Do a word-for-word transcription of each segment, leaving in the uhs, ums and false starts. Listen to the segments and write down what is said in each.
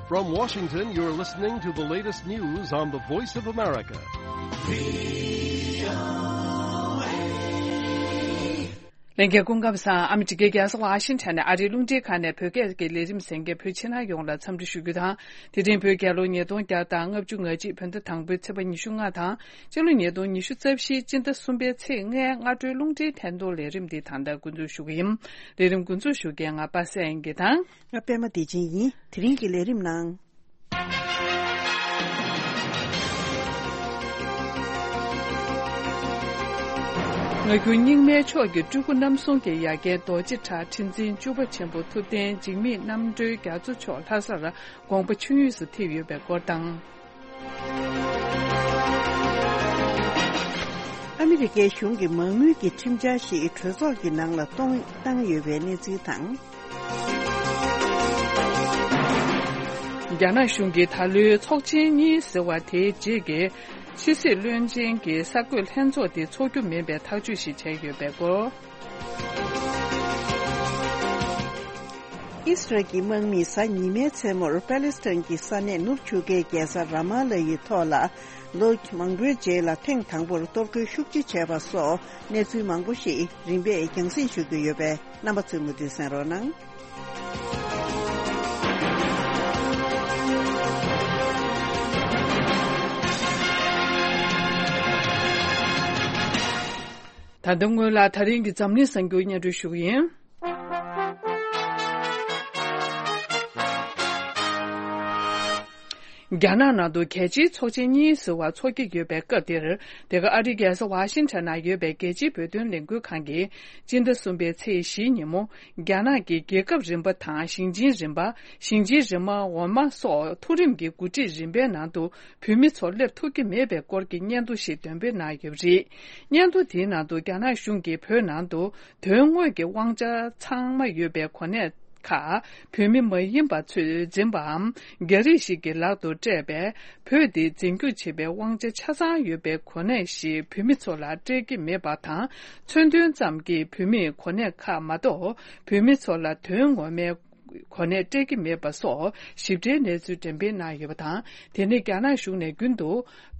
From Washington, you're listening to the latest news on the Voice of America. ལྷན་རྒྱས་སྐུ་ཁམས་བཟང་། ཨ་མི་རི་ཀའི་རྒྱལ་ས་ཝ་ཤིང་ཊོན་ནས་ཨ་རིའི་རླུང་འཕྲིན་ཁང་ནས་བོད་སྐད་ཀྱི་ལས་རིམ་གསན་མཁན་བོད་ཕྱི་ནང་ཡོངས་ལ་འཚམས་འདྲི་ཞུ་རྒྱུ་དང་། དེ་རིང་བོད་རྒྱལ་ལོ་ཉིས་སྟོང་བརྒྱ་དང་ལྔ་བཅུ་ང་གཅིག་བོད་ཟླ་དང་པོའི་ཚེས་པ་ཉི་ཤུ་ལྔ་དང་། སྤྱི་ལོ་ཉིས་སྟོང་ཉི་ཤུ་རྩ་བཞིའི་སྤྱི་ཟླ་གསུམ་པའི་ཚེས་ལྔའི་སྔ་དྲོའི་རླུང་འཕྲིན་ཐད་གཏོང་ལས་རིམ་འདི་ད་ལྟ་འགོ་འཛུགས་ཞུ་གི་ཡིན། ལས་རིམ་འགོ་འཛུགས་ཞུ་མཁན་ང་པ་སངས་དབྱངས་སྐྱིད་དང་། ང་པད་མ་བདེ་ཆེན་ཡིན། དེ་རིང་གི་ལས་རིམ་ནང་། ངག་རྒྱུན་རྙིང་མའི་ཕྱོགས་ཀྱི་སྤྲུལ་སྐུ་རྣམ་གསུམ་གྱི་ཡ་རྒན་རྡོ་རྗེ་གྲགས་ཁྲི་འཛིན་བཅུ་པ་ཆེན་པོ་ཐུབ་བསྟན་འཇིགས་མེད་རྣམ་གྲོལ་རྒྱ་མཚོ་མཆོག་ལྷ་སར་དགོངས་པ་ཆོས་དབྱིངས་སུ་ཐིམ་ཡོད་པའི་སྐོར་དང་། ཨ་མི་རི་ཀའི་གཞུང་གིས་མ་དངུལ་གྱི་ཁྲིམས་འཆར་ཞིག་གྲོས་ཚོགས་ཀྱི་ནང་ལ་གཏོང་བཏང་ཡོད་པའི་གནས་ཚུལ་དང་། རྒྱ་ནག་གཞུང་གིས་ད་ལོའི་ཚོགས་ཆེན་གཉིས་ཟེར་བ་དེའི་རྗེས་ཀྱི་ཕྱི་སྲིད་བློན་ཆེན་གྱི་གསར་འགོད་ལྷན་ཚོགས་དེ་འཚོགས་རྒྱུ་མིན་པའི་ཐག་གཅོད་ཞིག་བྱས་ཡོད་པའི་སྐོར། ཨིས་རལ་གྱི་དམག་མིས་གཟའ་ཉི་མའི་མཚན་མོར་པ་ལི་སི་ཐན་གྱི་ས་གནས་ནུབ་ཆུ་ཁའི་རྒྱལ་ས་ར་མ་ལ་ཡི་ཐོག་ལ་ལོ་མང་པོའི་རྗེས་ལ་ཐེངས་དང་པོར་གཏོར་རྒོལ་ཤུགས་ཆེ་བྱས་པ་སོགས་གནས་ཚུལ་མང་པོ་ཞིག་རིམ་པས་རྒྱང་སྲིང་ཞུ་རྒྱུ་ཡོད་པས། རྣམ་པ་ཚོས་མུ་མཐུད་གསན་རོགས་གནང་། ད་ལྟ་སྔོན་ལ་ད་རིང་གི་འཛམ་གླིང་གསར་འགྱུར་སྙན་སྒྲོན་ཞུ་གི་ཡིན། རྒྱ་ནག་ནང་དུ་རྒྱལ་སྤྱིའི་ཚོགས་ཆེན་གཉིས་ཟེར་བ་འཚོགས་ཀྱི་ཡོད་པའི་སྐབས་འདིར། དེ་ག་ཨ་རིའི་རྒྱལ་ས་ཝ་ཤིང་ཊོན་ནང་ཡོད་པའི་རྒྱལ་སྤྱིའི་བོད་དོན་ལས་འགུལ་ཁང་གིས་སྤྱི་ཟླ་གསུམ་པའི་ཚེས་བཞིའི་ཉིན་མོ། རྒྱ་ནག་གི་རྒྱལ་ཁབ་རིམ་པ་དང་ཞིང་ཆེན་རིམ་པ། ཞིང་ཆེན་རིམ་པ་འོག་མ་སོགས་མཐོ་རིམ་གྱི་འགོ་ཁྲིད་རིམ་པའི་ནང་དུ་བོད་མི་ཚོ་སླེབས་ཐུབ་ཀྱི་མེད་པའི་སྐོར་གྱི་སྙན་ཐོ་ཞིག་འདོན་སྤེལ་གནང་ཡོད་པ་རེད། སྙན་ཐོ་དེའི་ནང་དུ་རྒྱ་ནག་གཞུང་གིས་བོད་ནང་དུ་དོན་དངོས་ཀྱི་དབང་ཆ་ཚང་མ་ཡོད་པའི་གོ་གནས་ཁག་བོད་མི་མ་ཡིན་པ་ཚོས་འཛིན་པའམ་རྒྱ་རིགས་ཤིག་གི་ལག་ཏུ་སྤྲད་པས། བོད་འདི་འཛིན་སྐྱོང་བྱེད་པའི་དབང་ཆ་ཆ་ཚང་ཡོད་པའི་གོ་གནས་ཤིག་བོད་མི་ཚོ་ལ་སྤྲད་ཀྱི་མེད་པ་དང་། མཚོན་དོན་ཙམ་གྱིས་བོད་མིའི་གོ་གནས་ཁག་མ་གཏོགས། བོད་མི་ཚོ་ལ་དོན་ངོ་མའི་གོ་གནས་སྤྲད་ཀྱི་མེད་པ་སོགས་ཞིབ་ཕྲའི་གནས་ཚུལ་འགྲེམས་སྤེལ་གནང་ཡོད་པ་དང་། དེ་ནི་རྒྱ་ནག་གཞུང་ནས་རྒྱུན་དུ་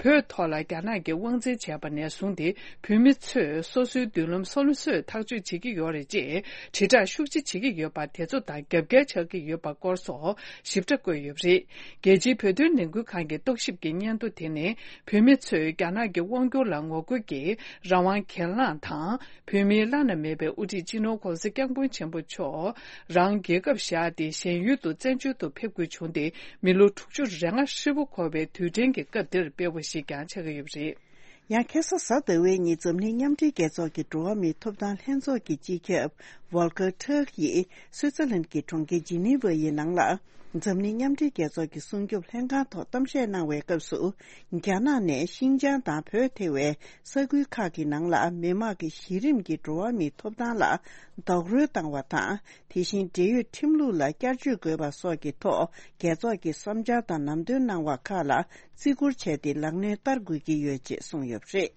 བོད་ཐོག་ལ་རྒྱ་ནག་གིས་དབང་འཛིན་བྱས་པ་ནས་བཟུང་སྟེ། བོད་མི་ཚོས་སོ་སོའི་མདུན་ལམ་སོ་སོས་ཐག་གཅོད་བྱེད་ཀྱི་ཡོད་རེད་ཅེས་དྲིལ་བསྒྲགས་ཤུགས་ཆེ་བྱེད་ཀྱི་ཡོད་པ་དེ་ཚོ་དང་རྒྱབ་འགལ་ཆགས་ཀྱི་ཡོད་པ་སྐོར་སོགས་ཞིབ་ཕྲ་བཀོད་ཡོད་པ་རེད། རྒྱལ་སྤྱིའི་བོད་དོན་ལས་འགུལ་ཁང་གི་རྟོག་ཞིབ་ཀྱི་སྙན་ཐོ་དེ་ནི། བོད་མི་ཚོས་རྒྱ་ནག་གི་དབང་སྒྱུར་ལ་ངོ་རྒོལ་གྱིས་རང་དབང་གྱེན་ལངས་དང་། བོད་མིའི་བླ་ན་མེད་པའི་དབུ་ཁྲིད་སྤྱི་ནོར་༸གོང་ས་༸སྐྱབས་མགོན་ཆེན་པོ་མཆོག་རང་རྒྱལ་ཁབ་བཞག་སྟེ་གཞན་ཡུལ་དུ་བཙན་བྱོལ་དུ་ཕེབས་དགོས་བྱུང་སྟེ། མི་ལོ་དྲུག་ཅུ་རེ་ལྔ་ཧྲིལ་པོ་འཁོར་བའི་དུས་དྲན་གྱི་སྐབས་འདིར་སྤེལ་བ་ཞིག་ཀྱང་ཆགས་ཀྱི་ཡོད་པ་རེད། ཡང་ཁ་སང་གཟའ་ཟླ་བའི་ཉིན་འཛམ་གླིང་མཉམ་འབྲེལ་རྒྱལ་ཚོགས་ཀྱི་འགྲོ་བ་མིའི་ཐོབ་ཐང་ལྷན་ཚོགས་ཀྱི་སྤྱི་ཁྱབ་ཝོལ་ཀར་ཊརཀ་ཡིས་སུའི་ཙར་ལན་གྱི་གྲོང་ཁྱེར་ཇི་ནི་ཝ་ཡི་ནང་ལ། འཛམ་གླིང་མཉམ་འབྲེལ་རྒྱལ་ཚོགས་ཀྱི་སྲུང་སྐྱོབ་ལྷན་ཁང་ཐོག་གཏམ་བཤད་གནང་བའི་སྐབས་སུ། རྒྱ་ནག་ནས་ཤིན་ཅང་དང་བོད་ཐེ་བའི་ས་ཁུལ་ཁག་གི་ནང་ལ་མི་དམངས་ཀྱི་གཞི་རིམ་གྱི་འགྲོ་བ་མིའི་ཐོབ་ཐང་ལ་རྡོག་རོལ་བཏང་བ་དང་། དེ་བཞིན་འབྲེལ་ཡོད་ཁྲིམས་ལུགས་ལ་བསྐྱར་བཅོས་དགོས་པ་སོགས་ཀྱི་ཐོག་རྒྱལ་ཚོགས་ཀྱི་བསམ་འཆར་དང་ལམ་སྟོན་གནང་བ་ཁག་ལ་བརྩི་བཀུར་བྱས་ཏེ་ལག་ལེན་བསྟར་དགོས་ཀྱི་ཡོད་ཅེས་གསུངས་ཡོད་པ་རེད།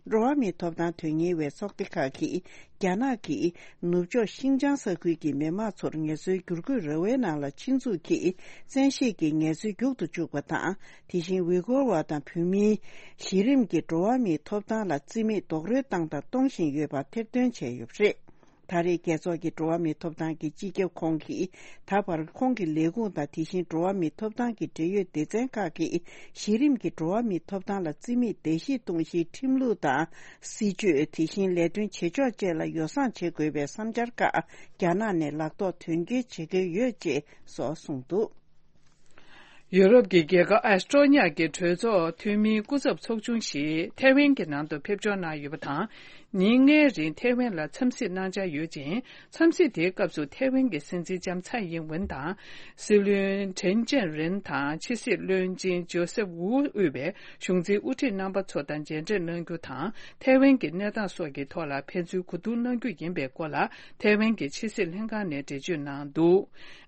འགྲོ་བ་མིའི་ཐོབ་ཐང་དོན་གཉེར་བའི་ཚོགས་སྡེ་ཁག་གིས་རྒྱ་ནག་གིས་ནུབ་ཕྱོགས་ཤིན་ཅང་ས་ཁུལ་གྱི་མི་དམངས་ཚོར་ངལ་རྩོལ་བསྒྱུར་བཀོད་ར་བའི་ནང་ལ་ཆེད་འཛུགས་ཀྱིས་བཙན་ཤེད་ཀྱིས་ངལ་རྩོལ་རྒྱུག་ཏུ་བཅུག་པ་དང་། དེ་བཞིན་ཝི་གོར་བ་དང་བོད་མིའི་གཞི་རིམ་གྱི་འགྲོ་བ་མིའི་ཐོབ་ཐང་ལ་བརྩི་མེད་རྡོག་རོལ་བཏང་དང་གཏོང་བཞིན་ཡོད་པ་ཐེར་འདོན་བྱས་ཡོད་པ་རེད། ད་རེས་རྒྱལ་ཚོགས་ཀྱི་འགྲོ་བ་མིའི་ཐོབ་ཐང་གི་སྤྱི་ཁྱབ་ཁོང་གིས་ད་བར་ཁོང་གི་ལས་ཁུངས་དང་དེ་བཞིན་འགྲོ་བ་མིའི་ཐོབ་ཐང་གི་འབྲེལ་ཡོད་སྡེ་ཚན་ཁག་གིས་གཞི་རིམ་གྱི་འགྲོ་བ་མིའི་ཐོབ་ཐང་ལ་བརྩི་མེད་བརྡལ་བཤིག་གཏོང་གཞིའི་ཁྲིམས་ལུགས་དང་སྲིད་ཇུས། དེ་བཞིན་ལས་དོན་བྱེད་ཕྱོགས་བཅས་ལ་ཡོ་བསྲང་བྱེད་དགོས་པའི་བསམ་འཆར་ཁག་རྒྱ་ནག་ནས་ལག་ཐོག་དོན་འཁྱོལ་བྱེད་ཀྱི་ཡོད་ཅེས་སོགས་གསུངས་འདུག། ཡུ་རོབ་ཀྱི་རྒྱལ་ཁབ་ཨེ་སི་ཀྲོ་ནི་ཡ་གི་གྲོས་ཚོགས་འཐུས་མིའི་སྐུ་ཚབ་ཚོགས་ཆུང་ཞིག་ཐའེ་ཝན་གྱི་ནང་དུ་ཕེབས་འབྱོར་གནང་ཡོད་པ་དང་། ཉིན་ལྔའི་རིང་ཐའེ་ཝན་ལ་འཚམས་གཟིགས་གནང་འཆར་ཡོད་ཅིང་། འཚམས་གཟིགས་དེའི་སྐབས་སུ་ཐའེ་ཝན་གྱི་སྲིད་འཛིན་ལྕམ་ཚའེ་ཡིན་ཝུན་དང་། སྲིད་བློན་ཁྲེན་ཅན་རིན་དང་ཕྱི་སྲིད་བློན་ཆེན་ཇོ་སེབ་ཝུ་དབུས་པའི་གཞུང་འཛིན་དབུ་ཁྲིད་རྣམ་པ་ཚོ་དང་མཇལ་འཕྲད་གནང་རྒྱུ་དང་། ཐའེ་ཝན་གྱི་གནས་སྟངས་སོགས་ཀྱི་ཐོག་ལ་ཕན་ཚུན་གོ་བསྡུར་གནང་རྒྱུ་ཡིན་པའི་སྐོར་ལ་ཐའེ་ཝན་གྱི་ཕྱི་སྲིད་ལྷན་ཁང་ནས་འགྲེལ་བརྗོད་གནང་འདུག།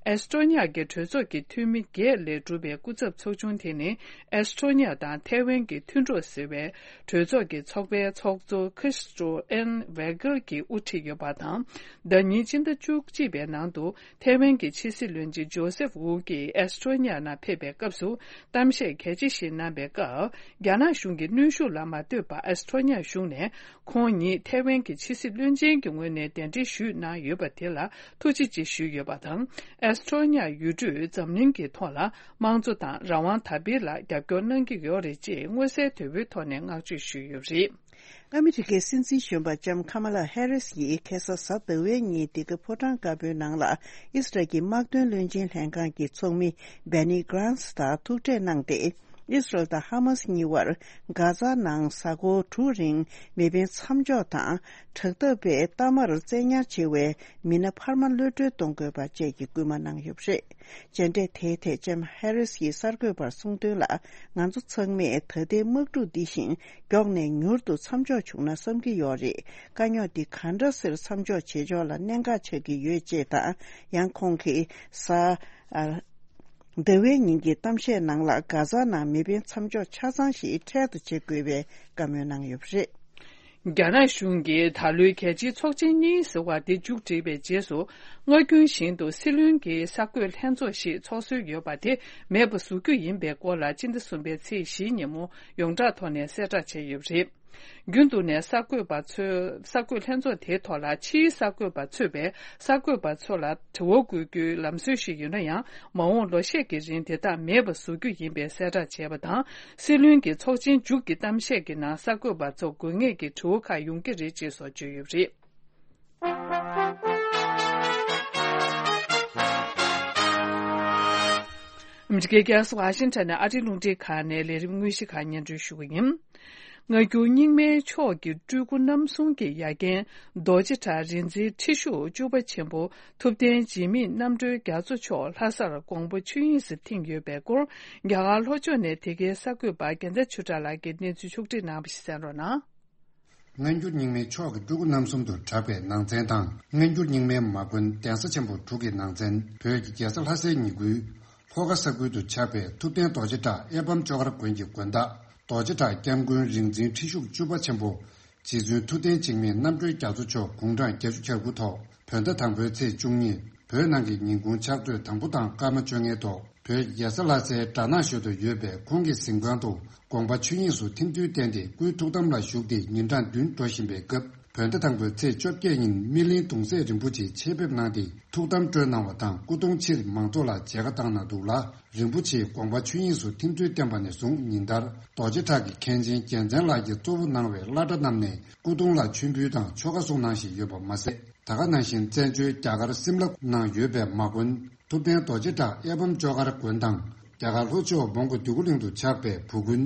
ཨེ་སི་ཊོ་ནི་ཡ་གི་གྲོས་ཚོགས་ཀྱི་འཐུས་མི་བརྒྱད་ལས་གྲུབ་པའི་སྐུ་ཚབ་ཚོགས་ཆུང་དེ་ནི། ཨེ་སི་ཊོ་ནི་ཡ་དང་ཐའེ་ཝན་གྱི་མཐུན་གྲོགས་ཟེར་བའི་གྲོས་ཚོགས་ཀྱི་ཚོགས་པའི་ཚོགས་གཙོ་ཁི་སི་ཏྲོ་ཨན་ཝེ་གྷལ་གྱིས་དབུ་ཁྲིད་ཡོད་པ་དང་། ཟླ་ཉིན་སྤྱི་ཟླ་བཅུ་གཅིག་པའི་ནང་དུ། ཐའེ་ཝན་གྱི་ཕྱི་སྲིད་བློན་ཆེན་ཇོ་སེབ་ཝུ་གྱིས་ཨེ་སི་ཊོ་ནི་ཡ་ནང་ཕེབས་པའི་སྐབས་སུ། གཏམ་བཤད་གལ་ཆེ་ཞིག་གནང་པའི་སྐབས། རྒྱ་ནག་གཞུང་གི་གནོན་ཤུགས་ལ་མ་ལྟོས་པར་ཨེ་སི་ཊོ་ནི་ཡ་གཞུང་ནས། ཁོང་ཉིད་ཐའེ་ཝན་གྱི་ཕྱི་སྲིད་བློན་ཆེན་གྱི་ངོས་ནས་གདན་འདྲེན་ཞུས་གནང་ཡོད་པ་དེ་ལ་ཐུགས་རྗེ་ཆེ་ཞུས་ཡོད་པ་དང་། ཨེ་སི་ཊོ་ནི་ཡ་ཡུལ་གྲུས་འཛམ་གླིང་གི་ཐོག་ལ་དམངས་གཙོ་དང་རང་དབང་དར་སྤེལ་ལ་རྒྱབ་སྐྱོར་གནང་གི་ཡོད་རེད་ཅེས་མངོན་གསལ་དོད་པོའི་ཐོག་ནས་བསྔགས་བརྗོད་ཞུས་ཡོད་པ་རེད། ཨ་མི་རི་ཀའི་སྲིད་འཛིན་གཞོན་པ་ལྕམ་ཁ་མ་ལ་ཧེ་རིས་ཡིས་ཁ་སང་གཟའ་ཟླ་བའི་ཉིན་འདི་ག་ཕོ་བྲང་དཀར་པོའི་ནང་ལ་ཨིས་རལ་གྱི་དམག་དོན་བློན་ཆེན་ལྷན་ཁང་གི་ཚོགས་མི་བྷེ་ནི་གྷ་རན་སི་དང་ཐུག་འཕྲད་གནང་སྟེ། ཨིས་རལ་དང་ཧ་མ་སི་གཉིས་བར་གྷ་ཛ་ནང་གཟའ་འཁོར་དྲུག་རིང་མེ་འཕེན་མཚམས་འཇོག་དང་། དྲག་འཐབ་པའི་གཏའ་མར་བཙན་ཉར་བྱེད་པའི་མི་སྣ་འཕར་མ་གློད་གྲོལ་གཏོང་དགོས་པ་བཅས་ཀྱི་སྐུལ་མ་གནང་ཡོད་པ་རེད། མཇལ་འཕྲད་དེའི་ཐད་ལྕམ་ཧེ་རིས་ཡིས་གསར་འགོད་པར་གསུངས་དོན་ལ། ང་ཚོ་ཚང་མས་ད་ལྟའི་དམག་འཁྲུག་འདི་བཞིན་མགྱོགས་ནས་མྱུར་དུ་མཚམས་འཇོག་བྱུང་ན་བསམ་གྱི་ཡོད་རེད། དཀའ་རྙོག་འདི་ག་འདྲ་སེ་མཚམས་འཇོག་བྱེད་ཕྱོགས་ལ་གནད་འགག་ཆགས་ཀྱི་ཡོད་ཅེས་དང་། ཡང་ཁོང་གིས་གཟའ་ཟླ་བའི་ཉིན་གྱི་གཏམ་བཤད་ནང་ལ་གྷ་ཛ་ནང་མེ་འཕེན་མཚམས་འཇོག་ཆ་ཚང་ཞིག་འཕྲལ་དུ་བྱེད་དགོས་པའི་བཀའ་མོལ་གནང་ཡོད་པ་རེད། རྒྱ་ནག་གཞུང་གིས་ད་ལོའི་རྒྱལ་སྤྱིའི་ཚོགས་ཆེན་གཉིས་ཟེར་བ་དེ་མཇུག་བསྒྲིལ་བའི་རྗེས་སུ། སྔ་རྒྱུན་བཞིན་དུ་སྲིད་བློན་གྱི་གསར་འགོད་ལྷན་ཚོགས་ཤིག་ཚོགས་སྲོལ་ཡོད་པ་དེ་མེད་པ་བཟོ་རྒྱུ་ཡིན་པའི་སྐོར་ལ་སྤྱི་ཟླ་གསུམ་པའི་ཚེས་བཞིའི་ཉིན་མོ་ཡོངས་གྲགས་ཐོག་ནས་གསལ་བསྒྲགས་བྱས་ཡོད་པ་རེད། རྒྱུན་དུ་ནས་གསར་འགོད་པ་ཚོས་གསར་འགོད་ལྷན་ཚོགས་དེའི་ཐོག་ལ་ཕྱིའི་གསར་འགོད་པ་ཚོས་པའི་གསར་འགོད་པ་ཚོ་ལ་དྲི་བ་འགོད་རྒྱུའི་ལམ་སྲོལ་ཞིག་ཡོད་ན་ཡང་། མ་འོངས་ལོ་ཤས་ཀྱི་རིང་དེ་དག་མེད་པ་བཟོ་རྒྱུ་ཡིན་པའི་གསལ་བསྒྲགས་བྱས་པ་དང་། སྲིད་བློན་གྱི་ཚོགས་ཆེན་མཇུག་གི་གཏམ་བཤད་ཀྱི་ནང་གསར་འགོད་པ་ཚོ་དགོས་ངེས་ཀྱི་དྲི་བ་ཁག་ཡོང་གི་རེད་ཅེས་སོགས་བརྗོད་ཡོད་པ་རེད། ཨ་མི་རི་ཀའི་རྒྱལ་ས་ཝ་ཤིང་ཊོན་ནས་ཨ་རིའི་རླུང་འཕྲིན་ཁང་ནས་ལས་རིམ་དངོས་གཞི་ཁག་སྙན་སྒྲོན་ཞུ་གི་ཡིན། སྔ་འགྱུར་རྙིང་མའི་ཕྱོགས་ཀྱི་སྤྲུལ་སྐུ་རྣམ་གསུམ་གྱི་ཡ་རྒན་རྡོ་རྗེ་གྲགས་རིག་འཛིན་ཁྲི་ཤོག་བཅུ་པ་ཆེན་པོ་ཐུབ་བསྟན་འཇིགས་མེད་རྣམ་གྲོལ་རྒྱ་མཚོ་མཆོག་ལྷ་སར་དགོངས་པ་ཆོས་དབྱིངས་སུ་ཐིམ་ཡོད་པའི་སྐོར། རྒྱ་གར་ལྷོ་ཕྱོགས་ནས་དེ་གའི་གསར་འགོད་པ་རྒྱལ་མཚན་ཆོས་གྲགས་ལགས་ཀྱིས་གནས་ཚུལ་ཕྱོགས་བསྒྲིགས་གནང་བ་ཞིག་གསན་རོགས་གནང་། སྔ་འགྱུར་རྙིང་མའི་ཕྱོགས་ཀྱི་སྤྲུལ་སྐུ་རྣམ་གསུམ་དུ་གྲགས་པའི་ནང་ཚན་དང་། སྔ་འགྱུར་རྙིང་མའི་མ་དགོན་གདན་ས་ཆེན་པོ་དྲུག་གི་ནང་ཚན། བོད་ཀྱི་རྒྱལ་ས་ལྷ་སའི་ཉེ་ཁུལ་ལྷོ་ཁ་ས་ཁུལ་དུ་ཆགས་པའི་ཐུབ་བསྟན་རྡོ་རྗེ་གྲགས་གཡའ་སྤམ་ལྕོག་མཁར་དགོན་གྱི་དགོན་བདག་རྡོ་རྗེ་གྲགས་སྐྱབས་མགོན་རིག་འཛིན་ཁྲི་ཤོག་བཅུ་པ་ཆེན་པོ། རྗེ་བཙུན་ཐུབ་བསྟན་འཇིགས་མེད་རྣམ་གྲོལ་རྒྱ་མཚོ་མཆོག་དགུང་གྲངས་བརྒྱད་ཅུ་གྱ་དགུ་ཐོག་བོད་ཟླ་དང་པོའི་ཚེས་བཅུ་གཉིས། བོད་ནང་གི་ཉིན་གུང་ཕྱག་ཚོད་དང་པོ་དང་སྐར་མ་བཅོ་ལྔའི་ཐོག་བོད་ཀྱི་རྒྱལ་ས་ལྷ་སའི་སྦྲ་ནག་ཞོལ་དུ་ཡོད་པའི་ཁོང་གི་གཟིམ་ཁང་དུ་དགོངས་པ་ཆོས་དབྱིངས་སུ་ཐིམ་ཚུལ་བསྟན་ཏེ་སྐུའི་ཐུགས་དམ་ལ་བཞུགས་ཏེ་ཉིན་གྲངས་བདུན་འགྲོ་བཞིན་པའི་སྐབས། བོད་ཟླ་དང་པོའི་ཚེས་བཅོ་བརྒྱད་ཉིན་སྨིན་གླིང་གདུང་སྲས་རིན་པོ་ཆེ་ཆེད་ཕེབས་གནང་སྟེ་ཐུགས་དམ་སྤྲོ་གནང་བ་དང་། སྐུ་གདུང་ཕྱིར་མང་ཚོགས་ལ་མཇལ་ཁ་བཏང་གནང་འདུག་ལ། རིན་པོ་ཆེས་དགོངས་པ་ཆོས་དབྱིངས་སུ་ཐིམ་ཚུལ་བསྟན་པ་ནས་བཟུང་ཉིན་ལྟར་རྡོ་རྗེ་གྲགས་ཀྱི་མཁན་ཆེན་རྒྱལ་མཚན་ལགས་ཀྱིས་གཙོ་བོ་གནང་བའི་བླ་གྲྭ་རྣམས་ནས་སྐུ་གདུང་ལ་མཆོད་འབུལ་དང་ཆོ་ག་གསུང་གནང་བཞིན་ཡོད་པ་མ་ཟད། ད་ག་ནང་བཞིན་བཙན་བྱོལ་རྒྱ་གར་སིམ་ལ་ནང་ཡོད་པའི་མ་དགོན་ཐུབ་བསྟན་རྡོ་རྗེ་གྲགས་གཡའ་སྤམ་ལྕོག་མཁར་དགོན་དང་། རྒྱ་གར་ལྷོ་ཕྱོགས་མོན་གྷོ་འདོད་རྒུ་གླིང་དུ་ཆགས་པའི་བུ་དགོན་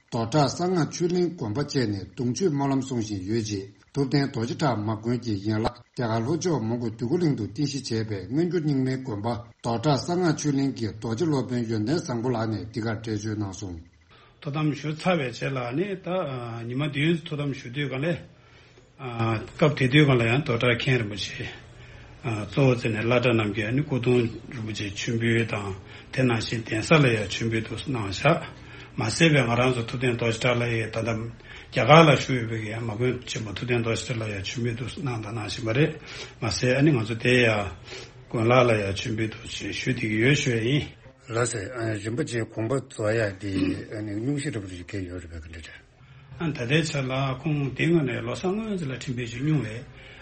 རྡོ་བྲག་གསང་སྔགས་ཆོས་གླིང་དགོན་པ་བཅས་ནས་གདུང་མཆོད་སྨོན་ལམ་གསུང་བཞིན་ཡོད་རྗེས། ཐུབ་བསྟན་རྡོ་རྗེ་གྲགས་མ་དགོན་གྱི་ཡན་ལག་རྒྱ་གར་ལྷོ་ཕྱོགས་མོན་གྷོ་འདོད་རྒུ་གླིང་དུ་རྟེན་གཞི་བྱས་པའི་སྔ་འགྱུར་རྙིང་མའི་དགོན་པ་རྡོ་བྲག་གསང་སྔགས་ཆོས་གླིང་གི་རྡོ་རྗེ་སློབ་དཔོན་ཡོན་ཏན་བཟང་པོ་ལགས་ནས་འདི་གར་འགྲེལ་བརྗོད་གནང་སོང་། ཐུགས་དམ་ཞུ་ཚར་བའི་རྗེས་ལ་ནི་ད་ཉི་མ་བདུན་ཐུགས་དམ་ཞུ་དུས་ག་ལེ། སྐབས་དེ་དུས་ག་ལ་ཡང་རྡོ་གྲགས་མཁན་རིན་པོ་ཆེ་གཙོ་བོ་བྱས་ནས་བླ་གྲྭ་རྣམས་ཀྱིས་ནི་སྐུ་གདུང་རིན་པོ་ཆེ་མཆོད་འབུལ་དང་། དེ་ནང་བཞིན་གདན་ས་ལ་ཡང་མཆོད་འབུལ་དུ་གནང་བཞག་མ་ཟད་པའི་ང་རང་ཚོ་ཐུབ་བསྟན་རྡོ་རྗེ་གྲགས་ལགས་ཡིས་ད་ལྟ་རྒྱ་གར་ལ་བཞུགས་ཡོད་པའི་ཡང་མ་དགོན་ཆེན་མོ་ཐུབ་བསྟན་རྡོ་རྗེ་གྲགས་ལ་ཡང་མཆོད་འབུལ་དུ་གནང་དང་གནང་བཞིན་པ་རེད། མ་ཟད་ཨ་ནི་ང་ཚོ་དེ་ཡང་དགོན་ལག་ལ་ཡང་མཆོད་འབུལ་དུ་ཞུ་བསྡད་ཀྱི་ཡོད་ཞུ་ཡ་ཡིན། ལགས་སེ། ཨ། རིན་པོ་ཆེའི་དགོངས་པ་རྫོགས་ཡ་དེ་ཨ་ནི་སྙུང་གཞི་འདྲ་པོ་ཞིག་འཁེལ་ཡོད་རེད་པས། ག་འདྲ་རེད། ཨ། ད་ལྟའི་ཆར་ལ་ཁོང་དེ་སྔོན་ནས་ལོ་གསར་སྔོན་ཚེ་ལ་ཁྲིམས་དཔོན་ཞིག་སྙུང་བའི།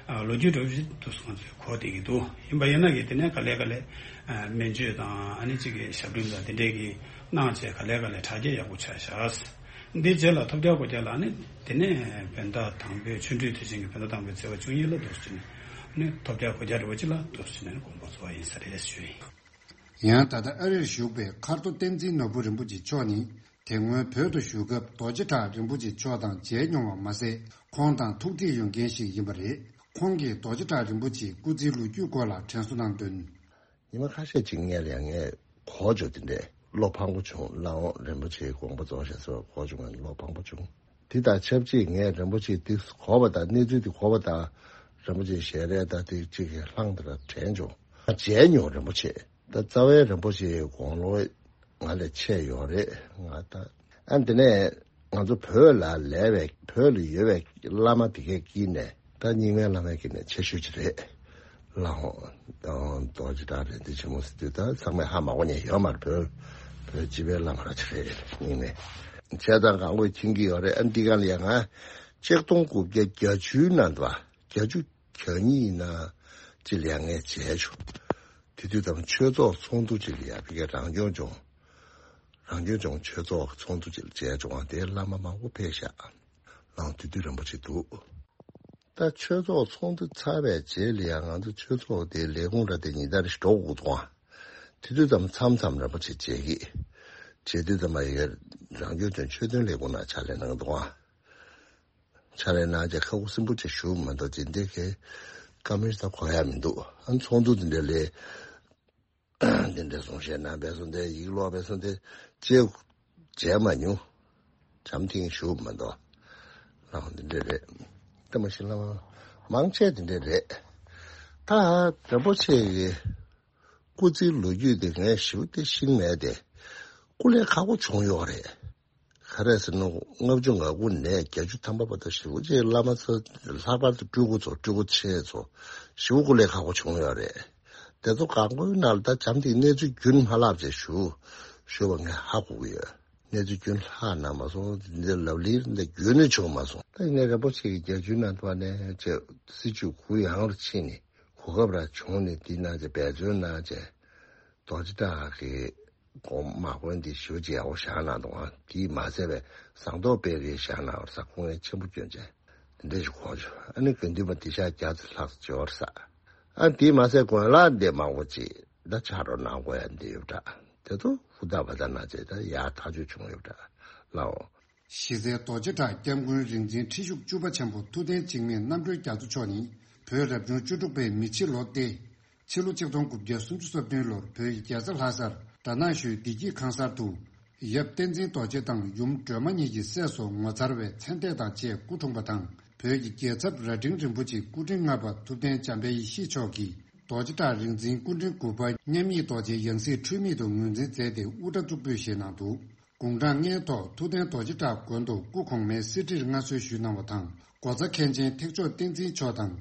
ཨ། ལོ་རྒྱུས་འདྲ་པོ་ཞིག་ཏུ་སོང་ཚེ་གོ་བསྡད་ཀྱི་འདུག་ཡིན་པ་ཡིན་ན་གི་དེ་ནས་ག་ལེ་ག་ལེ། ཨ། སྨན་བཅོས་དང་ཨ་ནི་གཅིག་གི་ཞབས་འདྲེན་དང་དེ་འདྲས་ཀྱི་གནང་བྱས་ག་ལེ་ག་ལེ་དྲག་སྐྱེད་ཡག་པོ་ཆགས་ཤག་འདི་རྗེས་ལ་ཐོབ་རྒྱལ་གོ་རྒྱལ་ལ་ཨ་ནི་དེ་ནས་བོད་ཟླ་དང་པོའི་ཆོ་འཕྲུལ་དུས་ཆེན་གྱི་བོད་ཟླ་དང་པོའི་ཚེས་པ་བཅུ་གཉིས་ལ་འདུག་སེ་བྱས་ནས་ཨ་ནི་ཐོབ་རྒྱལ་གོ་རྒྱལ་འདྲ་པོ་ཅིག་ལ་འདུག་སེ་བྱས་ནས་དགོངས་པ་རྫོགས་པ་ཡིན་ས་རེད་ཞུ་ཡིན། ཡང་ད་ལྟ་ཨ་རིར་བཞུགས་པའི་མཁར་རྡོ་བསྟན་འཛིན་ནོར་བུ་རིན་པོ་ཆེ་མཆོག་ནི། དེ་སྔོན་བོད་དུ་བཞུགས་སྐབས་རྡོ་རྗེ་གྲགས་རིན་པོ་ཆེ་མཆོག་དང་མཇལ་མྱོང་བ་མ་ཟད། ཁོང་དང་ཐུག་འཕྲད་ཡོད་མཁན་ཞིག་ཡིན་པ་རེད། ཁོང་གིས་རྡོ་རྗེ་གྲགས་རིན་པོ་ཆེའི་སྐུ་ཚེའི་ལོ་རྒྱུས་སྐོར་ལ་དྲན་གསོ་གནང་དོན། ཉི་མ་ཁ་ཤས་ཅིག་སྔོན་ལ་ཡང་ངས་གོ་བྱུང་། དེ་འདྲའི་བློ་ཕངས་པོ་བྱུང་། ལགས་འོང་། རིན་པོ་ཆེའི་དགོངས་པ་རྫོགས་ཤག་ཟེར་བ་གོ་བྱུང་། ང་བློ་ཕངས་པོ་བྱུང་། དེ་དང་ཆབས་ཅིག་ངས་རིན་པོ་ཆེ་དེ་གོ་བ་དང་གནས་ཚུལ་དེ་གོ་བ་དང་། རིན་པོ་ཆེའི་ཞལ་རས་དང་དེ་གཅིག་གི་ལྷང་དེ་ར་དྲན་བྱུང་། མཇལ་མྱོང་། རིན་པོ་ཆེ་ ད་རྩ་བའི་རིན་པོ་ཆེའི་དགུང་ལོ་ང་ལས་ཆེ་ཡོད་རེད། ང་ད་ཨ་འདི་ནས་ང་ཚོ་བོད་ལ་ལས་པའི་བོད་ལ་ཡོད་པའི་བླ་མ་དེ་གས་དཀྱིལ་ནས་ད་རྙིང་མའི་བླ་མའི་དཀྱིལ་ནས་ཆེ་ཤོས་ཅིག་རེད། ལ་ཧོ། རྡོ་རྗེ་བྲག་རིག་འཛིན་ཆེན་མོ་ཟེར་དུས་ད་ཚང་མས་ཧ་མ་གོ་མཁན་ཡོད་མ་རེད། བོད་བོད་སྤྱི་པའི་བླ་མ་ར་ཅིག་རེད། རྙིང་མའི་བྱས་ཙང་གང་དགོས་མཁྱེན་གྱི་ཡོད་རེད། ཨ་འདི་ག་ལ་ཡ་ང་ཆིག་སྟོང་དགུ་བརྒྱ་བརྒྱད་ཅུའི་ནང་དུ་བ་བརྒྱད་ཅུ་གྱ་གཉིས་ན་ཅི་ལས་ངས་མཇལ་བྱུང་། དེ་དུས་དམ་ཆོས་ཚོགས་ཚོགས་འདུ་ཅིག་ལ་ཡ་ཕ་གིའི་རང་སྐྱོང་ལྗོངས་རང་སྐྱོང་ལྗོངས་ཆོས་ཚོགས་ཚོགས་འདུ་ཅིག་ལ་མཇལ་བྱུང་བ་དེ་བླ་མ་མང་པོ་ཕེབས་ཤག་ལའང་དེ་དུས་རིན་པོ་ཆེ་འདུག་ད་ཆོས་ཚོགས་ཚོགས་འདུ་ཚར་བའི་རྗེས་ལ་ཡང་ང་ཚོ་ཆོས་ཚོགས་དེ་ལས་ཁུངས་ར་དེ་ཉིན་ལྟར་ཞིག་འགྲོ་དགོས་འདུག་ཨ། དེ་དུས་ཙམ་མཚམས་མཚམས་རིན་པོ་ཆེ་མཇལ་གི། མཇལ་དུས་ཙམ་པ་ཡི་རང་སྐྱོང་ལྗོངས་ཆོས་དོན་ལས་ཁུངས་ནང་ཕྱག་ལས་གནང་འདུག་ཨ། ཕྱག་ལས་གནང་རྗེས་ཁ་ཁུ་སིམ་པོ་ཅིག་བཞུགས་མ་གཏོགས་ཇི་འདྲའི་གི་བཀའ་མོལ་ད་གོ་ཡ་མི་འདུག་ཨ། ཚོགས་འདུ་དེ་འདྲ་ལས། འདི་འདྲ་གསུང་བཤད་གནང་བས་སོང་སྟེ་ཡིག་ཀློག་བས་སོང་སྟེ་ཅེས་མཇལ་མ་མྱོང་། བྱམས་ཐིང་ཞུ་མ་གཏོགས། ལགས་འདི་འདྲ་རེད། ལྟ་མ་ཤི་ལ་མང་ཆེ་འདི་འདྲ་རེད། ད་རིན་པོ་ཆེ་གི་སྐུ་ཚེའི་ལོ་རྒྱུས་དེ་ངས་ཞིབ་ཏེ་ཤེས་མེད་དེ། སྐུ་ལས་ཁག་པོ་བྱུང་ཡོད་རེད། ག་རེ་ཟེར་ན་ལྔ་བཅུ་ང་དགུ་ནས་བརྒྱད་ཅུ་ཐམ་པ་བར་དུ་ཞེ་པོ་ཅིག་བླ་མ་ཚོ་ལྷག་པར་དུ་སྤྲུལ་སྐུ་ཚོ་སྤྲུལ་སྐུ་ཆེ་ཚོ་ཞེ་པོ་སྐུ་ལས་ཁག་པོ་བྱུང་ཡོད་རེད། དེ་ཚོ་གང་པོའི་ནང་ལ་ད་བྱམས་ཐིང་གནས་ཚུལ་རྒྱུན་མ་བརླག་ཅེས་ཞུ་ཞུ་བ་ངས་ཧ་གོ་གི་ཡོད། གནས་ཚུལ་རྒྱུན་ལྷག་ན་མ་སོང་འདི་ལབ་གླེང་འདི་རྒྱུན་ནས་བྱུང་མ་སོང་། ད་ཡིན་ནའི་རིན་པོ་ཆེ་གི་བརྒྱད་ཅུའི་ནང་དུ་བ་ནས་ཅེས་སྲིད་བྱུས་གུ་ཡངས་རུ་ཕྱིན་ནས་གོ་སྐབས་ར་བྱུང་ནས་འདི་གནང་ཅེས་འབད་བརྩོན་གནང་ཅེས་རྡོ་རྗེ་བྲག་གི་དགོངས་དམག་དཔོན་འདི་ཞེ་པོ་ཅིག་ཡག་པོ་བཞག་གནང་འདུག་ཨ། དེས་མ་ཟད་པའི་ཟངས་མདོག་དཔལ་གྱིས་བཞག་གནང་བར་ས་ཁོང་ངས་ཆེན་པོ་སྐྱོན་ཅན་འདི་འདྲ་ཞིག་གོ་བྱུང་། ཨ་ནི་དགེ་འདུན་པ་འདི་ཤག་བརྒྱ་ཙམ་ལྷག་འབྱོར་ས། ཨ་དེས་མ་ཟད་དགོན་ལག་འདི་མང་པོ་ཅིག་ད་ཕྱག་རོགས་གནང་དགོས་ཡ་འདི་ཡོད་འདྲ། དེ་ཚོ་ཧུར་ཐག་བ་ད་གནང་བྱས་ད་ཡག་ཐག་ཆོད་བྱུང་ཡོད་འདྲ་ལའོ། གཞི་རྩའི་རྡོ་རྗེ་བྲག་སྐྱབས་མགོན་རིག་འཛིན་ཁྲི་བཞུགས་བཅུ་པ་ཆེན་པོ་ཐུབ་བསྟན་འཇིགས་མེད་རྣམ་གྲོལ་རྒྱ་མཚོ་མཆོག་ནི་བོད་རབ་བྱུང་བཅུ་དྲུག་པའི་མེ་བྱི་ལོ་སྟེ། ཕྱི་ལོ་ཆིག་སྟོང་དགུ་བརྒྱ་སུམ་ཅུ་སོ་བདུན་ལོར་བོད་ཀྱི་རྒྱལ་ས་ལྷ་སར་གྲ་ནང་ཞུའི་བདེ་སྐྱིད་ཁང་གསར་དུ། ཡབ་བསྟན་འཛིན་རྡོ་རྗེ་དང་ཡུམ་སྒྲོལ་མ་གཉིས་ཀྱི་སྲས་སུ་ངོ་མཚར་བའི་མཚན་ལྟས་དང་བཅས་སྐུ་འཁྲུངས་པ་དང་། བོད་ཀྱི་རྒྱལ་ཚབ་རྭ་སྒྲེང་རིན་པོ་ཆེ་སྐུ་ཕྲེང་ལྔ་པ་ཐུབ་བསྟན་འཇམ་དཔལ་ཡེ་ཤེས་མཆོག་གིས་རྡོ་རྗེ་བྲག་རིག་འཛིན་སྐུ་ཕྲེང་དགུ་པ་མཉམ་ཉིད་རྡོ་རྗེ་ཡང་སྲིད་འཁྲུལ་མེད་དུ་ངོས་འཛིན་མཛད་དེ་དབུ་སྐྲ་གཙུག་ཕུད་བཞེས་གནང་འདུག་དགུང་གྲངས་ལྔའི་ཐོག་ཐུབ་བསྟན་རྡོ་རྗེ་བྲག་དགོན་དུ་སྐུ་གོང་མའི་གསེར་ཁྲིར་མངའ་གསོལ་ཞུས་གནང་བ་དང་། སྒོ་རྩ་མཁན་ཆེན་ཐེག་མཆོག་བསྟན་འཛིན་མཆོག་དང་།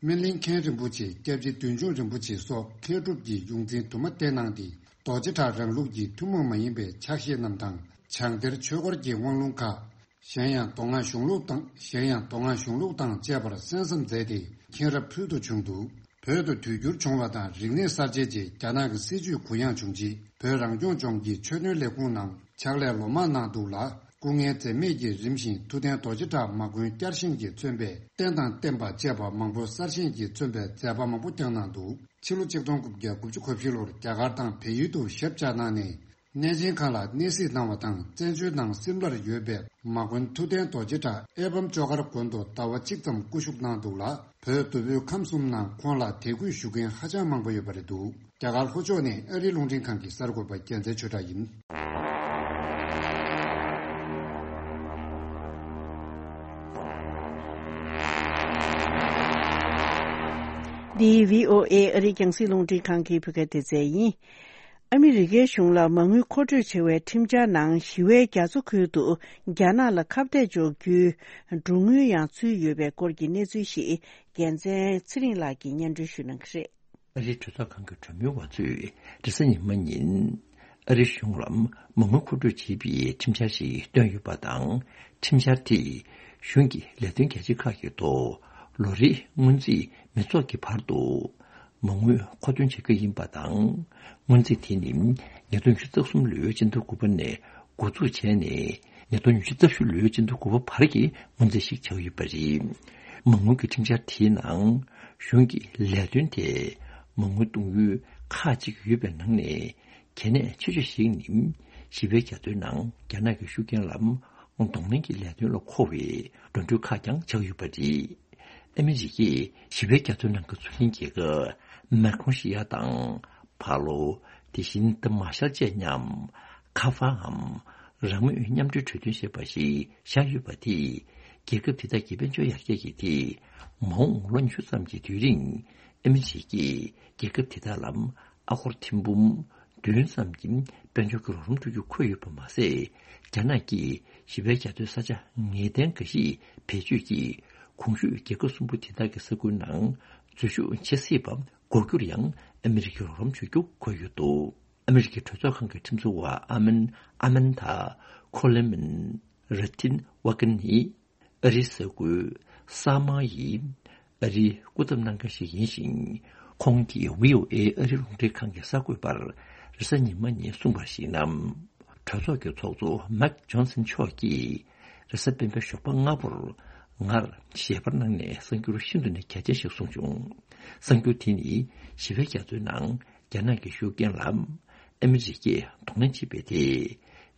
སྨིན་གླིང་མཁན་རིན་པོ་ཆེ། སྐྱབས་རྗེ་བདུད་འཇོམས་རིན་པོ་ཆེ་སོགས་མཁས་གྲུབ་ཀྱི་ཡོངས་འཛིན་དུ་མ་བསྟེན་གནང་སྟེ། རྡོ་རྗེ་བྲག་རང་ལུགས་ཀྱི་ཐུན་མོང་མ་ཡིན་པའི་ཕྱག་བཞེས་རྣམས་དང་། བྱང་གཏེར་ཆོས་འཁོར་གྱི་དབང་ལུང་ཁག་གཞན་ཡང་མདོ་སྔགས་གཞུང་ལུགས་དང་། གཞན་ཡང་མདོ་སྔགས་གཞུང་ལུགས་དང་བཅས་པར་གསན་བསམ་མཛད་དེ་མཁྱེན་རབ་ཕུལ་དུ་བྱུང་འདུག་བོད་དུ་དུས་འགྱུར་བྱུང་བ་དང་རིག་གནས་གསར་བརྗེ་རྗེས་རྒྱ་ནག་གི་སྲིད་བྱུས་གུ་ཡངས་བྱུང་རྗེས་བོད་རང་སྐྱོང་ལྗོངས་ཀྱི་ཆོས་དོན་ལས་ཁུངས་ནང་ཕྱག་ལས་ལོ་མང་གནང་འདུག་ལ། སྐུ་ངལ་འཛེམས་མེད་ཀྱིས་རིམ་བཞིན་ཐུབ་བསྟན་རྡོ་རྗེ་བྲག་མ་དགོན་བསྐྱར་བཞེངས་ཀྱིས་མཚོན་པའི་རྟེན་དང་བརྟེན་པ་བཅས་པ་མང་པོ་གསར་བཞེངས་ཀྱིས་མཚོན་པའི་མཛད་པ་མང་པོ་བསྐྱངས་གནང་འདུག་ཕྱི་ལོ་ཆིག་སྟོང་དགུ་བརྒྱ་དགུ་བཅུ་གོ་བཞི་ལོར་རྒྱ་གར་དང་བལ་ཡུལ་དུ་ཞབས་བཅགས་གནང་ནས། གནས་ཆེན་ཁག་ལ་གནས་གཟིགས་གནང་བ་དང་། བཙན་བྱོལ་ནང་སིམ་ལར་ཡོད་པའི་མ་དགོན་ཐུབ་བསྟན་རྡོ་རྗེ་བྲག་ཨེ་བམ་ཅོ་གར་དགོན་དུ་ཟླ་བ་གཅིག་ཙམ་སྐུ་བཞུགས་གནང་འདུག་ལ། བོད་དུ་བོད་ཁམས་གསུམ་ནང་ཁོང་ལ་དད་གུས་ཞུ་མཁན་ཧ་ཅང་མང་པོ་ཡོད་པ་རེད་འདུག་རྒྱ་གར་ལྷོ་ཕྱོགས་ནས་ཨ་རིའི་རླུང་འཕྲིན་ཁང་གི་གསར་འགོད་པ་རྒྱལ་མཚན་ཆོས་གྲགས་ཡིན། འདི་བྷི་ཨོ་ཨེ་ཨ་རིའི་རྒྱང་སྲིང་རླུང་འཕྲིན་ཁང་གི་བོད་སྐད་སྡེ་ཚན་ཡིན། ཨ་མི་རི་ཀའི་གཞུང་ལ་མ་དངུལ་མཁོ་སྤྲོད་བྱེད་པའི་ཁྲིམས་འཆར་ནང་ཞི་བའི་རྒྱ་མཚོ་ཁུལ་དུ་རྒྱ་ནག་ལ་ཁ་གཏད་གཅོག་རྒྱུའི་སྒྲུང་དངུལ་ཡང་ཚུད་ཡོད་པའི་སྐོར་གྱི་གནས་ཚུལ་ཞིག་རྒྱལ་མཚན་ཚེ་རིང་ལགས་ཀྱིས་སྙན་སྒྲོན་ཞུ་གནང་གི་རེད། ཨ་རིའི་གྲོས་ཚོགས་ཁང་གི་གྲོས་མོལ་བ་ཚོས་རེས་གཟའ་ཉི་མ་ཉིན་ཨ་རིའི་གཞུང་ལ་མ་དངུལ་མཁོ་སྤྲོད་བྱེད་པའི་ཁྲིམས་འཆར་ཞིག་བཏོན་ཡོད་པ་དང་། ཁྲིམས་འཆར་དེས་གཞུང་གི་ལས་དོན་རྒྱ་ཆེ་ཁག་གི་ཐོག་ལོ་རེའི་སྔོན་རྩིས་མི་ཚོགས་ཀྱི་བར་དུ་མ་དངུལ་མཁོ་འདོན་བྱེད་ཀྱི་ཡིན་པ་དང་། སྔོན་རྩིས་དེ་ནི་ཉིས་སྟོང་ཉི་ཤུ་རྩ་གསུམ་ལོའི་སྤྱི་ཟླ་དགུ་པ་ནས་འགོ་འཛུགས་བྱས་ནས། ཉིས་སྟོང་ཉི་ཤུ་རྩ་བཞི་ལོའི་སྤྱི་ཟླ་དགུ་པ་བར་གྱི་སྔོན་རྩིས་ཤིག་ཆགས་ཡོད་པ་རེད། མ་དངུལ་གྱི་ཁྲིམས་འཆར་དེའི་ནང་གཞུང་གི་ལས་དོན་དེ་མ་དངུལ་གཏོང་ཡུལ་ཁག་ཅིག་ཡོད་པའི་ནང་ནས་གལ་གནད་ཆེ་ཤོས་ཤིག་ནི་ཞི་བའི་རྒྱ་མཚོའི་ནང་རྒྱ་ནག་གི་ཤུགས་རྐྱེན་ལ་གདོང་ལེན་གྱི་ལས་དོན་ལ་མཁོ་བའི་འགྲོ་གྲོན་ཁག་ཀྱང་ཆགས་ཡོད་པ་རེད། ཨ་མི་རི་ཀས་ཞི་བའི་རྒྱ་མཚོའི་ནང་གི་མཚོ་གླིང་རྒྱལ་ཁབ་མེག་ཁོ་ནེ་ཤི་ཡ་དང་། ཕ་ལོ། དེ་བཞིན་ཏི་མ་ཤལ་བཅས་མཉམ། ཁ་ཧྥའམ་རང་མོས་མཉམ་འབྲེལ་གྲོས་མཐུན་ཞེས་པ་ཞིག་བཞག་ཡོད་པ་དེས། རྒྱལ་ཁབ་དེ་དག་གི་དཔལ་འབྱོར་ཡར་རྒྱས་ཀྱི་ཐད། མ་འོངས་ལོ་ཉི་ཤུ་ཙམ་གྱི་དུས་རིང་ཨ་མི་རི་ཀས་རྒྱལ་ཁབ་དེ་དག་ལ་ ཨ་སྒོར་ཐེར་འབུམ་བདུན་ཙམ་གྱི་དཔལ་འབྱོར་གྱི་རོགས་རམ་སྤྲོད་རྒྱུ་འཁོད་ཡོད་པ་མ་ཟད། རྒྱ་ནག་གིས་ཞི་བའི་རྒྱ་མཚོའི་ས་ཆ་ངེས་གཏན་འགའ་ཞིག་བེད་སྤྱོད་ཀྱིས་གོང་ཞུས་རྒྱལ་ཁབ་གསུམ་པོ་དེ་དག་གི་ས་ཁུལ་ནང་འཛུལ་ཞུགས་བྱེད་སྲིད་པ་འགོག་རྒྱུར་ཡང་ཨ་མི་རི་ཀའི་རོགས་རམ་བྱ་རྒྱུ་འཁོད་ཡོད་འདུག་ཨ་མི་རི་ཀའི་གྲོས་ཚོགས་ཁང་གི་ཁྲིམས་བཟོ་བ་ཨ་མན་ཨ་མན་ཐ་ཁོ་ལེ་མན་ར་ཐིན་ཝ་ཀན་ནི། ཨ་རིའི་གསར་འགོད་གསར་མ་ཡིས་ཨ་རིའི་སྐུ་ཚབ་གནང་མཁན་ཞིག་ཡིན་ཞིང་། ཁོང་གིས་བྷི་ཨོ་ཨེ་ཨ་རིའི་རླུང་འཕྲིན་ཁང་གི་གསར་འགོད་པར་རེས་གཟའ་ཉི་མ་ཉིན་གསུངས་པར་གཞིགས་ན། གྲོས་ཚོགས་ཀྱི་ཚོགས་གཙོ་མེག་ཇོན་སན་མཆོག་གིས་རེས་གཟའ་སྤེན་པའི་ཞོགས་པ་སྔ་པོར་ངར་ཞལ་པར་གནང་ནས་གསར་འགྱུར་ཤིན་ཏུ་ནས་གལ་ཆེན་ཞིག་གསུངས་བྱུང་། གསར་འགྱུར་དེ་ནི་ཞི་བའི་རྒྱ་མཚོའི་ནང་རྒྱ་ནག་གི་ཤུགས་རྐྱེན་ལ་ཨ་མི་རི་ཀས་གདོང་ལེན་བྱེད་པའི་ཐད།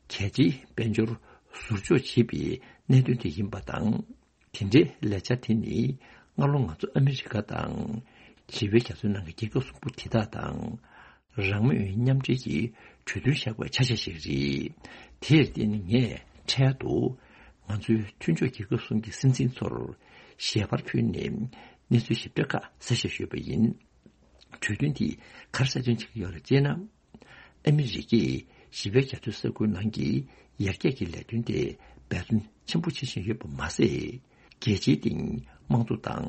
གལ་ཆེའི་དཔལ་འབྱོར་ཟུར་འཇོག་བྱེད་པའི་གནད་དོན་དེ་ཡིན་པ་དང་། དེ་འདྲའི་ལས་འཆར་དེ་ནི་སྔ་ལོ་ང་ཚོ་ཨ་མི་རི་ཀ་དང་ཞི་བའི་རྒྱ་མཚོའི་ནང་གི་རྒྱལ་ཁབ་གསུམ་པོ་དེ་དག་དང་རང་མོས་མཉམ་འབྲེལ་གྱི་གྲོས་མཐུན་བཞག་པའི་ཆ་ཤས་ཤིག་རེད། དེར་བརྟེན་ངས་འཕྲལ་དུ་ང་ཚོའི་མཐུན་ཕྱོགས་རྒྱལ་ཁབ་གསུམ་གྱི་སྲིད་འཛིན་ཚོར་ཞལ་པར་ཕུལ་ནས་གནས་ཚུལ་ཞིབ་ཕྲ་ཁག་གསལ་བཤད་ཞུས་པ་ཡིན། གྲོས་མཐུན་དེས་ག་རེ་གསལ་སྟོན་བྱེད་ཀྱི་ཡོད་རེད་ཅེ་ན། ཨ་མི་རི་ཀས་ཞི་བའི་རྒྱ་མཚོའི་ས་ཁུལ་ནང་གི་ཡར་རྒྱས་ཀྱི་ལས་དོན་དེ་འབད་བརྩོན་ཆེན་པོ་བྱེད་བཞིན་ཡོད་པ་མ་ཟད། རྒྱལ་སྤྱིའི་སྟེང་དམངས་གཙོ་དང་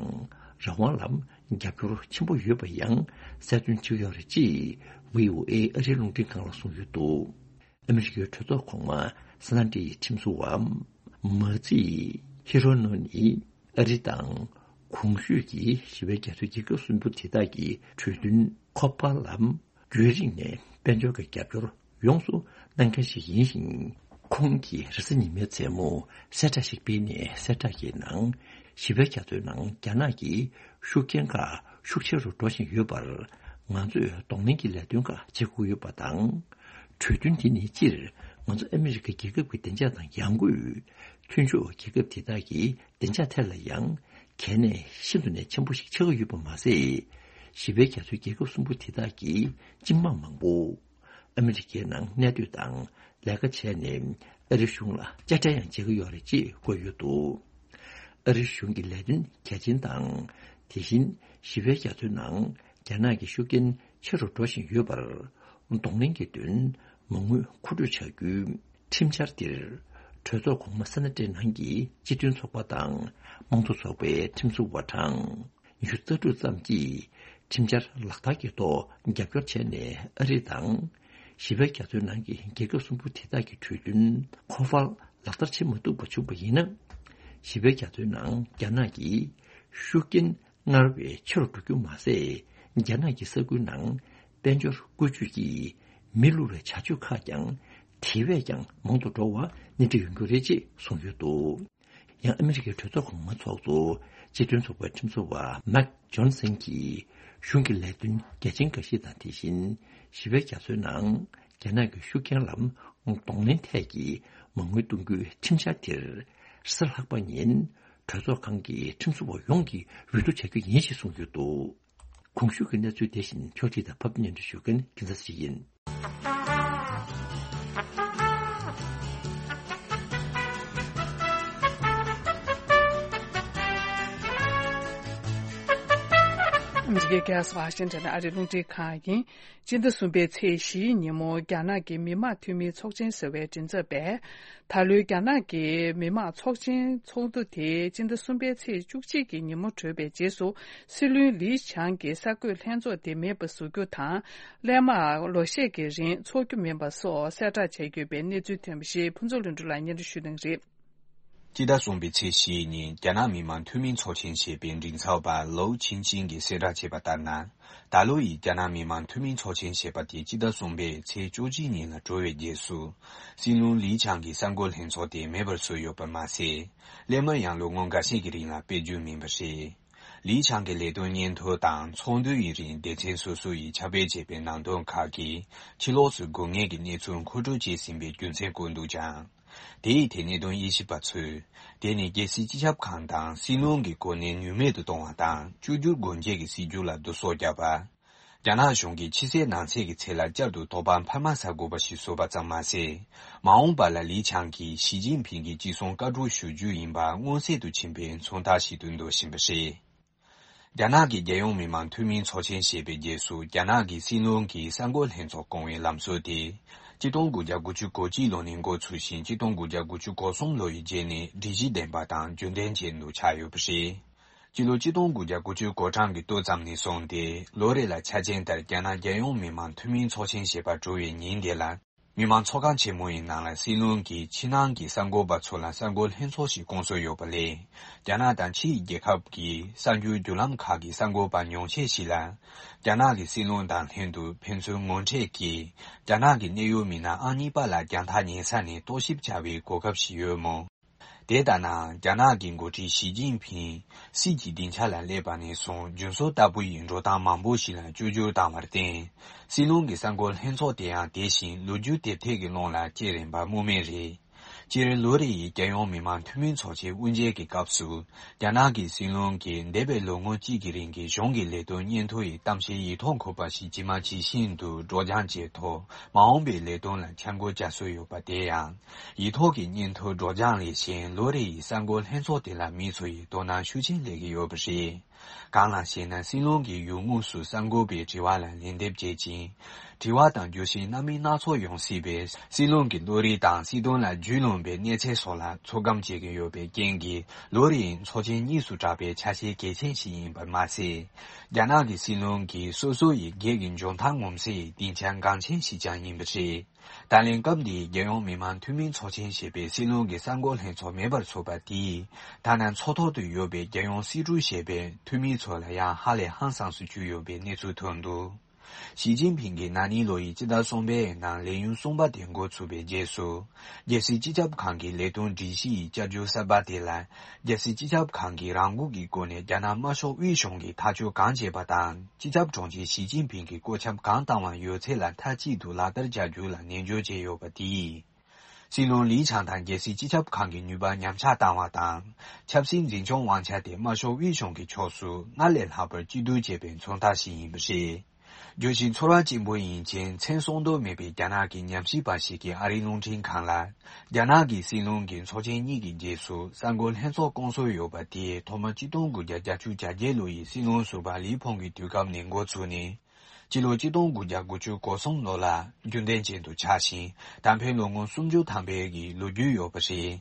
རང་དབང་ལ་རྒྱབ་སྐྱོར་ཆེན་པོ་ཡོད་པ་ཡང་གསལ་སྟོན་བྱེད་ཀྱི་ཡོད་རེད་ཅེས་བྷི་ཨོ་ཨེ་ཨ་རིའི་རླུང་འཕྲིན་ཁང་ལ་གསུངས་ཡོད་འདུག་ཨ་མི་རི་ཀའི་གྲོས་ཚོགས་གོང་མ་སེ་ན་ཏིའི་ཁྲིམས་བཟོ་བ་མ་ཙི་ཧི་རོ་ནོ་ནི་ཨ་རི་དང་གོང་ཞུས་ཀྱི་ཞི་བའི་རྒྱ་མཚོའི་རྒྱལ་ཁབ་གསུམ་པོ་དེ་དག་གི་གྲོས་མཐུན་ཁོ་པ་ལ་རྒྱུན་རིང་ནས་དཔལ་འབྱོར་གྱི་རྒྱབ་སྐྱོར་ཡོངས་སུ་གནང་མཁན་ཞིག་ཡིན་ཞིང་། ཁོང་གིས་རེས་གཟའ་ཉི་མའི་མཚན་མོ་གསལ་བསྒྲགས་ཤིག་སྤེལ་ནས། གསལ་བསྒྲགས་ཀྱི་ནང་ཞི་བའི་རྒྱ་མཚོའི་ནང་རྒྱ་ནག་གི་ཤུགས་རྐྱེན་ཁག་ཤུགས་ཆེ་རུ་འགྲོ་བཞིན་ཡོད་པར་ང་ཚོས་གདོང་ལེན་གྱི་ལས་དོན་ཁག་བྱེད་དགོས་ཡོད་པ་དང་། གྲོས་མཐུན་དེ་ནི་སྤྱིར་ང་ཚོ་ཨ་མི་རི་ཀ་རྒྱལ་ཁབ་ཀྱི་བདེ་འཇགས་དང་ཡང་སྒོས་མཐུན་ཕྱོགས་རྒྱལ་ཁབ་དེ་དག་གི་བདེ་འཇགས་ཐད་ལ་ཡང་གལ་གནད་ཤིན་ཏུ་ནས་ཆེན་པོ་ཞིག་ཆགས་ཀྱི་ཡོད་པ་མ་ཟད། ཞི་བའི་རྒྱ་མཚོའི་རྒྱལ་ཁབ་གསུམ་པོ་དེ་དག་གི་སྤྱི་དམངས་མང་པོ་ཨ་མི་རི་ཀའི་ནང་གནས་སྡོད་དང་ལས་ཀ་བྱས་ནས་ཨ་རི་གཞུང་ལ་དཔྱ་ཁྲལ་ཡང་འཇལ་གྱི་ཡོད་རེད་ཅེས་བཀོད་ཡོད་འདུག་ཨ་རི་གཞུང་གི་ལས་དོན་གལ་ཆེན་དང་། དེ་བཞིན་ཞི་བའི་རྒྱ་མཚོའི་ནང་རྒྱ་ནག་གི་ཤུགས་རྐྱེན་ཆེ་རུ་འགྲོ་བཞིན་ཡོད་པར་གདོང་ལེན་གྱི་དོན་མ་དངུལ་མཁོ་སྤྲོད་བྱ་རྒྱུའི་ཁྲིམས་འཆར་འདིར། གྲོས་ཚོགས་གོང་མ་སེ་ན་ཏའི་ནང་གི་སྤྱི་མཐུན་ཚོགས་པ་དང་དམངས་གཙོ་ཚོགས་པའི་ཁྲིམས་བཟོ་བ་གྲངས་ཉི་ཤུ་རྩ་དྲུག་ཙམ་གྱིས་ཁྲིམས་འཆར་ལག་བསྟར་གྱི་ཐོག་རྒྱབ་སྐྱོར་བྱས་ནས། ཨ་རི་དང་ཞི་བའི་རྒྱ་མཚོའི་ནང་གི་རྒྱལ་ཁབ་གསུམ་པོ་དེ་དག་གི་གྲོས་མཐུན་ཁོ་པ་ལག་བསྟར་བྱེད་མ་ཐུབ་པ་བྱུང་བ་ཡིན་ན། ཞི་བའི་རྒྱ་མཚོའི་ནང་རྒྱ་ནག་གི་ཤུགས་རྐྱེན་སྔར་བས་ཆེ་རུ་འགྲོ་རྒྱུ་མ་ཟད། རྒྱ་ནག་གི་ས་ཁུལ་ནང་དཔལ་འབྱོར་བཀོལ་སྤྱོད་ཀྱིས་མི་བསླུ་བའི་བྱ་སྤྱོད་ཁག་ཀྱང་དེ་བས་ཀྱང་མང་དུ་འགྲོ་བ་སྣེ་ཁྲིད་ཡོང་རྒྱུ་རེད་ཅེས་གསུངས་ཡོད་འདུག་ཡང་ཨ་མི་རི་ཀའི་གྲོས་ཚོགས་གོང་མ་ཚོགས་གཙོ་སྤྱི་མཐུན་ཚོགས་པའི་ཁྲིམས་བཟོ་བ་མེག་ཇོན་སན་གྱིས་གཞུང་གི་ལས་དོན་གལ་ཆེན་འགའ་ཞིག་དང་། དེ་བཞིན་ཞི་བའི་རྒྱ་མཚོའི་ནང་རྒྱ་ནག་གི་ཤུགས་རྐྱེན་ལ་གདོང་ལེན་ཐད་ཀྱི་མ་དངུལ་གཏོང་རྒྱུའི་ཁྲིམས་འཆར་དེར་རེས་གཟའ་ལྷག་པ་ཉིན་གྲོས་ཚོགས་ཁང་གི་ཁྲིམས་བཟོ་བ་ཡོངས་ཀྱིས་འོས་བསྡུ་བྱ་རྒྱུ་ཡིན་ཞེས་གསུངས་ཡོད་འདུག་གོང་ཞུས་ཀྱི་གནས་ཚུལ་དེ་བཞིན་ཕྱོགས་སྒྲིག་དང་ཕབ་སྙན་སྒྲོན་ཞུ་མཁན་རྒྱལ་མཚན་ཞིག་ཡིན། འདི་ག་གལ་སྲིད་ཝ་ཤིང་ཊོན་ཨ་རིའི་རླུང་འཕྲིན་ཁང་ཡིན། སྤྱི་ཟླ་གསུམ་པའི་ཚེས་བཞིའི་ཉིན་མོ་རྒྱ་ནག་གི་མི་དམངས་འཐུས་མིའི་ཚོགས་ཆེན་ཟེར་བའི་མགྲིན་ཚབ་པས། ད་ལོའི་རྒྱ་ནག་གི་མི་དམངས་ཚོགས་ཆེན་ཚོགས་འདུ་དེ་སྤྱི་ཟླ་གསུམ་པའི་ཚེས་བཅུ་གཅིག་གི་ཉིན་མོ་གྲོལ་བའི་རྗེས་སུ། སྲིད་བློན་ལི་ཆང་གིས་གསར་འགོད་ལྷན་ཚོགས་དེ་མེད་པ་བཟོ་རྒྱུ་དང་། སླད་མར་ལོ་ཤས་ཀྱི་རིང་འཚོགས་རྒྱུ་མིན་པ་སོགས་གསལ་བསྒྲགས་བྱས་ཡོད་པའི་གནས་ཚུལ་ཐོན་པ་ཞིག་ཕུན་ཚོགས་ལྷུན་གྲུབ་ལགས་སྙན་སྒྲོན་ཞུ་གནང་གི་རེད། སྤྱི་ཟླ་གསུམ་པའི་ཚེས་བཞིའི་ཉིན་རྒྱ་ནག་མི་དམངས་འཐུས་མིའི་ཚོགས་ཆེན་ཞེས་པའི་མགྲིན་ཚབ་པ་ལོའུ་ཆིང་ཆིང་གིས་གསལ་བསྒྲགས་བྱས་པ་ལྟར་ན། ད་ལོ་ཡི་རྒྱ་ནག་མི་དམངས་འཐུས་མིའི་ཚོགས་ཆེན་ཞེས་པ་དེ་སྤྱི་ཟླ་གསུམ་པའི་ཚེས་བཅུ་གཅིག་ཉིན་ལ་གྲོལ་བའི་རྗེས་སུ། སྲིད་བློན་ལི་ཆང་གིས་གསར་འགོད་ལྷན་ཚོགས་དེ་མེད་པར་བཟོས་ཡོད་པ་མ་ཟད། སླད་མར་ཡང་ལོ་ངོ་འགའ་ཤས་ཀྱི་རིང་ལ་སྤེལ་རྒྱུ་མིན་པ་རེད། ལི་ཆང་གི་ལས་དོན་སྙན་ཐོ་དང་ཚོགས་འདུའི་རིང་སྡེ་ཚན་སོ་སོ་ཡིས་ཁྱབ་སྤེལ་བྱས་པའི་ནང་དོན་ཁག་གིས་ཕྱི་ལོགས་སུ་དགོས་ངེས་ཀྱི་གནས་ཚུལ་མཁོ་སྤྲོད་བྱས་ཟིན་པའི་རྒྱུ་མཚན་བཀོད་འདུག་ཀྱང་། དེའི་ཐད་གནད་དོན་དབྱེ་ཞིབ་པ་ཚོས། དེ་ནི་རྒྱལ་སྲིད་སྤྱི་ཁྱབ་ཁང་དང་སྲིད་བློན་གྱི་གོ་གནས་ནུས་མེད་དུ་གཏོང་བ་དང་། བཅོས་བསྒྱུར་སྒོ་འབྱེད་ཀྱི་སྲིད་བྱུས་ལ་བསྡུ་གསོག་བརྒྱབ་པ། རྒྱ་ནག་གཞུང་གིས་ཕྱི་གསལ་ནང་གསལ་གྱི་ཚད་ལ་བསྐྱར་དུ་དོགས་པ་འཕར་མ་ཟ་དགོས་པ་ཞིག་བཟོས་པ་ཙམ་མ་ཟད། མ་འོངས་པ་ལ་ལི་ཆང་གིས་ཞི་ཅིན་ཕིང་གི་ཅི་གསུང་བཀའ་སྒྲོག་ཞུ་རྒྱུ་ཡིན་པ་མངོན་གསལ་དུ་ཕྱིན་པའི་མཚོན་རྟགས་ཤིག་ཏུ་འདོད་བཞིན་པ་རེད། རྒྱ་ནག་གི་རྒྱལ་ཡོངས་མི་དམངས་འཐུས་མིའི་ཚོགས་ཆེན་ཞེས་པའི་རྗེས་སུ། རྒྱ་ནག་གི་སྲིད་བློན་གྱིས་གསར་འགོད་ལྷན་ཚོགས་བསྐོང་བའི་ལམ་སྲོལ་དེ། ཆིག་སྟོང་དགུ་བརྒྱ་དགུ་བཅུ་གོ་གཅིག་ལོ་ནས་འགོ་ཚུགས་ཤིང་། ཆིག་སྟོང་དགུ་བརྒྱ་དགུ་བཅུ་གོ་གསུམ་ལོ་ཡི་རྗེས་ནས་སྒྲིག་གཞི་ལྡན་པ་དང་རྒྱུན་ལྡན་ཅན་དུ་ཆགས་ཡོད་པ་རེད། སྤྱི་ལོ་ཆིག་སྟོང་དགུ་བརྒྱ་དགུ་བཅུ་གོ་གྲངས་ཀྱི་སྟོད་ཙམ་ནས་བཟུང་སྟེ། ལོ་རེ་ལ་འཆར་ཅན་ལྟར་རྒྱ་ནག་རྒྱལ་ཡོངས་མི་དམངས་འཐུས་མིའི་ཚོགས་ཆེན་ཞེས་པ་གྲུབ་པའི་ཉིན་དེ་ལ། མི་དམངས་ཚོགས་ཁང་ཆེན་མོ་ཡི་ནང་ལ་སྲིད་བློན་གྱིས་ཕྱི་ནང་གི་གསར་འགོད་པ་ཚོ་ལ་གསར་འགོད་ལྷན་ཚོགས་ཤིག་བསྐོང་སྲོལ་ཡོད་པ་ལས། རྒྱ་ནག་དང་ཕྱིའི་རྒྱལ་ཁབ་ཀྱི་གསར་འགྱུར་བརྒྱུད་ལམ་ཁག་གི་གསར་འགོད་པ་ཉུང་ཤས་ཤིག་ལ། རྒྱ་ནག་གི་སྲིད་བློན་དང་ལྷན་དུ་ཕན་ཚུན་ངོ་འཕྲད་ཀྱིས། རྒྱ་ནག་གི་གནད་ཡོད་མི་སྣ་ཨང་གཉིས་པ་ལ་རྒྱང་ཐག་ཉེ་ས་ནས་རྟོག་ཞིབ་བྱ་བའི་གོ་སྐབས་ཤིག་ཡོད་མོད། དེ་ལྟ་ན། རྒྱ་ནག་གི་འགོ་ཁྲིད་ཞི་ཅིན་ཕིང་སྲིད་ཀྱི་སྡིངས་ཆ་ལ་སླེབས་པ་ནས་བཟུང་རྒྱུན་སྲོལ་ལྟ་བུ་ཡི་འགྲོ་སྟངས་མང་པོ་ཞིག་ལ་བཅོས་བསྒྱུར་བཏང་བར་བརྟེན། སྲིད་བློན་གྱི་གསར་འགོད་ལྷན་ཚོགས་དེ་ཡང་དེ་བཞིན་ལོ་རྒྱུས་དེབ་ཐེར་གྱི་ཀློང་ལ་སྐྱེལ་རན་པ་སྨོས་མེད་རེད། སྤྱིར་ལོ་རེ་ཡི་རྒྱལ་ཡོངས་མི་དམངས་འཐུས་མིའི་ཚོགས་ཆེན་དབུ་འབྱེད་ཀྱི་སྐབས་སུ། རྒྱ་ནག་གི་སྲིད་བློན་གྱིས་འདས་པའི་ལོ་ངོ་གཅིག་གི་རིང་གི་གཞུང་གི་ལས་དོན་སྙན་ཐོ་ཡི་གཏམ་བཤད་ཡིག་ཐོག་འཁོད་པ་ཞིག་ཇི་མ་ཇི་བཞིན་དུ་སྒྲོག་སྦྱང་བྱས་ཐོག་མ་འོངས་པའི་ལས་དོན་ལ་འཆར་འགོད་བྱ་སྲོལ་ཡོད་པ། དེ་ཡང་། ཡིག་ཐོག་གི་སྙན་ཐོའི་སྒྲོག་སྦྱང་ལས་གཞན་ལོ་རེ་ཡི་གསར་འགོད་ལྷན་ཚོགས་དེ་ལ་མི་ཚོ་ཡིས་དོ་སྣང་ཤུགས་ཆེན་སླེབས་ཀྱི་ཡོད་པ་རེད། གང་ལགས་ཤེ་ན། སྲིད་བློན་གྱིས་ཡུལ་དངོས་སུ་གསར་འགོད་པའི་དྲི་བ་ལ་ལན་འདེབས་བྱེད་ཅིང་། དྲི་བ་དང་བརྗོད་གཞི་སྣ་མིན་སྣ་ཚོགས་ཡོང་སྲིད་པས། སྲིད་བློན་གྱི་བློ་རིག་དང་སྲིད་དོན་ལ་རྒྱུས་ལོན་པའི་གནས་ཚད་སོགས་ལ་ཚོད་བགམ་བྱེད་ཀྱི་ཡོད་པའི་རྐྱེན་གྱིས། ལོ་རེའི་ཚོགས་ཆེན་གཉིས་སུ་གྲགས་པའི་ཆ་ཤས་གལ་ཆེན་ཞིག་ཡིན་པར་མ་ཟད། རྒྱ་ནག་གི་སྲིད་བློན་གྱིས་སོ་སོ་ཡི་སྒེར་གྱི་འཇོན་ཐང་ངོམ་སའི་སྡིངས་ཆ་འགངས་ཆེན་ཞིག་ཀྱང་ཡིན་པ་རེད། ད་ལན་སྐབས་འདིའི་རྒྱལ་ཡོངས་མི་དམངས་འཐུས་མིའི་ཚོགས་ཆེན་ཞེས་པའི་སྲིད་བློན་གྱི་གསར་འགོད་ལྷན་ཚོགས་མེད་པར་ཚུད་པ་དེས། ཐ་ན་མཚོ་ཐོག་ཏུ་ཡོད་པའི་རྒྱལ་ཡོངས་སྲིད་གྲོས་ཞེས་པའི་འཐུས་མི་ཚོ་ལ་ཡང་ཧ་ལས་ཧང་སངས་སུ་གྱུར་ཡོད་པའི་གནས་ཚུལ་ཐོན་འདུག། ཞི་ཅིན་ཕིང་གིས་ན་ནིང་ལོ་ཡི་སྤྱི་ཟླ་གསུམ་པའི་ནང་ལས་ཡུན་གསུམ་པ་དེ་འགོ་ཚུགས་པའི་རྗེས་སུ། རྒྱལ་སྲིད་སྤྱི་ཁྱབ་ཁང་གི་ལས་དོན་སྒྲིག་གཞི་ཡི་བསྐྱར་བཅོས་གསར་པ་དེ་ལ། རྒྱལ་སྲིད་སྤྱི་ཁྱབ་ཁང་གིས་རང་འགུལ་གྱི་སྒོ་ནས་རྒྱ་ནག་དམར་ཤོག་དབུས་གཞུང་གིས་ཐག་གཅོད་གང་བྱས་པ་དང་། སྤྱི་ཁྱབ་དྲུང་ཆེ་ཞི་ཅིན་ཕིང་གིས་བཀོད་ཁྱབ་གང་བཏང་བ་ཡོད་ཚད་ལ་མཐའ་གཅིག་ཏུ་ལག་བསྟར་བྱ་རྒྱུ་ལ་ནན་བརྗོད་བྱས་ཡོད་པ་དེས། སྲིད་བློན་ལི་ཆང་དང་རྒྱལ་སྲིད་སྤྱི་ཁྱབ་ཁང་གི་ནུས་པ་ཉམས་ཆག་བཏང་བ་དང་། ཆབ་སྲིད་འཛིན་སྐྱོང་དབང་ཆ་དེ་དམར་ཤོག་དབུས་གཞུང་གི་ཕྱོགས་སུ་སྔར་ལས་ལྷག་པར་གཅིག་སྡུད་བྱས་པའི་མཚོན་རྟགས་ཤིག་ཡིན་པ་རེད། བརྗོད་གཞི་ཚོར་བ་ཆེན་པོ་ཡིན་ཕྱིན། མཚན་གསོལ་འདོད་མེད་པའི་རྒྱ་ནག་གི་ཉམས་ཞིབ་པ་ཞིག་གིས་ཨ་རིའི་རླུང་འཕྲིན་ཁང་ལ། རྒྱ་ནག་གི་སྲིད་བློན་གྱི་ཚོགས་ཆེན་གཉིས་ཀྱི་རྗེས་སུ་གསར་འགོད་ལྷན་ཚོགས་བསྐོང་སྲོལ་ཡོད་པ་དེས། ཐོག་མ་ཆིག་སྟོང་དགུ་བརྒྱ་བརྒྱད་ཅུ་གྱ་བརྒྱད་ལོ་ཡི་སྲིད་བློན་ཟུར་པ་ལི་ཕུང་གི་དུས་སྐབས་ནས་འགོ་བཙུགས་ནས། སྤྱི་ལོ་ཆིག་སྟོང་དགུ་བརྒྱ་དགུ་བཅུ་གོ་གསུམ་ལོ་ལ་རྒྱུན་ལྡན་ཅན་དུ་ཆགས་ཤིང་། ད་ཕན་ལོ་ངོ་སུམ་ཅུ་ཐམ་པའི་གི་ལོ་རྒྱུས་ཡོད་པ་རེད།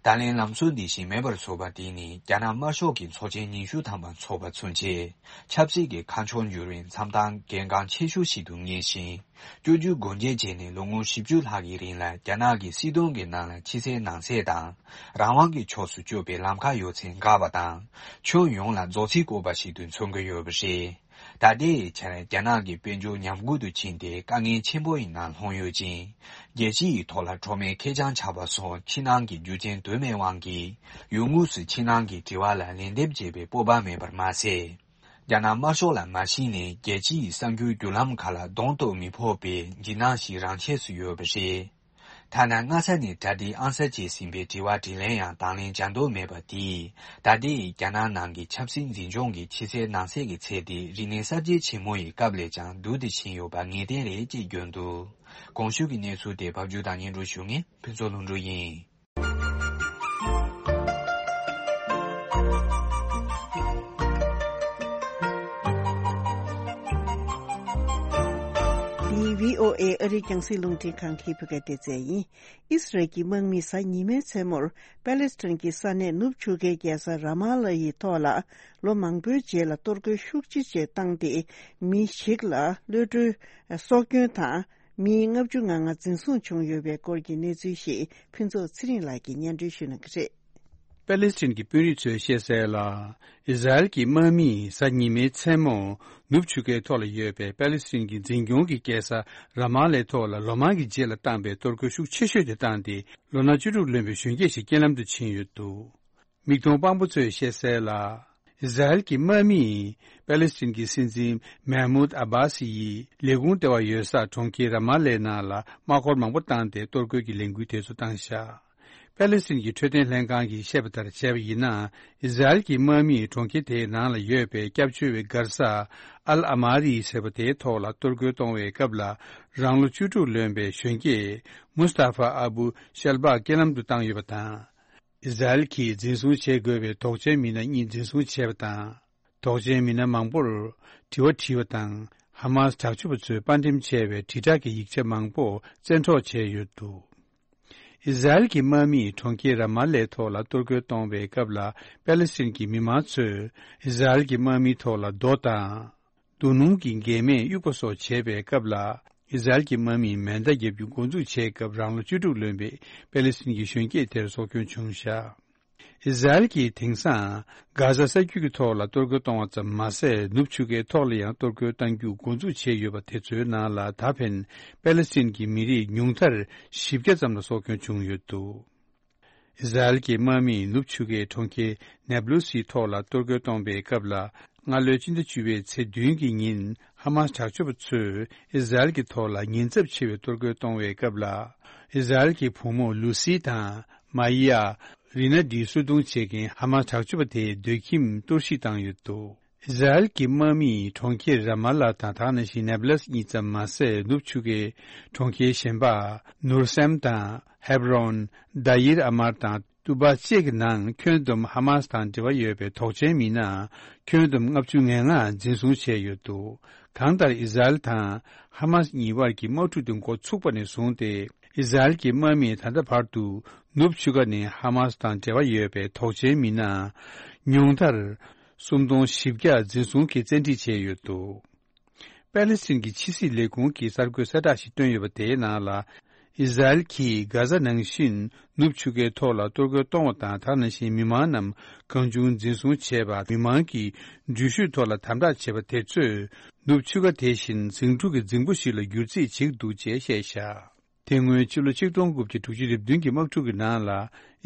ད་ལན་ལམ་སྲོལ་འདི་བཞིན་མེད་པར་བཟོས་པ་དེ་ནི། རྒྱ་ནག་དམར་ཤོག་གི་ཚོགས་ཆེན་ཉི་ཤུ་ཐམ་པ་འཚོགས་པ་ཚུན་ཆད། ཆབ་སྲིད་ཀྱི་ཁ་ཕྱོགས་འགྱུར་བའི་མཚམས་ཐང་གལ་འགངས་ཆེ་ཤོས་ཤིག་ཏུ་ངེས་ཤིང་། བཅོས་བསྒྱུར་སྒོ་འབྱེད་བྱས་ནས་ལོ་ངོ་བཞི་བཅུ་ལྷག་གི་རིང་ལ། རྒྱ་ནག་གི་སྲིད་དོན་གྱི་ནང་ལ་ཕྱི་གསལ་ནང་གསལ་དང་། རང་དབང་གི་ཕྱོགས་སུ་བསྐྱོད་པའི་ལམ་ཁ་ཡོད་ཚད་འགག་པ་དང་། ཁྱོན་ཡོངས་ལ་རྫོགས་ཚིག་བཀོད་པ་ཞིག་ཏུ་མཚོན་གྱི་ཡོད་པ་རེད། ད་ལྟའི་ཆར་རྒྱ་ནག་གི་དཔལ་འབྱོར་ཉམས་རྒུད་དུ་ཕྱིན་ཏེ། དཀའ་ངལ་ཆེན་པོ་ཡི་ནང་ལྷུང་ཡོད་ཅིང་། རྒྱལ་སྤྱི་ཡི་ཐོག་ལ་ཁྲོམ་མེད་ཁེར་རྐྱང་ཆགས་པ་སོགས་ཕྱི་ནང་གི་རྒྱུ་རྐྱེན་དོ་མེད་དབང་གིས། ཡུལ་དངོས་སུ་ཕྱི་ནང་གི་དྲི་བ་ལ་ལན་འདེབས་བྱེད་པའི་སྤོབས་པ་མེད་པར་མ་ཟད། རྒྱ་ནག་དམར་ཤོག་ལ་མ་གཞི་ནས་རྒྱལ་སྤྱི་ཡི་གསར་འགྱུར་བརྒྱུད་ལམ་ཁག་ལ་གདོང་གཏུག་མི་ཕོད་པའི་འཇིགས་སྣང་ཞིག་རང་ཆས་སུ་ཡོད་པ་རེད། ཐ་ན་སྔ་ས་ནས་གྲ་སྒྲིག་ཨང་གསར་བྱས་ཟིན་པའི་དྲི་བ་དྲིས་ལན་ཡང་དང་ལེན་བྱ་འདོད་མེད་པ་དེས། ད་ལྟའི་རྒྱ་ནག་ནང་གི་ཆབ་སྲིད་འཛིན་སྐྱོང་གི་ཕྱི་གསལ་ནང་གསལ་གྱི་ཚད་དེ། རིག་གནས་གསར་བརྗེ་ཆེན་མོ་ཡི་སྐབས་ལས་ཀྱང་སྡུག་ཏུ་ཕྱིན་ཡོད་པ་ངེས་གཏན་རེད་ཅེས་བརྗོད་འདུག། གོང་ཞུས་ཀྱི་གནས་ཚུལ་དེ་ཕབ་སྒྱུར་དང་སྙན་སྒྲོན་ཞུ་མཁན་ཕུན་ཚོགས་ལྷུན་གྲུབ་ཡིན། འདི་བྷི་ཨོ་ཨེ་ཨ་རིའི་རྒྱང་སྲིང་རླུང་འཕྲིན་ཁང་གི་བོད་སྐད་སྡེ་ཚན་ཡིན། ཨི་སི་རལ་གྱི་དམག་མིས་གཟའ་ཉི་མའི་མཚན་མོར་པེ་ལེ་སི་ཐན་གྱི་ས་གནས་ནུབ་ཆུ་ཁའི་རྒྱལ་ས་ར་མ་ལ་ཡི་ཐོག་ལ་ལོ་མང་པོའི་རྗེས་ལ་གཏོར་རྒོལ་ཤུགས་ཆེ་བྱས་བཏང་སྟེ། མི་ཞིག་ལ་གློད་གྲོལ་སྲོག་སྐྱོན་དང་། མི་ལྔ་བཅུ་ང་ལྔ་འཛིན་བཟུང་བྱུང་ཡོད་པའི་སྐོར་གྱི་གནས་ཚུལ་ཞིག་ཕུན་ཚོགས་ཚེ་རིང་ལགས་ཀྱིས་སྙན་སྒྲོན་ཞུ་གནང་གི་རེད། པེ་ལེ་སི་ཐན་གྱི་དཔོན་རིགས་ཚོས་བཤད་གསལ་ལ། ཨི་ཟ་རེལ་གྱི་དམག་མིས་གཟའ་ཉི་མའི་མཚན་མོ་ནུབ་ཆུ་ཁའི་ཐོག་ལ་ཡོད་པའི་པེ་ལེ་སི་ཐན་གྱི་འཛིན་སྐྱོང་གི་རྒྱལ་ས་ར་མ་ལའི་ཐོག་ལ་ལོ་མང་གི་རྗེས་ལ་བཏང་པའི་གཏོར་རྒོལ་ཤུགས་ཆེ་ཤོས་དེ་བཏང་སྟེ། ལོ་ན་བཅུ་དྲུག་ལོན་པའི་གཞོན་སྐྱེས་ཤིག་རྐྱེན་ལམ་དུ་ཕྱིན་ཡོད་འདུག། མིག་མཐོང་དཔང་པོ་ཚོས་བཤད་གསལ་ལ། ཨི་ཟ་རེལ་གྱི་དམག་མིས་པེ་ལེ་སི་ཐན་གྱི་སྲིད་འཛིན་མེ་མུད་ཨ་བྷ་སི་ཡི་ལས་ཁུངས་ལྟེ་བ་ཡོད་ས་གྲོང་ཁྱེར་ར་མ་ལའི་ནང་ལ་དམག་འཁོར་མང་པོ་བཏང་སྟེ་གཏོར་རྒོལ་གྱི་ལས་འགུལ་དེ་ཚོ་བཏང་བཞག། པེ་ལེ་སི་ཐན་གྱི་འཕྲོད་བསྟེན་ལྷན་ཁང་གིས་བཤད་པ་ལྟར་བྱས་པ་ཡིན་ན། ཨི་ཟ་རེལ་གྱི་དམག་མིས་གྲོང་ཁྱེར་དེའི་ནང་ལ་ཡོད་པའི་སྐྱབས་བཅོལ་བའི་མགར་ས་ཨལ་ཨ་མ་རི་ཟེར་བ་དེའི་ཐོག་ལ་གཏོར་རྒོལ་གཏོང་བའི་སྐབས་ལ། རང་ལོ་བཅུ་དྲུག་ལོན་པའི་གཞོན་སྐྱེས་མུས་ཏཱ་ཧྥ་ཨ་བུ་ཤལ་བྷག་རྐྱེན་ལམ་དུ་བཏང་ཡོད་པ་དང་། ཨི་ཟ་རེལ་གྱིས་འཛིན་བཟུང་བྱེད་དགོས་པའི་དོགས་ཅན་མི་སྣ་གཉིས་འཛིན་བཟུང་བྱས་པ་དང་། དོགས་ཅན་མི་སྣ་མང་པོར་དྲི་བ་དྲིས་པ་དང་། ཧ་མཱས་དྲག་སྤྱོད་པ་ཚོས་དཔར་འགྲེམས་བྱས་པའི་དྲིལ་བསྒྲགས་ཀྱི་ཡིག་ཆ་མང་པོ་བཙན་འཕྲོག་བྱས་ཡོད་འདུག་ཨི་ཟ་རེལ་གྱི་དམག་མིས་གྲོང་ཁྱེར་ར་མ་ལའི་ཐོག་ལ་གཏོར་རྒོལ་གཏོང་བའི་སྐབས་ལ། པེ་ལེ་སི་ཐན་གྱི་མི་མང་ཚོས་ཨི་ཟ་རེལ་གྱི་དམག་མིའི་ཐོག་ལ་རྡོ་དང་། རྡོ་སྣུམ་གྱི་འགལ་མེད་གཡུག་པ་སོགས་བྱས་པའི་སྐབས་ལ། ཨི་ཟ་རེལ་གྱི་དམག་མིས་མེ་མདའ་བརྒྱབ་རྒྱུ་འགོ་འཛུགས་བྱས་སྐབས། རང་ལོ་བཅུ་དྲུག་ལོན་པའི་པེ་ལེ་སི་ཐན་གྱི་གཞོན་སྐྱེས་དེར་སྲོག་སྐྱོན་བྱུང་བཞག་ཨི་ཟ་རེལ་གྱིས་དེང་སང་གྷ་ཛ་ས་རྒྱུད་ཀྱི་ཐོག་ལ་གཏོར་རྒོལ་གཏོང་བ་ཙམ་མ་ཟད། ནུབ་ཆུ་ཁའི་ཐོག་ལ་ཡང་གཏོར་རྒོལ་གཏང་རྒྱུ་འགོ་འཛུགས་བྱས་ཡོད་པ་དེ་ཚོའི་ནང་ལ། ད་ཕན་པེ་ལེ་སི་ཐན་གྱི་མི་རིགས་ཉུང་མཐར་བཞི་བརྒྱ་ཙམ་ལ་སྲོག་སྐྱོན་བྱུང་ཡོད་འདུག་ཨི་ཟ་རེལ་གྱི་དམག་མིས་ནུབ་ཆུ་ཁའི་གྲོང་ཁྱེར་ནེབ་ལུ་སིའི་ཐོག་ལ་གཏོར་རྒོལ་གཏོང་བའི་སྐབས་ལ། སྔ་ལོའི་སྤྱི་ཟླ་བཅུ་པའི་ཚེས་བདུན་གྱི་ཉིན། ཧ་མཱས་དྲག་སྤྱོད་པ་ཚོས་ཨི་ཟ་རེལ་གྱི་ཐོག་ལ་ཉེན་ཚབས་ཆེ་བའི་གཏོར་རྒོལ་གཏོང་བའི་སྐབས་ལ། ཨི་ཟ་རེལ་གྱི་བུ་མོ་ལུ་སི་དང་། མ་ཡ། རི་ན་འདི་གསོད་རྡུང་བྱེད་མཁན་ཧ་མཱས་དྲག་སྤྱོད་པ་དེའི་སྡོད་ཁྱིམ་གཏོར་བཤིག་བཏང་ཡོད་འདུག་ཨི་ཟ་རེལ་གྱི་དམག་མིས་གྲོང་ཁྱེར་ར་མ་ལ་དང་། དེ་ནང་བཞིན་ནེབ་ལས་གཉིས་ཙམ་མ་ཟད། ནུབ་ཆུ་ཁའི་གྲོང་ཁྱེར་གཞན་པ་ནུར་སེམ་དང་། ཧེབ་རོན། དཱ་ཡིར་ཨ་མར་དང་། ཏུ་བ་བཅས་ཀྱི་ནང་ཁྱོན་བསྡོམས་ཧ་མཱས་དང་འབྲེལ་བ་ཡོད་པའི་དོགས་ཅན་མི་སྣ་ཁྱོན་བསྡོམས་ལྔ་བཅུ་ང་ལྔ་འཛིན་བཟུང་བྱས་ཡོད་འདུག་གང་ལྟར། ཨི་ཟ་རེལ་དང་ཧ་མཱས་གཉིས་བར་གྱི་དམག་འཁྲུག་དེ་འགོ་ཚུགས་པ་ནས་བཟུང་སྟེ། ཨི་ཟ་རེལ་གྱི་དམག་མིས་ད་ལྟ་བར་དུ་ནུབ་ཆུ་ཁ་ནས་ཧ་མཱས་དང་འབྲེལ་བ་ཡོད་པའི་དོགས་ཅན་མི་སྣ་ཉུང་མཐར་སུམ་སྟོང་བཞི་བརྒྱ་འཛིན་བཟུང་གིས་བཙན་ཁྲིད་བྱས་ཡོད་འདུག་པེ་ལེ་སི་ཐན་གྱི་ཕྱི་སྲིད་ལས་ཁུངས་ཀྱིས་གསར་འགོད་གསལ་བསྒྲགས་ཤིག་བཏོན་ཡོད་པ། དེའི་ནང་ལ། ཨི་ཟ་རེལ་གྱིས་གྷ་ཛ་ནང་བཞིན་ནུབ་ཆུ་ཁའི་ཐོག་ལ་གཏོར་རྒོལ་གཏོང་བ་དང་། དེ་ནང་བཞིན་མི་མང་རྣམས་གང་བྱུང་འཛིན་བཟུང་བྱས་པ། མི་མང་གི་འགྲུལ་བཞུད་ཐོག་ལ་དམ་དྲག་བྱས་པ་དེ་ཚོས། ནུབ་ཆུ་ཁ་དེ་བཞིན་ཟིང་འཁྲུག་གི་རྫིང་བུ་ཞིག་ལ་འགྱུར་རྩིས་བྱེད་ཀྱི་འདུག་ཅེས་བཤད་བཞག་དེ་སྔོན་ཕྱི་ལོ་ཆིག་སྟོང་དགུ་བརྒྱ་དྲུག་ཅུ་རེ་བདུན་གྱི་དམག་འཁྲུག་གི་ནང་ལ།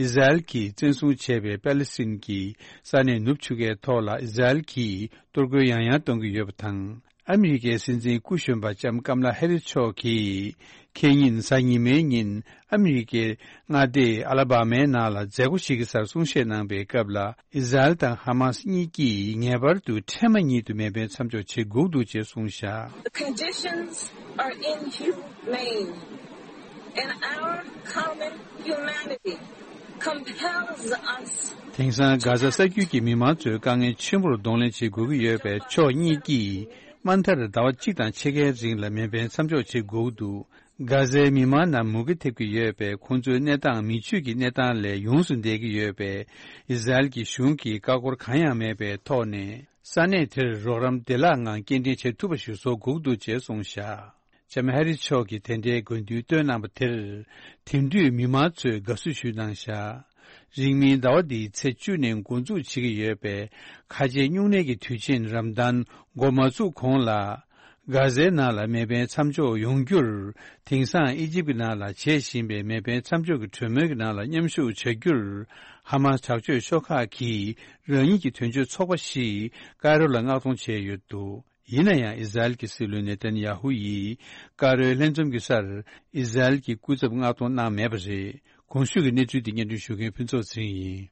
ཨི་ཟ་རེལ་གྱིས་བཙན་བཟུང་བྱས་པའི་པེ་ལེ་སི་ཐན་གྱི་ས་གནས་ནུབ་ཆུ་ཁའི་ཐོག་ལ། ཨི་ཟ་རེལ་གྱིས་གཏོར་རྒོལ་ཡང་ཡང་གཏོང་གི་ཡོད་པ་དང་། ཨ་མི་རི་ཀའི་སྲིད་འཛིན་སྐུ་གཞོན་པ་ལྕམ་ཀམ་ལ་ཧེ་རི་མཆོག་གིས། ཁེ་ཉིན་གཟའ་ཉི་མའི་ཉིན། ཨ་མི་རི་ཀའི་མངའ་སྡེ་ཨ་ལ་བྷ་མའི་ནང་ལ་མཛད་སྒོ་ཞིག་གི་སར་གསུང་བཤད་གནང་པའི་སྐབས་ལ། ཨི་ཟ་རེལ་དང་ཧ་མཱས་གཉིས་ཀྱིས་ངེས་པར་དུ་འཕྲལ་མ་ཉིད་དུ་མེ་འཕེན་མཚམས་འཇོག་བྱེད་དགོས་འདུག་ཅེས་གསུངས་བཞག The conditions are inhumane, and our common humanity compels us དེང་སང་གྷ་ཛ་ས་རྒྱུད་ཀྱི་མི་མང་ཚོའི་དཀའ་ངལ་ཆེན་པོར་གདོང་ལེན་བྱེད་དགོས་ཀྱི་ཡོད་པས། ཕྱོགས་གཉིས་ཀྱིས་དམའ་མཐར་ཟླ་བ་གཅིག་དང་ཕྱེད་ཀའི་རིང་ལ་མེ་འཕེན་མཚམས་འཇོག་བྱེད་དགོས་ཀྱི་འདུག་གྷ་ཛའི་མི་མང་རྣམས་མུ་གེ་ཐེབས་ཀྱི་ཡོད་པས། ཁོང་ཚོའི་གནས་སྟངས་མི་ཆོས་ཀྱི་གནས་སྟངས་ལས་ཡོངས་སུ་འདས་ཀྱི་ཡོད་པས། ཨི་ཟ་རེལ་གྱི་གཞུང་གིས་ཀ་ཁོལ་གང་ཡང་མེད་པའི་ཐོག་ནས་ས་གནས་དེར་རོགས་རམ་བདེ་བླག་ངང་སྐྱེལ་འདྲེན་བྱེད་ཐུབ་པ་ཞིག་བཟོ་དགོས་ཀྱི་འདུག་ཅེས་གསུངས་བཞག་ལྕམ་ཧེ་རི་མཆོག་གིས་དེ་འདྲའི་དགོས་འདུན་བཏོན་གནང་པ་དེར། དེང་དུས་མི་མང་ཚོས་དགའ་བསུ་ཞུས་གནང་བཞག་རིང་མིན་ཟླ་བ་འདིའི་ཚེས་བཅུ་ནས་འགོ་འཛུགས་བྱེད་ཀྱི་ཡོད་པའི་ཁ་ཆེའི་སྨྱུང་གནས་ཀྱི་དུས་ཆེན་རམ་དཱན་འགོ་མ་ཚུགས་གོང་ལ། གྷ་ཛའི་ནང་ལ་མེ་འཕེན་མཚམས་འཇོག་ཡོང་རྒྱུར། དེང་སང་ཨི་ཇིབ་ཀྱི་ནང་ལ་བྱེད་བཞིན་པའི་མེ་འཕེན་མཚམས་འཇོག་གི་གྲོས་མོལ་གྱི་ནང་ལ་མཉམ་ཞུགས་བྱ་རྒྱུར། ཧ་མཱས་དྲག་སྤྱོད་ཤོག་ཁག་གིས་རང་ཉིད་ཀྱི་དོན་གཅོད་ཚོགས་པ་ཞིག་ཀའི་རོ་ལ་མངགས་གཏོང་བྱས་ཡོད་འདུག་ཡིན་ན་ཡང་། ཨི་ཟ་རེལ་གྱི་སྲིད་བློན་ནེ་ཐན་ཡ་ཧུ་ཡིས་ཀ་རོའི་ལྷན་འཛོམས་ཀྱི་སར་ཨི་ཟ་རེལ་གྱི་སྐུ་ཚབ་མངགས་གཏོང་གནང་མེད་པ་རེད། གོང་ཞུས་ཀྱི་གནས་ཚུལ་འདི་སྙན་སྒྲོན་ཞུ་མཁན་ཕུན་ཚོགས་ཚེ་རིང་ཡིན།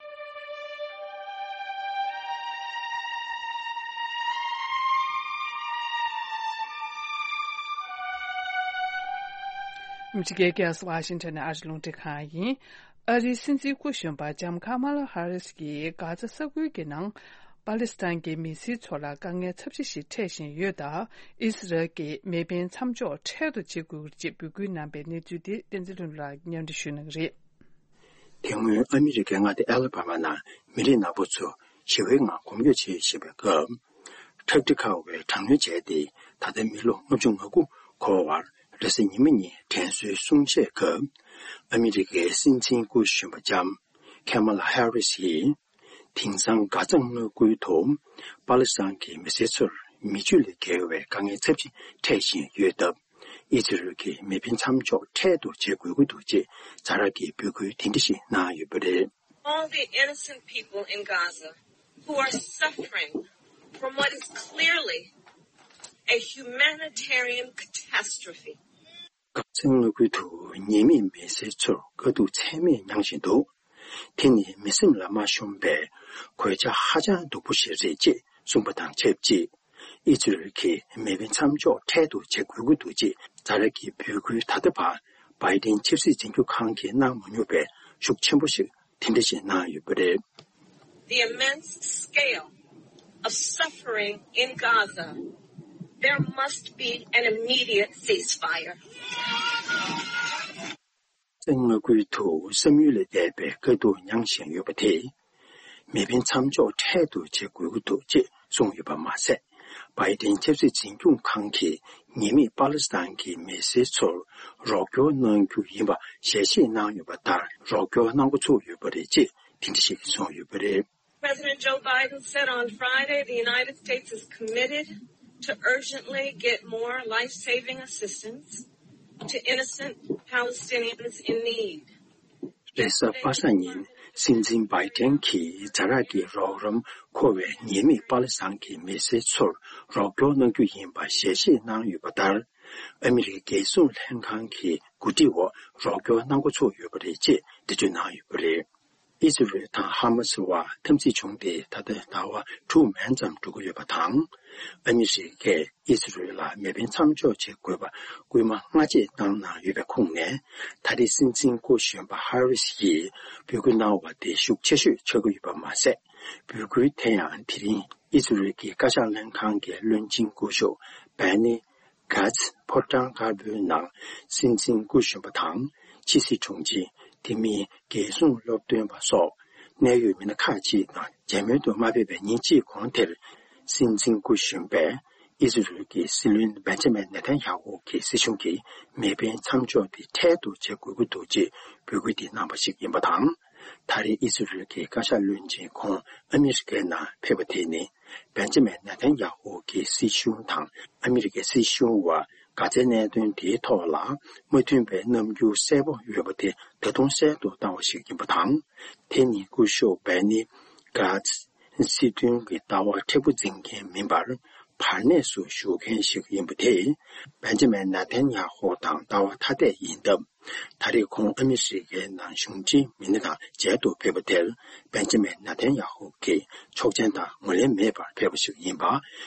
ཨ་མི་རི་ཀའི་རྒྱལ་ས་ཝ་ཤིང་ཊོན་ནས་ཨ་རི་རླུང་འཕྲིན་ཁང་ཡིན། ཨ་རིའི་སྲིད་འཛིན་སྐུ་གཞོན་པ་ལྕམ་ཁ་མ་ལ་ཧ་རིས་ཀྱིས་གྷ་ཛ་ས་ཁུལ་གྱི་ནང་པ་ལི་སི་ཐན་གྱི་མི་སེར་ཚོ་ལ་དཀའ་ངལ་ཚབས་ཆེ་ཞིག་འཕྲད་བཞིན་ཡོད་སྟབས། ཨི་སི་རལ་གྱིས་མེ་འཕེན་མཚམས་འཇོག་འཕྲལ་དུ་བྱེད་དགོས་ཀྱི་རེད་ཅེས་འབོད་སྐུལ་གནང་པའི་གནས་ཚུལ་དེ་བསྟན་འཛིན་ལྷུན་ལགས་སྙན་སྒྲོན་ཞུ་གནང་གི་རེད། དེ་སྔོན་ཨ་མི་རི་ཀའི་མངའ་སྡེ་ཨ་ལ་བྷ་མ་ནང་མི་རིགས་ནག་པོ་ཚོ་ཞི་བའི་ངང་གོམ་བགྲོད་བྱེད་བཞིན་པའི་སྐབས། ཁྲབ་ཁྲི་ཁ་བའི་དྲག་གནོན་བྱས་ཏེ། ད་ལྟ་མི་ལོ་ལྔ་བཅུ་ང་དགུ་འཁོར་བར་རེས་གཟའ་ཉི་མ་ཉིན་དྲན་གསོའི་གསུང་བཤད་སྐབས། ཨ་མི་རི་ཀའི་སྲིད་འཛིན་སྐུ་གཞོན་པ་ལྕམ་ཁེ་མ་ལ་ཧེ་རི་སི་ཡིས། དེང་སང་གྷ་ཛ་མངའ་ཁུལ་དུ་པ་ལི་སི་ཐན་གྱི་མི་སེར་ཚོར་མི་ཆོས་ལས་བརྒལ་བའི་དཀའ་ངལ་ཚབས་ཆེ་འཕྲད་བཞིན་ཡོད་སྟབས། ཨི་ཛི་རལ་གྱིས་མེ་འཕེན་མཚམས་འཇོག་འཕྲལ་དུ་བྱེད་དགོས་ཀྱི་འདུག་ཅེས་ཛ་དྲག་གི་འབོད་སྐུལ་དེ་འདྲ་ཞིག་གནང་ཡོད་པ་རེད། All the innocent people in Gaza who are suffering from what is clearly a humanitarian catastrophe. གྷ་ཛའི་མངའ་ཁུལ་དུ་ཉེས་མེད་མི་སེར་ཚོར་དཀའ་སྡུག་ཚད་མེད་མྱངས་བཞིན་འདུག་དེ་ནི་མི་སེམས་ལ་མ་ཤོང་པའི་གོད་ཆག་ཧ་ཅང་སྡུག་པོ་ཞིག་རེད་ཅེས་གསུངས་པ་དང་ཆབས་ཅིག་ཨི་ཛི་རལ་གྱིས་མེ་འཕེན་མཚམས་འཇོག་འཕྲལ་དུ་བྱེད་དགོས་ཀྱི་འདུག་ཅེས་ཛ་དྲག་གི་འབོད་སྐུལ་ད་ལྟ་བར་བྷའི་ཌེན་ཆབ་སྲིད་འཛིན་སྐྱོང་ཁང་གིས་གནང་མ་མྱོང་པའི་ཤུགས་ཆེན་པོ་ཞིག་དེ་འདྲ་ཞིག་གནང་ཡོད་པ་རེད། The immense scale of suffering in Gaza, there must be an immediate ceasefire. གསང་སྔགས་ཁུལ་དུ་བསམ་ཡུལ་ལས་འདས་པའི་དཀའ་སྡུག་མྱངས་བཞིན་ཡོད་པ་དེས། མེ་འཕེན་མཚམས་འཇོག་འཕྲལ་དུ་བྱེད་དགོས་ཀྱི་འདུག་ཅེས་གསུངས་ཡོད་པ་མ་ཟད། བྷའི་ཏིན་ཆབ་སྲིད་འཛིན་སྐྱོང་ཁང་གིས་ཉེས་མེད་པ་ལི་སི་ཐན་གྱི་མི་སེར་ཚོར་རོགས་སྐྱོར་གནང་རྒྱུ་ཡིན་པ་ཞལ་བཞེས་གནང་ཡོད་པ་ལྟར། རོགས་སྐྱོར་གནང་འགོ་ཚུགས་ཡོད་པ་རེད་ཅེས་དེ་འདྲ་ཞིག་གསུངས་ཡོད་པ་རེད། President Joe Biden said on Friday the United States is committed to urgently get more life-saving assistance to innocent Palestinians in need. རེས་གཟའ་པ་སངས་ཉིན་སྲིད་འཛིན་བྷའི་ཏན་གྱིས་ཛ་དྲག་གི་རོགས་རམ་མཁོ་བའི་ཉེས་མེད་པ་ལི་སི་ཐན་གྱི་མི་སེར་ཚོར་རོགས་སྐྱོར་གནང་རྒྱུ་ཡིན་པ་ཞལ་བཞེས་གནང་ཡོད་པ་ལྟར། ཨ་མི་རིའི་རྒྱལ་སྲུང་ལྷན་ཁང་གི་གོ་སྒྲིག་འོག་རོགས་སྐྱོར་གནང་འགོ་ཚུགས་ཡོད་པ་རེད་ཅེས་འགྲེལ་བརྗོད་གནང་ཡོད་པ་རེད། ཨི་ཟི་རེལ་དང་ཧ་མ་སི་བར་འཐབ་འཛིང་བྱུང་སྟེ་ད་ལྟ་ཟླ་བ་དྲུག་མན་ཙམ་འགྲོ་གི་ཡོད་པ་དང་། ཨ་མི་རི་ཀས་ཨི་ཟི་རེལ་ལ་མེ་འཕེན་མཚམས་འཇོག་བྱེད་དགོས་པ་སྐུལ་མ་སྔ་རྗེས་བཏང་གནང་ཡོད་པའི་ཁོངས་ནས། ད་རེས་སྲིད་འཛིན་སྐུ་གཞོན་པ་ཧ་རི་སི་ཡིས་འབོད་སྐུལ་གནང་བ་དེ་ཤུགས་ཆེ་ཤོས་ཆགས་ཀྱི་ཡོད་པ་མ་ཟད། འབོད་སྐུལ་དེ་ཡང་དེ་རིང་ཨི་ཟི་རེལ་གྱི་བཀའ་ཤག་ལྷན་ཁང་གི་བློན་ཆེན་སྐུ་ཞབས་བྷེ་ནི་གྷ་ཛི་ཕོ་བྲང་དཀར་པོའི་ནང་སྲིད་འཛིན་སྐུ་གཞོན་པ་དང་། ཕྱི་སྲིད་དྲུང་ཆེ། དེ་མིན་རྒྱལ་སྲུང་སློབ་སྟོན་པ་སོགས་གནད་ཡོད་མི་སྣ་ཁག་ཅིག་དང་མཇལ་མོལ་དུ་མ་ཕེབས་པའི་ཉིན་གཅིག་གོང་དེར། སྲིད་འཛིན་སྐུ་གཞོན་པས་ཨི་ཟི་རེལ་གྱི་སྲིད་བློན་བེན་ཇ་མིན་ནེ་ཐན་ཡ་ཧུ་གྱི་སྲིད་གཞུང་གིས་མེ་འཕེན་མཚམས་འཇོག་དེ་འཕྲལ་དུ་བྱེད་དགོས་ཀྱི་འདུག་ཅེས་འབོད་སྐུལ་དེ་གནང་བ་ཞིག་ཡིན་པ་དང་། ད་རེས་ཨི་ཟི་རེལ་གྱི་བཀའ་ཤག་བློན་ཆེན་ཁོང་ཨ་མི་རི་ཀའི་ནང་ཕེབས་པ་དེ་ནི། བེན་ཇ་མིན་ནེ་ཐན་ཡ་ཧུ་གྱི་སྲིད་གཞུང་དང་ཨ་མི་རི་ཀའི་སྲིད་གཞུང་བར་ག་ཚད་གནད་དོན་དེའི་ཐོག་ལ་མ་མཐུན་པའི་རྣམ་འགྱུར་གསལ་པོ་ཡོད་པ་དེ་ད་དུང་གསལ་དུ་བཏང་བ་ཞིག་ཡིན་པ་དང་། དེ་ནི་སྐུ་ཞབས་བྷེ་ནི་གྷ་ཛི་སྲིད་དོན་གྱི་ལྟ་བ་མཁྲེགས་པོ་འཛིན་མཁན་མིན་པར། བར་གནས་སུ་བཞུགས་མཁན་ཞིག་ཡིན་པ་དེས། བེན་ཇ་མིན་ནེ་ཐན་ཡ་ཧུ་དང་ལྟ་བ་ཐ་དད་ཡིན་སྟབས། ད་རེས་ཁོང་ཨ་མི་རི་ཀའི་ནང་གཞུང་འབྲེལ་མི་སྣ་དང་མཇལ་དུ་ཕེབས་པ་དེར། བེན་ཇ་མིན་ནེ་ཐན་ཡ་ཧུ་གིས་ཆོག་མཆན་དང་ངོས་ལེན་མེད་པར་ཕེབས་པ་ཞིག་ཡིན་པ།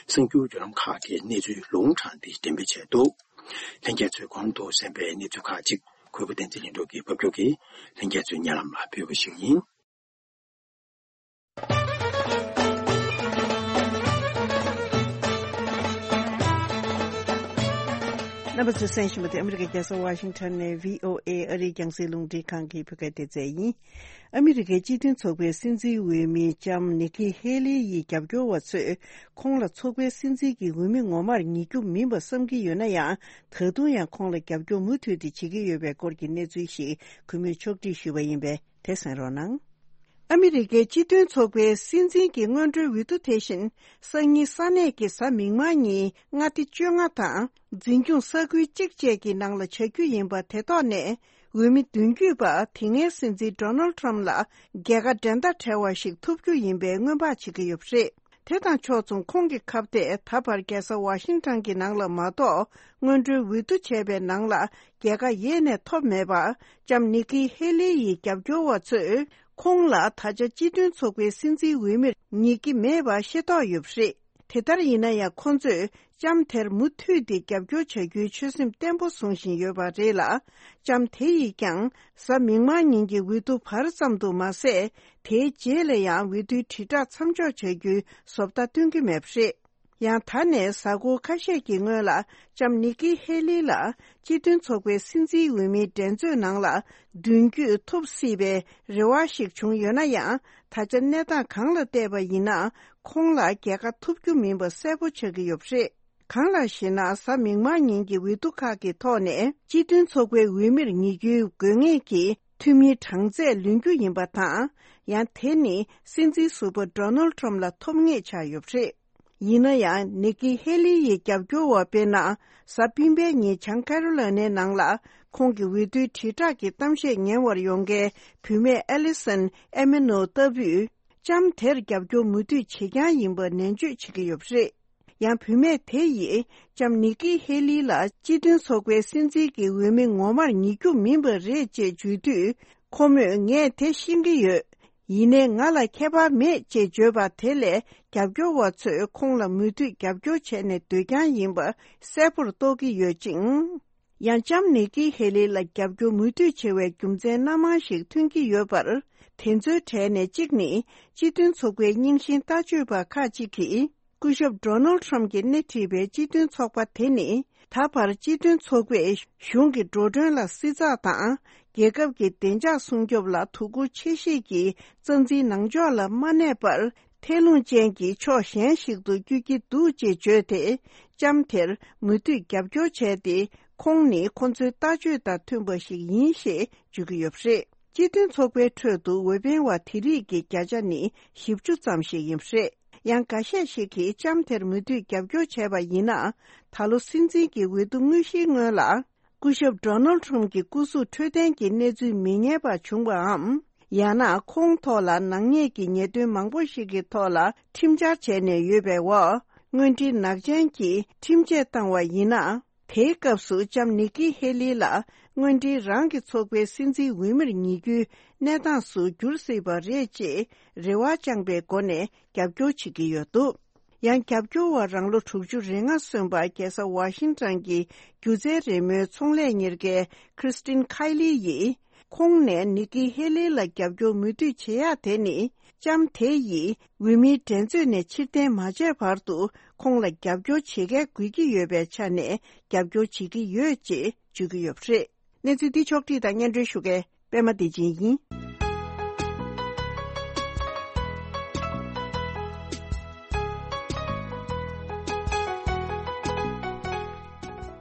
གསར་འགྱུར་བརྒྱུད་ལམ་ཁག་གིས་གནས་ཚུལ་ལུང་དྲངས་ཏེ་འགྲེམས་སྤེལ་བྱས་འདུག། ལྷན་རྒྱས་ཚོས་གོང་དུ་གསན་པའི་གནས་ཚུལ་ཁག་ཅིག་གུས་པ་བསྟན་འཛིན་ལྷུན་གྲུབ་ཀྱིས་ཕབ་སྒྱུར་གྱིས་ལྷན་རྒྱས་ཚོའི་སྙན་ལམ་ལ་ཕུལ་བ་ཞིག་ཡིན། རྣམ་པ་ཚོས་གསན་བཞིན་པ་དེ་ཨ་མི་རི་ཀའི་རྒྱལ་ས་ཝ་ཤིང་ཊོན་ནས་བྷི་ཨོ་ཨེ་ཨ་རིའི་རྒྱང་སྲིང་རླུང་འཕྲིན་ཁང་གི་བོད་སྐད་སྡེ་ཚན་ཡིན། ཨ་མི་རི་ཀའི་སྤྱི་མཐུན་ཚོགས་པའི་སྲིད་འཛིན་འོས་མི་ལྕམ་ནི་ཀི་ཧེ་ལི་ཡི་རྒྱབ་སྐྱོར་བ་ཚོས། ཁོང་ལ་ཚོགས་པའི་སྲིད་འཛིན་གྱི་འོས་མི་ངོ་མར་ངེས་རྒྱུ་མིན་པ་བསམ་གྱི་ཡོད་ན་ཡང་། ད་དུང་ཡང་ཁོང་ལ་རྒྱབ་སྐྱོར་མུ་མཐུད་དེ་བྱེད་ཀྱི་ཡོད་པའི་སྐོར་གྱི་གནས་ཚུལ་ཞིག་གུས་མོས་ཕྱོགས་སྒྲིག་ཞུས་པ་ཡིན་པས། དེ་གསན་རོགས་གནང་། ཨ་མི་རི་ཀའི་སྤྱི་མཐུན་ཚོགས་པའི་སྲིད་འཛིན་གྱི་སྔོན་འགྲོའི་འོས་བསྡུ་དེ་བཞིན་སང་ཉིན་ས་གནས་ཀྱི་གཟའ་མིག་དམར་ཉིན་མངའ་སྡེ་བཅོ་ལྔ་དང་འཛིན་སྐྱོང་ས་ཁུལ་གཅིག་བཅས་ཀྱི་ནང་ལ་བྱ་རྒྱུ་ཡིན་པ་དེ་ཐོག་ནས། འོས་མི་བདུན་བརྒྱུད་པ་དེ་སྔའི་སྲིད་འཛིན་ཌོ་ནལ་ཊམ་ལ་རྒྱལ་ཁ་འགྲན་ཟླ་བྲལ་བ་ཞིག་ཐོབ་རྒྱུ་ཡིན་པའི་སྔོན་དཔག་བྱེད་ཀྱི་ཡོད་པ་རེད། དེ་དང་ཕྱོགས་མཚུངས་ཁོང་གི་ཁ་གཏད་ད་བར་རྒྱལ་ས་ཝ་ཤིང་ཊོན་གྱི་ནང་ལ་མ་གཏོགས་སྔོན་འགྲོའི་འོས་བསྡུ་བྱས་པའི་ནང་ལ་རྒྱལ་ཁ་ཡེ་ནས་ཐོབ་མེད་པ། ལྕམ་ནི་ཀི་ཧེ་ལི་ཡི་རྒྱབ་སྐྱོར་བ་ཚོས་ཁོང་ལ་ད་ཆ་སྤྱི་མཐུན་ཚོགས་པའི་སྲིད་འཛིན་འོས་མིར་ངེས་ཀྱི་མེད་པ་ཤེས་རྟོགས་ཡོད་པ་རེད། དེ་ལྟར་ཡིན་ན་ཡང་ཁོ་ཚོས་ལྕམ་དེར་མུ་མཐུད་དེ་རྒྱབ་སྐྱོར་བྱ་རྒྱུའི་ཆོད་སེམས་བརྟན་པོ་བཟུང་བཞིན་ཡོད་པ་རེད་ལ། ལྕམ་དེ་ཡིས་ཀྱང་གཟའ་མིག་དམར་ཉིན་གྱི་འོས་བསྡུ་བར་ཙམ་དུ་མ་ཟད། དེའི་རྗེས་ལ་ཡང་འོས་བསྡུའི་དྲིལ་བསྒྲགས་མཚམས་འཇོག་བྱ་རྒྱུའི་བཟོ་ལྟ་སྟོན་གྱི་མེད་པ་རེད། ཡང་ད་ནས་གཟའ་འཁོར་ཁ་ཤས་ཀྱི་སྔོན་ལ་ལྕམ་ནི་ཀི་ཧེ་ལི་ལ་སྤྱི་མཐུན་ཚོགས་པའི་སྲིད་འཛིན་འོས་མིའི་འགྲན་རྩོད་ནང་ལ་མདུན་སྐྱོད་ཐུབ་སྲིད་པའི་རེ་བ་ཞིག་བྱུང་ཡོད་ན་ཡང་། ད་ཆ་གནས་སྟངས་གང་ལ་བལྟས་པ་ཡིན་ན་ཁོང་ལ་རྒྱལ་ཁ་ཐོབ་རྒྱུ་མིན་པ་གསལ་པོ་ཆགས་ཀྱི་ཡོད་པ་རེད། གང་ལགས་ཤེ་ན། གཟའ་མིག་དམར་ཉིན་གྱི་འོས་བསྡུ་ཁག་གི་ཐོག་ནས་སྤྱི་མཐུན་ཚོགས་པའི་འོས་མིར་ངེས་རྒྱུའི་དགོས་ངེས་ཀྱི་འཐུས་མིའི་གྲངས་ཚད་ལོན་རྒྱུ་ཡིན་པ་དང་། ཡང་དེ་ནི་སྲིད་འཛིན་ཟུར་པ་ཌོ་ནལ་ཊམ་ལ་ཐོབ་ངེས་ཆགས་ཡོད་པ་རེད། ཡིན་ན་ཡང་ནི་ཀི་ཧེ་ལི་ཡི་རྒྱབ་སྐྱོར་བ་དཔེར་ན། གཟའ་སྤེན་པའི་ཉིན་བྱང་ཀ་རོ་ལ་ནའི་ནང་ལ་ཁོང་གི་འོས་བསྡུའི་དྲིལ་བསྒྲགས་ཀྱི་གཏམ་བཤད་ཉན་བར་ཡོང་མཁན་བུད་མེད་ཨེ་ལི་སན་ཨེ་མེ་ནོ་ལྟ་བུས། ལྕམ་དེར་རྒྱབ་སྐྱོར་མུ་མཐུད་བྱེད་རྐྱང་ཡིན་པ་ནན་བརྗོད་བྱེད་ཀྱི་ཡོད་པ་རེད། ཡང་བུད་མེད་དེ་ཡིས་ལྕམ་ནི་ཀི་ཧེ་ལི་ལ་སྤྱི་མཐུན་ཚོགས་པའི་སྲིད་འཛིན་གྱི་འོས་མི་ངོ་མར་ངེས་རྒྱུ་མིན་པ་རེད་ཅེས་བརྗོད་དུས། ཁོ་མོས་ངས་དེ་ཤེས་ཀྱི་ཡོད། ཡིན་ནའི་ང་ལ་ཁྱད་པར་མེད་ཅེས་བརྗོད་པ་དེ་ལས་རྒྱབ་སྐྱོར་བ་ཚོས་ཁོང་ལ་མུ་མཐུད་རྒྱབ་སྐྱོར་བྱས་ནས་སྡོད་རྐྱང་ཡིན་པ་གསལ་པོར་རྟོགས་ཀྱི་ཡོད་ཅིང་། ཡང་ལྕམ་ནི་ཀི་ཧེ་ལི་ལ་རྒྱབ་སྐྱོར་མུ་མཐུད་བྱེད་པའི་རྒྱུ་མཚན་སྣ་མང་ཞིག་ཐོན་གྱི་ཡོད་པར། དེ་ཚོའི་གྲས་ནས་གཅིག་ནི། སྤྱི་མཐུན་ཚོགས་པའི་རྙིང་ཤིང་ལྟ་སྤྱོད་པ་ཁག་ཅིག་གིས། སྐུ་ཞབས་Donald Trump གྱིས་སྣེ་ཁྲིད་པའི་སྤྱི་མཐུན་ཚོགས་པ་དེ་ནི། ད་བར་སྤྱི་མཐུན་ཚོགས་པས་གཞུང་གི་འགྲོ་གྲོན་ལ་བསྲི་ཚགས་དང་། རྒྱལ་ཁབ་ཀྱི་བདེ་འཇགས་སྲུང་སྐྱོབ་ལ་དོ་ཁུར་ཆེ་བཞེས་ཀྱིས། རྩ་འཛིན་ནང་ཕྱོགས་ལ་མ་གནས་པར། ཐལ་རླུང་ཅན་གྱི་ཕྱོགས་གཞན་ཞིག་ཏུ་བསྐྱོད་ཀྱི་འདུག་ཅེས་བརྗོད་དེ། ལྕམ་དེར་མུ་མཐུད་རྒྱབ་སྐྱོར་བྱས་ཏེ། ཁོང་ནི་ཁོ་ཚོའི་ལྟ་སྤྱོད་དང་མཐུན་པ་ཞིག་ཡིན་ཞེས་བརྗོད་ཀྱི་ཡོད་པ་རེད། སྤྱི་མཐུན་ཚོགས་པའི་ཁྲོད་དུ་འོས་འཕེན་བ་དེ་རིགས་ཀྱི་བརྒྱ་ཆ་ནི་བཞི་བཅུ་ཙམ་ཞིག་ཡིན་པ་རེད། ཡང་འགའ་ཤས་ཤིག་གིས་ལྕམ་དེར་མུ་མཐུད་རྒྱབ་སྐྱོར་བྱས་པ་ཡིན་ན། ད་ལོ་སྲིད་འཛིན་གྱི་འོས་བསྡུ་དངོས་གཞིའི་སྔོན་ལ། སྐུ་ཞབས་Donald Trump གྱི་སྐུ་གཟུགས་འཕྲོད་བསྟེན་གྱི་གནས་ཚུལ་མི་ཉན་པ་བྱུང་བའམ། ཡང་ན་ཁོང་ཐོག་ལ་ནག་ཉེས་ཀྱི་ཉེས་དོན་མང་པོ་ཞིག་གི་ཐོག་ལ་ཁྲིམས་འཆར་བྱས་ནས་ཡོད་པའི་འོག་དངོས་འབྲེལ་ནག་ཅན་གྱིས་ཁྲིམས་ཆད་བཏང་བ་ཡིན་ན། དེའི་སྐབས་སུ་ལྕམ་ནིག་ཀི་ཧེ་ལི་ལ་དངོས་འབྲེལ་རང་གི་ཚོགས་པའི་སྲིད་འཛིན་འོས་མིར་ངེས་རྒྱུའི་གནས་སྟངས་སུ་འགྱུར་སྲིད་པ་རེད་ཅེས་རེ་བ་བཅངས་པའི་སྒོ་ནས་རྒྱབ་སྐྱོར་བྱེད་ཀྱི་ཡོད་འདུག་ཡང་རྒྱབ་སྐྱོར་བ་རང་ལོ་དྲུག་ཅུ་རེ་ལྔ་སོན་པ་རྒྱལ་ས་ཝ་ཤིང་ཊོན་གྱི་སྒྱུ་རྩལ་རེས་མོའི་ཚོང་ལས་གཉེར་མཁན་Christine Kylie ཡིས། ཁོང་ནས་ནིག་ཀི་ཧེ་ལི་ལ་རྒྱབ་སྐྱོར་མུ་མཐུད་བྱེད་ཡག་དེ་ནི། ལྕམ་དེ་ཡིས་འོས་མིའི་འགྲན་རྩོད་ནས་ཕྱིར་འཐེན་མ་བྱས་བར་དུ་ཁོང་ལ་རྒྱབ་སྐྱོར་བྱེད་མཁན་དགོས་ཀྱི་ཡོད་པའི་ཆ་ནས་རྒྱབ་སྐྱོར་བྱེད་ཀྱི་ཡོད་ཅེས་བརྗོད་ཀྱི་ཡོད་པ་རེད། གནས་ཚུལ་འདི་ཕྱོགས་བསྒྲིགས་དང་སྙན་སྒྲོན་ཞུ་མཁན་པད་མ་བདེ་ཆེན་ཡིན།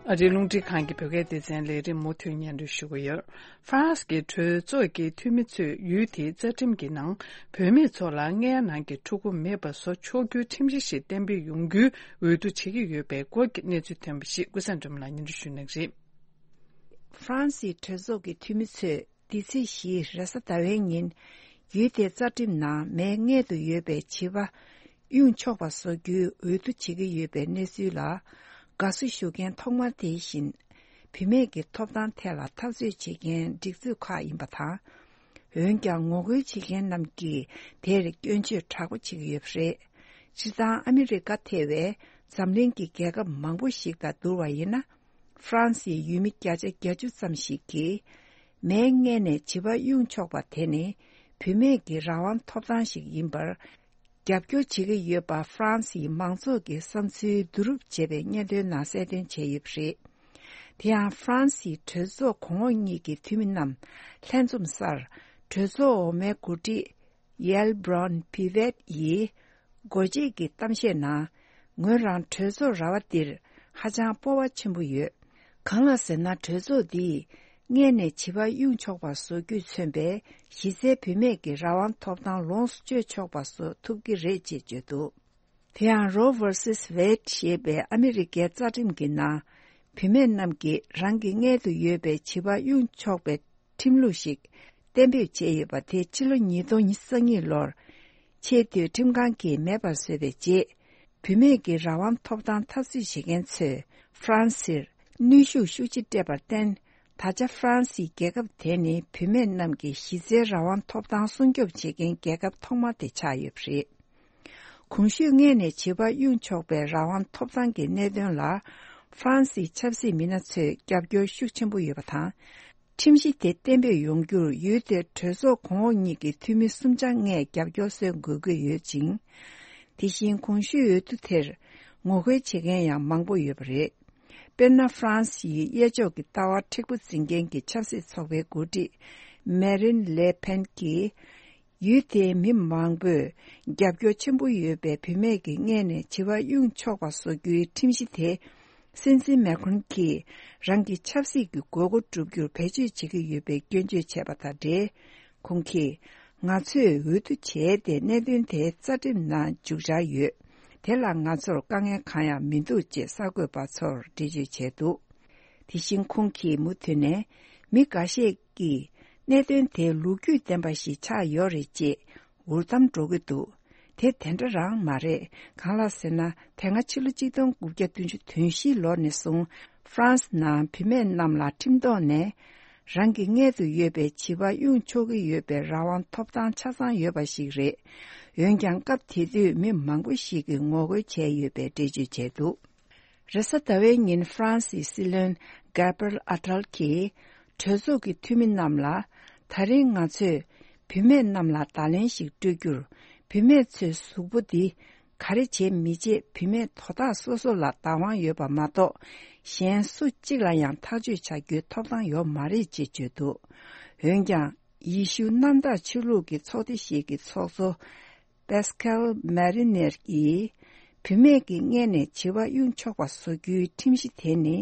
ཨ་རིའི་རླུང་འཕྲིན་ཁང་གི་བོད་སྐད་སྡེ་ཚན་ལས་རིམ་མུ་མཐུད་སྙན་སྒྲོན་ཞུ་གི་ཡོད། ཧྥ་རན་སི་གི་གྲོས་ཚོགས་ཀྱི་འཐུས་མི་ཚོས་ཡུལ་དེའི་རྩ་ཁྲིམས་ཀྱི་ནང་བུད་མེད་ཚོ་ལ་མངལ་ནང་གི་ཕྲུ་གུ་མེད་པ་བཟོ་ཆོག་རྒྱུའི་ཁྲིམས་གཞི་ཞིག་གཏན་འབེབས་ཡོང་རྒྱུའི་འོས་བསྡུ་བྱེད་ཀྱི་ཡོད་པའི་སྐོར་གྱི་གནས་ཚུལ་ཐོན་པ་ཞིག་ཀུན་བཟང་སྒྲོལ་མ་ལགས་སྙན་སྒྲོན་ཞུ་གནང་གི་རེད། ཧྥ་རན་སིའི་གྲོས་ཚོགས་ཀྱི་འཐུས་མི་ཚོས་འདི་ཚེས་བཞི་རེས་གཟའ་ཟླ་བའི་ཉིན། ཡུལ་དེའི་རྩ་ཁྲིམས་ནང་མའི་མངལ་དུ་ཡོད་པའི་བྱིས་པ་དབྱུང་ཆོག་པ་བཟོ་རྒྱུའི་འོས་བསྡུ་བྱེད་ཀྱི་ཡོད་པའི་གནས་ཚུལ་ལ་དགའ་བསུ་ཞུ་མཁན་ཐོག་མ་དེ་བཞིན། བུད་མེད་ཀྱི་ཐོབ་ཐང་ཐད་ལ་འཐབ་རྩོད་བྱེད་མཁན་སྒྲིག་འཛུགས་ཁག་ཡིན་པ་དང་། འོན་ཀྱང་ངོ་རྒོལ་བྱེད་མཁན་རྣམས་ཀྱིས་དེར་སྐྱོན་བརྗོད་དྲག་པོ་བྱེད་ཀྱི་ཡོད་པ་རེད། སྤྱིར་བཏང་ཨ་མི་རི་ཀ་ཐེ་བའི་འཛམ་གླིང་གི་རྒྱལ་ཁབ་མང་པོ་ཞིག་དང་བསྡུར་བ་ཡིན་ན། ཧྥ་རན་སིའི་ཡུལ་མི་བརྒྱ་ཆ་བརྒྱད་ཅུ་ཙམ་ཞིག་གིས། མའི་མངལ་ནས་བྱིས་པ་དབྱུང་ཆོག་པ་དེ་ནི། བུད་མེད་ཀྱི་རང་དབང་ཐོབ་ཐང་ཞིག་ཡིན་པར། རྒྱབ་སྐྱོར་བྱེད་ཀྱི་ཡོད་པ་ཧྥ་རན་སིའི་མང་ཚོགས་ཀྱི་བསམ་ཚུལ་བསྡུ་རུབ་བྱས་པའི་སྙན་ཐོའི་ནང་གསལ་སྟོན་བྱས་ཡོད་པ་རེད། དེ་ཡང་ཧྥ་རན་སིའི་གྲོས་ཚོགས་གོང་འོག་གཉིས་ཀྱི་འཐུས་མི་རྣམས་ལྷན་འཛོམས་སར། གྲོས་ཚོགས་འོག་མའི་འགོ་ཁྲིད། ཡལ་བྷྲོན་པི་ཝེད་ཡིས་སྒོ་འབྱེད་ཀྱི་གཏམ་བཤད་ནང་། ངོས་རང་གྲོས་ཚོགས་ར་བ་འདིར་ཧ་ཅང་སྤོབས་པ་ཆེན་པོ་ཡོད། གང་ལ་ཟེར་ན། གྲོས་ཚོགས་འདིས་མངལ་ནས་བྱིས་པ་དབྱུང་ཆོག་པ་བཟོ་རྒྱུས་མཚོན་པའི་གཞི་རྩའི་བུད་མེད་ཀྱི་རང་དབང་ཐོབ་ཐང་ལོངས་སུ་སྤྱོད་ཆོག་པ་བཟོ་ཐུབ་ཀྱི་རེད་ཅེས་བརྗོད་འདུག་དེ་ཡང་Roe versus Wade ཞེས་པའི་ཨ་མི་རི་ཀའི་རྩ་ཁྲིམས་ཀྱི་ནང་། བུད་མེད་རྣམས་ཀྱིས་རང་གི་མངལ་དུ་ཡོད་པའི་བྱིས་པ་དབྱུང་ཆོག་པའི་ཁྲིམས་ལུགས་ཤིག་གཏན་འབེབས་བྱས་ཡོད་པ་དེ་ཕྱི་ལོ་ཉིས་སྟོང་ཉི་ཤུ་རྩ་གཉིས་ལོར། ཆེས་མཐོའི་ཁྲིམས་ཁང་གིས་མེད་པར་བཟོས་པའི་རྗེས། བུད་མེད་ཀྱི་རང་དབང་ཐོབ་ཐང་འཐབ་རྩོད་བྱེད་མཁན་ཚོས་ཧྥ་རན་སིར་གནོན་ཤུགས་ཤུགས་ཆེ་སྤྲད་པར་བརྟེན། ད་ཆ་ཧྥ་རན་སིའི་རྒྱལ་ཁབ་དེ་ནི་བུད་མེད་རྣམས་ཀྱི་གཞི་རྩའི་རང་དབང་ཐོབ་ཐང་སྲུང་སྐྱོབ་བྱེད་མཁན་རྒྱལ་ཁབ་ཐོག་མ་དེ་ཆགས་ཡོད་པ་རེད། གོང་ཞུས་མངལ་ནས་བྱིས་པ་དབྱུང་ཆོག་པའི་རང་དབང་ཐོབ་ཐང་གི་གནད་དོན་ལ། ཧྥ་རན་སིའི་ཆབ་སྲིད་མི་སྣ་ཚོས་རྒྱབ་སྐྱོར་ཤུགས་ཆེན་པོ་ཡོད་པ་དང་། ཁྲིམས་གཞི་དེ་གཏན་འབེབས་ཡོང་རྒྱུར་ཡུལ་དེའི་གྲོས་ཚོགས་གོང་འོག་གཉིས་ཀྱི་འཐུས་མི་སུམ་ཆ་ལྔས་རྒྱབ་སྐྱོར་སྩལ་དགོས་ཀྱི་ཡོད་ཅིང་། དེ་བཞིན་གོང་ཞུས་འོས་བསྡུ་དེར་ངོ་རྒོལ་བྱེད་མཁན་ཡང་མང་པོ་ཡོད་པ་རེད། དཔེར་ན། ཧྥ་རན་སིའི་གཡས་ཕྱོགས་ཀྱི་ལྟ་བ་མཁྲེགས་པོ་འཛིན་མཁན་གྱི་ཆབ་སྲིད་ཚོགས་པའི་འགོ་ཁྲིད་མེ་རིན་ལེ་ཕེན་གྱིས། ཡུལ་དེའི་མི་མང་པོས་རྒྱབ་སྐྱོར་ཆེན་པོ་ཡོད་པའི་བུད་མེད་ཀྱི་མངལ་ནས་བྱིས་པ་དབྱུང་ཆོག་པ་བཟོ་རྒྱུའི་ཁྲིམས་གཞི་དེ། སྲིད་འཛིན་མེ་ཁོན་གྱིས་རང་གི་ཆབ་སྲིད་ཀྱི་དགོས་མཁོ་བསྒྲུབ་རྒྱུར་བེད་སྤྱོད་བྱེད་ཀྱི་ཡོད་པའི་སྐྱོན་བརྗོད་བྱས་པ་དང་འབྲེལ། ཁོང་གིས། ང་ཚོས་འོས་བསྡུ་བྱས་ཏེ་གནད་དོན་དེ་རྩ་ཁྲིམས་ནང་འཇུག་འཆར་ཡོད། དེ་ལ་ང་ཚོར་དཀའ་ངལ་གང་ཡང་མི་འདུག་ཅེས་གསར་འགོད་པ་ཚོར་འགྲེལ་བརྗོད་བྱས་འདུག་དེ་བཞིན་ཁོང་གིས་མུ་མཐུད་ནས། མི་འགའ་ཤས་ཀྱིས་གནད་དོན་དེ་ལོ་རྒྱུས་ལྡན་པ་ཞིག་ཆགས་ཡོད་རེད་ཅེས་འུར་གཏམ་སྒྲོག་གི་འདུག་དེ་དེ་འདྲ་རང་མ་རེད། གང་ལ་ཟེར་ན། དེ་སྔ་ཕྱི་ལོ་གཅིག་སྟོང་དགུ་བརྒྱ་བདུན་ཅུ་དོན་བཞི་ལོ་ནས་བཟུང་། ཧྥ་རན་སི་ནང་བུད་མེད་རྣམས་ལ་ཁྲིམས་ཐོག་ནས་རང་གི་མངལ་དུ་ཡོད་པའི་བྱིས་པ་དབྱུང་ཆོག་གི་ཡོད་པའི་རང་དབང་ཐོབ་ཐང་ཆ་ཚང་ཡོད་པ་ཞིག་རེད། འོན་ཀྱང་སྐབས་དེ་དུས་མི་མང་པོ་ཞིག་གིས་ངོ་རྒོལ་བྱས་ཡོད་པའི་འགྲེལ་བརྗོད་བྱས་འདུག་རེས་གཟའ་ཟླ་བའི་ཉིན་ཧྥ་རན་སིའི་སྲིད་བློན་Gabriel Attal གྱིས་གྲོས་ཚོགས་ཀྱི་འཐུས་མི་རྣམས་ལ། ད་རིང་ང་ཚོས་ བུད་མེད་རྣམས་ལ་བརྡ་ལན་ཞིག་སྤྲོད་རྒྱུར། བུད་མེད་ཚོའི་གཟུགས་པོ་འདི་ག་རེ་བྱེད་མི་བྱེད་བུད་མེད་དོ་བདག་སོ་སོ་ལ་བདག་དབང་ཡོད་པ་མ་གཏོགས། གཞན་སུ་གཅིག་ལ་ཡང་ཐག་གཅོད་བྱ་རྒྱུའི་ཐོབ་ཐང་ཡོད་མ་རེད་ཅེས་བརྗོད་འདུག་འོན་ཀྱང་། ཡེ་ཤུ་གནམ་བདག་ཆོས་ལུགས་ཀྱི་ཚོགས་སྡེ་ཞིག་གི་ཚོགས་གཙོ། པེ་སི་ཀལ་མེ་རི་ནེར་གྱིས། བུད་མེད་ཀྱི་མངལ་ནས་བྱི་བ་དབྱུང་ཆོག་པ་བཟོ་རྒྱུའི་ཁྲིམས་གཞི་དེ་ནི།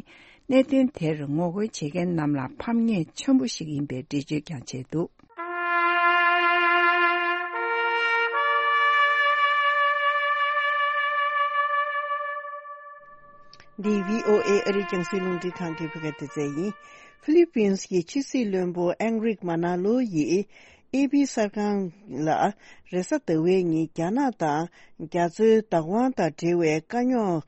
གནད་དོན་དེར་ངོ་རྒོལ་བྱེད་མཁན་རྣམས་ལ་ཕམ་ཉེས་ཆེན་པོ་ཞིག་ཡིན་པའི་འགྲེལ་བརྗོད་ཀྱང་བྱས་འདུག་འདི་བྷི་ཨོ་ཨེ་ཨ་རིའི་རྒྱང་སྲིང་རླུང་འཕྲིན་ཁང་གི་བོད་སྐད་སྡེ་ཚན་ཡིན། ཧྥི་ལི་པིན་གྱི་ཕྱི་སྲིད་བློན་པོ་ཨེང་རིག་མ་ན་ལོ་ཡིས། ཨེ་པི་གསར་ཁང་ལ། རེས་གཟའ་ཟླ་བའི་ཉིན་རྒྱ་ནག་དང་རྒྱ་མཚོའི་བདག་དབང་དང་འབྲེལ་བའི་དཀའ་རྙོག་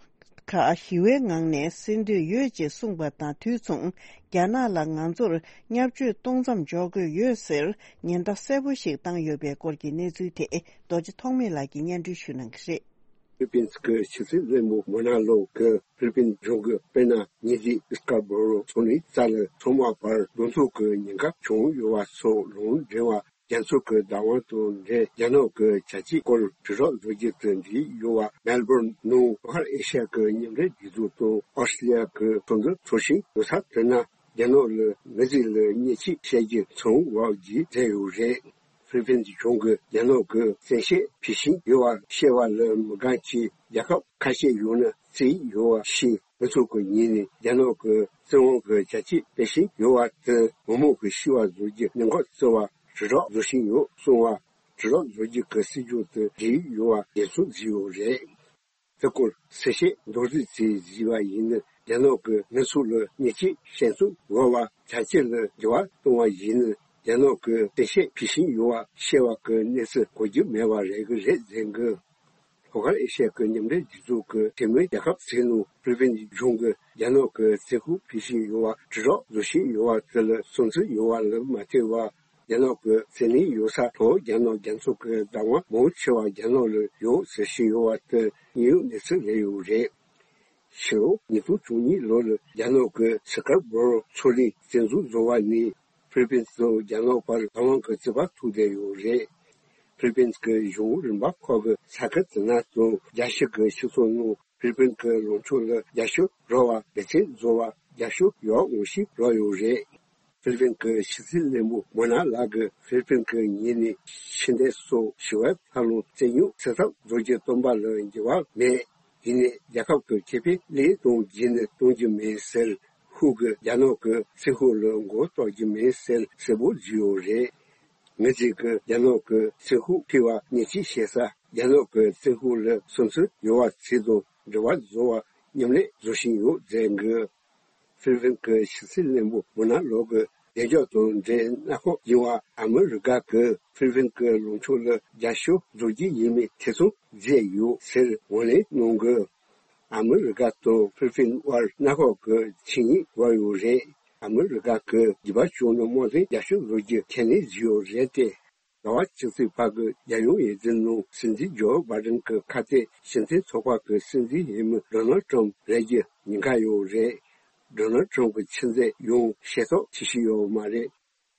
ཁག་ཞི་བའི་ངང་ནས་སེལ་འདོད་ཡོད་ཅེས་གསུངས་པ་དང་དུས་མཚུངས། རྒྱ་ནག་ལ་ང་ཚོར་བརྙས་བཅོས་གཏོང་མཚམས་འཇོག་དགོས་ཡོད་ཟེར་ཉེན་བརྡ་གསལ་པོ་ཞིག་བཏང་ཡོད་པའི་སྐོར་གྱི་གནས་ཚུལ་དེ། རྡོ་རྗེ་ཐོགས་མེད་ལགས་ཀྱིས་སྙན་སྒྲོན་ཞུ་གནང་གི་རེད། ཧྥི་ལི་པིན་གྱི་ཕྱི་སྲིད་བློན་པོ་མོ་ན་ལོ་གིས་ཧྥི་ལི་པིན་གཞུང་གིས་དཔེར་ན་ཉེ་དུས་སྐར་བོ་རོ་མཚོ་གླིང་རྩ་ལ་ཚང་མ་བར་གདོང་ཐུག་གི་ཉེན་ཁ་བྱུང་ཡོད་པ་སོགས་ལུང་འདྲེན་པ། རྒྱ་མཚོ་གི་བདག་དབང་དང་འབྲེལ་རྒྱ་ནག་གི་བྱ་སྤྱོད་སྐོར་དྲིལ་སྒྲོག་བཟོ་རྒྱུ་དེ་འདྲ་ཡོད་པ། མེལ་བོར་ནང་བོད་ཤར་ཨེ་ཤ་ཡ་གི་མཉམ་འབྲེལ་རྒྱལ་ཚོགས་དང་ཨོ་སི་ཀྲི་ལི་ཡ་གི་ཚོགས་འདུ་ཚོགས་བཞིན་ཡོད་ས་དེ་ན། རྒྱ་ནག་ལ་མི་རིགས་ལ་ཉེས་ཆད་བཤད་རྒྱུ་ཚང་བ་བརྒྱུད་མཛད་ཡོད་རེད། ཧྥི་ལི་པིན་གཞུང་གིས་རྒྱ་ནག་གིས་བཙན་ཤེད་ཕུད་བཞིན་ཡོད་པ་བཤད་པ་ལ་མི་དགའ་ཕྱིར། རྒྱལ་ཁབ་ཁ་ཤས་ཡོད་ན་བརྩིས་ཡོད་པ་ཞིག་མི་ཚོགས་ཀྱི་ཉིན་ནས་རྒྱ་ནག་གི་བཙན་དབང་གི་བྱ་སྤྱོད་སྤེལ་བཞིན་ཡོད་པ་དེ་མི་མང་གི་ཤི་བ་བཟོ་རྒྱུ་ཉེན་ཁ་བརྩི་བར་དྲིལ་སྒྲོག་བཟོ་བཞིན་ཡོད་གསུངས་པ། དྲིལ་སྒྲོག་བཟོ་རྒྱུ་གི་སྲིད་ཇུས་དེ་འགྲིག་ཡོད་པ་རྒྱལ་ཚོགས་བརྩི་ཡོད་རེད། དེ་སྐོར་གསལ་བཤད་མདོར་བསྡུས་ཅིག་བརྩིས་པ་ཡིན་ན། རྒྱ་ནག་གིས་མི་ཚོགས་ལ་ཉེས་ཆད་བཤད་མཚམས་འཇོག་པ་བྱ་སྤྱོད་ལ་འགྱུར་བ་གཏོང་བ་ཡིན་ན། རྒྱ་ནག་གིས་བཙན་ཤེད་ཕུད་བཞིན་ཡོད་པ་བཤད་པ་གི་གནས་ཚུལ་གོ་རྒྱུ་མེད་པ་རེད་གི་རེད་ཟེར་གི། ལྷོ་ཤར་ཨེ་ཤ་ཡ་གི་མཉམ་འབྲེལ་རྒྱལ་ཚོགས་ཀྱི་འཐུས་མི་རྒྱལ་ཁབ་ཚོའི་ནང་ཧྥི་ལི་པིན་གཞུང་གིས་རྒྱ་ནག་གིས་བཙན་ཤེད་ཕུད་བཞིན་ཡོད་པ་དྲིལ་སྒྲོག་བཟོ་བཞིན་ཡོད་པ་དེ་ལ་བསམ་ཚུལ་ཡོད་པ་ལ་མ་ལྟོས་པར། རྒྱ་ནག་གི་བཙན་གནོན་ཡོད་ས་ཐོག་རྒྱ་ནག་རྒྱ་མཚོ་གི་བདག་དབང་མང་ཆེ་བ་རྒྱ་ནག་ལ་ཡོད་ཟེར་བཞིན་ཡོད་པ་དེ་དངོས་ཡོད་གནས་ཚུལ་རེད་ཡོད་རེད། ཕྱི་ལོ་ཉིས་སྟོང་བཅུ་གཉིས་ལོ་ལ་རྒྱ་ནག་གི་སི་ཀར་བོ་རོ་མཚོ་གླིང་བཙན་འཛུལ་བཟོ་བ་ནས་ཧྥི་ལི་པིན་དང་རྒྱ་ནག་བར་བདག་དབང་གི་རྩོད་པ་ཐུག་བསྡད་ཡོད་རེད། ཧྥི་ལི་པིན་གྱི་གཞུང་རིམ་པ་ཁག་གི་ས་ཁུལ་དེ་ན་དང་རྒྱལ་སྤྱི་གི་སྤྱི་ཚོགས་ནང་ཧྥི་ལི་པིན་གྱི་ལངས་ཕྱོགས་ལ་རྒྱབ་སྐྱོར་རག་པ་སྡེ་ཚན་བཟོ་བར་རྒྱབ་སྐྱོར་ཡག་མོ་ཞིག་རག་ཡོད་རེད། ཧྥི་ལི་པིན་གྱི་ཕྱི་སྲིད་བློན་པོ་མོ་ན་ལགས་ཀྱིས་ཧྥི་ལི་པིན་གྱི་ཉིན་ནས་ཕྱི་འབྲེལ་སོགས་ཞི་བའི་འཚར་ལོངས་རྩོད་རྙོག་སེལ་ཐབས་བཟོ་རྒྱུ་བཏོན་པ་ལ་འགྱུར་བ་མེད། ཡིན་ནའི་རྒྱལ་ཁབ་ཀྱི་ཁེ་ཕན་ལས་དོན་བརྒྱུད་ནས་གཏོང་རྒྱུ་མིན་ཟེར། ཧུའུ་གིས་རྒྱ་ནག་གི་ཚིག་ཤོད་ལ་མགོ་གཏོགས་རྒྱུ་མིན་ཟེར་གསལ་པོ་བརྗོད་ཡོད་རེད། ངེད་ཚོས་ཀྱིས་རྒྱ་ནག་གི་ཚིག་ཤོད་ཕུལ་བ་ཉེས་ཆད་བཤད་ས། རྒྱ་ནག་གི་ཚིག་ཤོད་ལ་བསམ་ཚུལ་ཡོད་པ་ཚོ་དང་འབྲེལ་བ་བཟོ་བར་མཉམ་ལས་བཟོ་བཞིན་ཡོད་ཟེར་གི། ཧྥི་ལི་པིན་གྱི་ཕྱི་སྲིད་བློན་པོ་མོ་ན་ལོ་གི་བདེ་འཇགས་དང་འབྲེལ་གནད་འགག་ཡིན་པ། ཨ་མི་རི་ཀ་གིས་ཧྥི་ལི་པིན་གྱི་ལངས་ཕྱོགས་ལ་རྒྱབ་སྐྱོར་བཟོ་རྒྱུ་ཡིན་མིན་ཐེ་ཚོམ་བྱས་ཡོད་ཟེར་ངོས་ལེན་གནང་གི། ཨ་མི་རི་ཀ་དང་ཧྥི་ལི་པིན་དབར་གནད་འགག་གི་ཆིངས་ཡིག་བར་ཡོད་རེད། ཨ་མི་རི་ཀ་གིས་རྒྱུད་པ་ཕྱོགས་ནས་དམག་དོན་རྒྱབ་སྐྱོར་བཟོ་རྒྱུ་ཁས་ལེན་བྱས་ཡོད་རེད་དེ། ཟླ་བ་གཅིག་ཙམ་བར་གྱི་རྒྱལ་ཡོངས་འོས་བསྡུ་ནང་སྲིད་འཛིན་ཇོ་བྷའི་ཌེན་གྱི་ཁ་གཏད་སྤྱི་མཐུན་ཚོགས་པ་གི་སྲིད་འཛིན་འོས་མི་ཌོ་ནལ་ཊམ་རེད་རྒྱུ་ཉེན་ཁ་ཡོད་རེད། ཌོ་ནལ་ཊམ་གྱི་ཆུ་ཚད་ཡང་ཞེ་ཐོག་ཆེ་ཤོས་ཡོད་མ་རེད།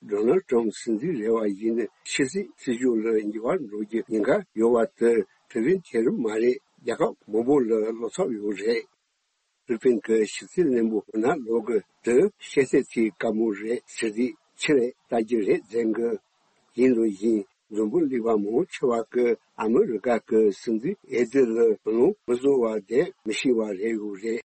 ཌོ་ནལ་ཊམ་སྲིད་འཛིན་རེད་པ་ཡིན་ན་ཕྱི་སྲིད་སྲིད་ཇུས་ལ་འགྱུར་བ་འགྲོ་རྒྱུ་ཉེན་ཁ་ཡོད་པ་དེ་ཧྥི་ལི་པིན་དེ་རུ་མ་རེད། རྒྱལ་ཁབ་མང་པོ་ལ་བློ་འཚབ་ཡོད་རེད། ཧྥི་ལི་པིན་གྱི་ཕྱི་སྲིད་བློན་པོ་མོ་ན་ལོ་གིས་དེ་བཤད་ཚད་ཅིག་དཀའ་མོ་རེད་ཟེར་དུས་ཕྱི་ལ་ལྟ་རྒྱུ་རེད་ཟེར་གི། ཡིན་རུང་ཡིན། འཛམ་བུ་གླིང་པ་མང་ཆེ་བ་གིས་ཨ་མི་རི་ཀ་གི་སྲིད་འཛིན་འོས་བསྡུ་ལ་ལོངས་མི་སུ་བ་བསྡད་མི་ཤེས་པ་རེད་ཡོད་རེད།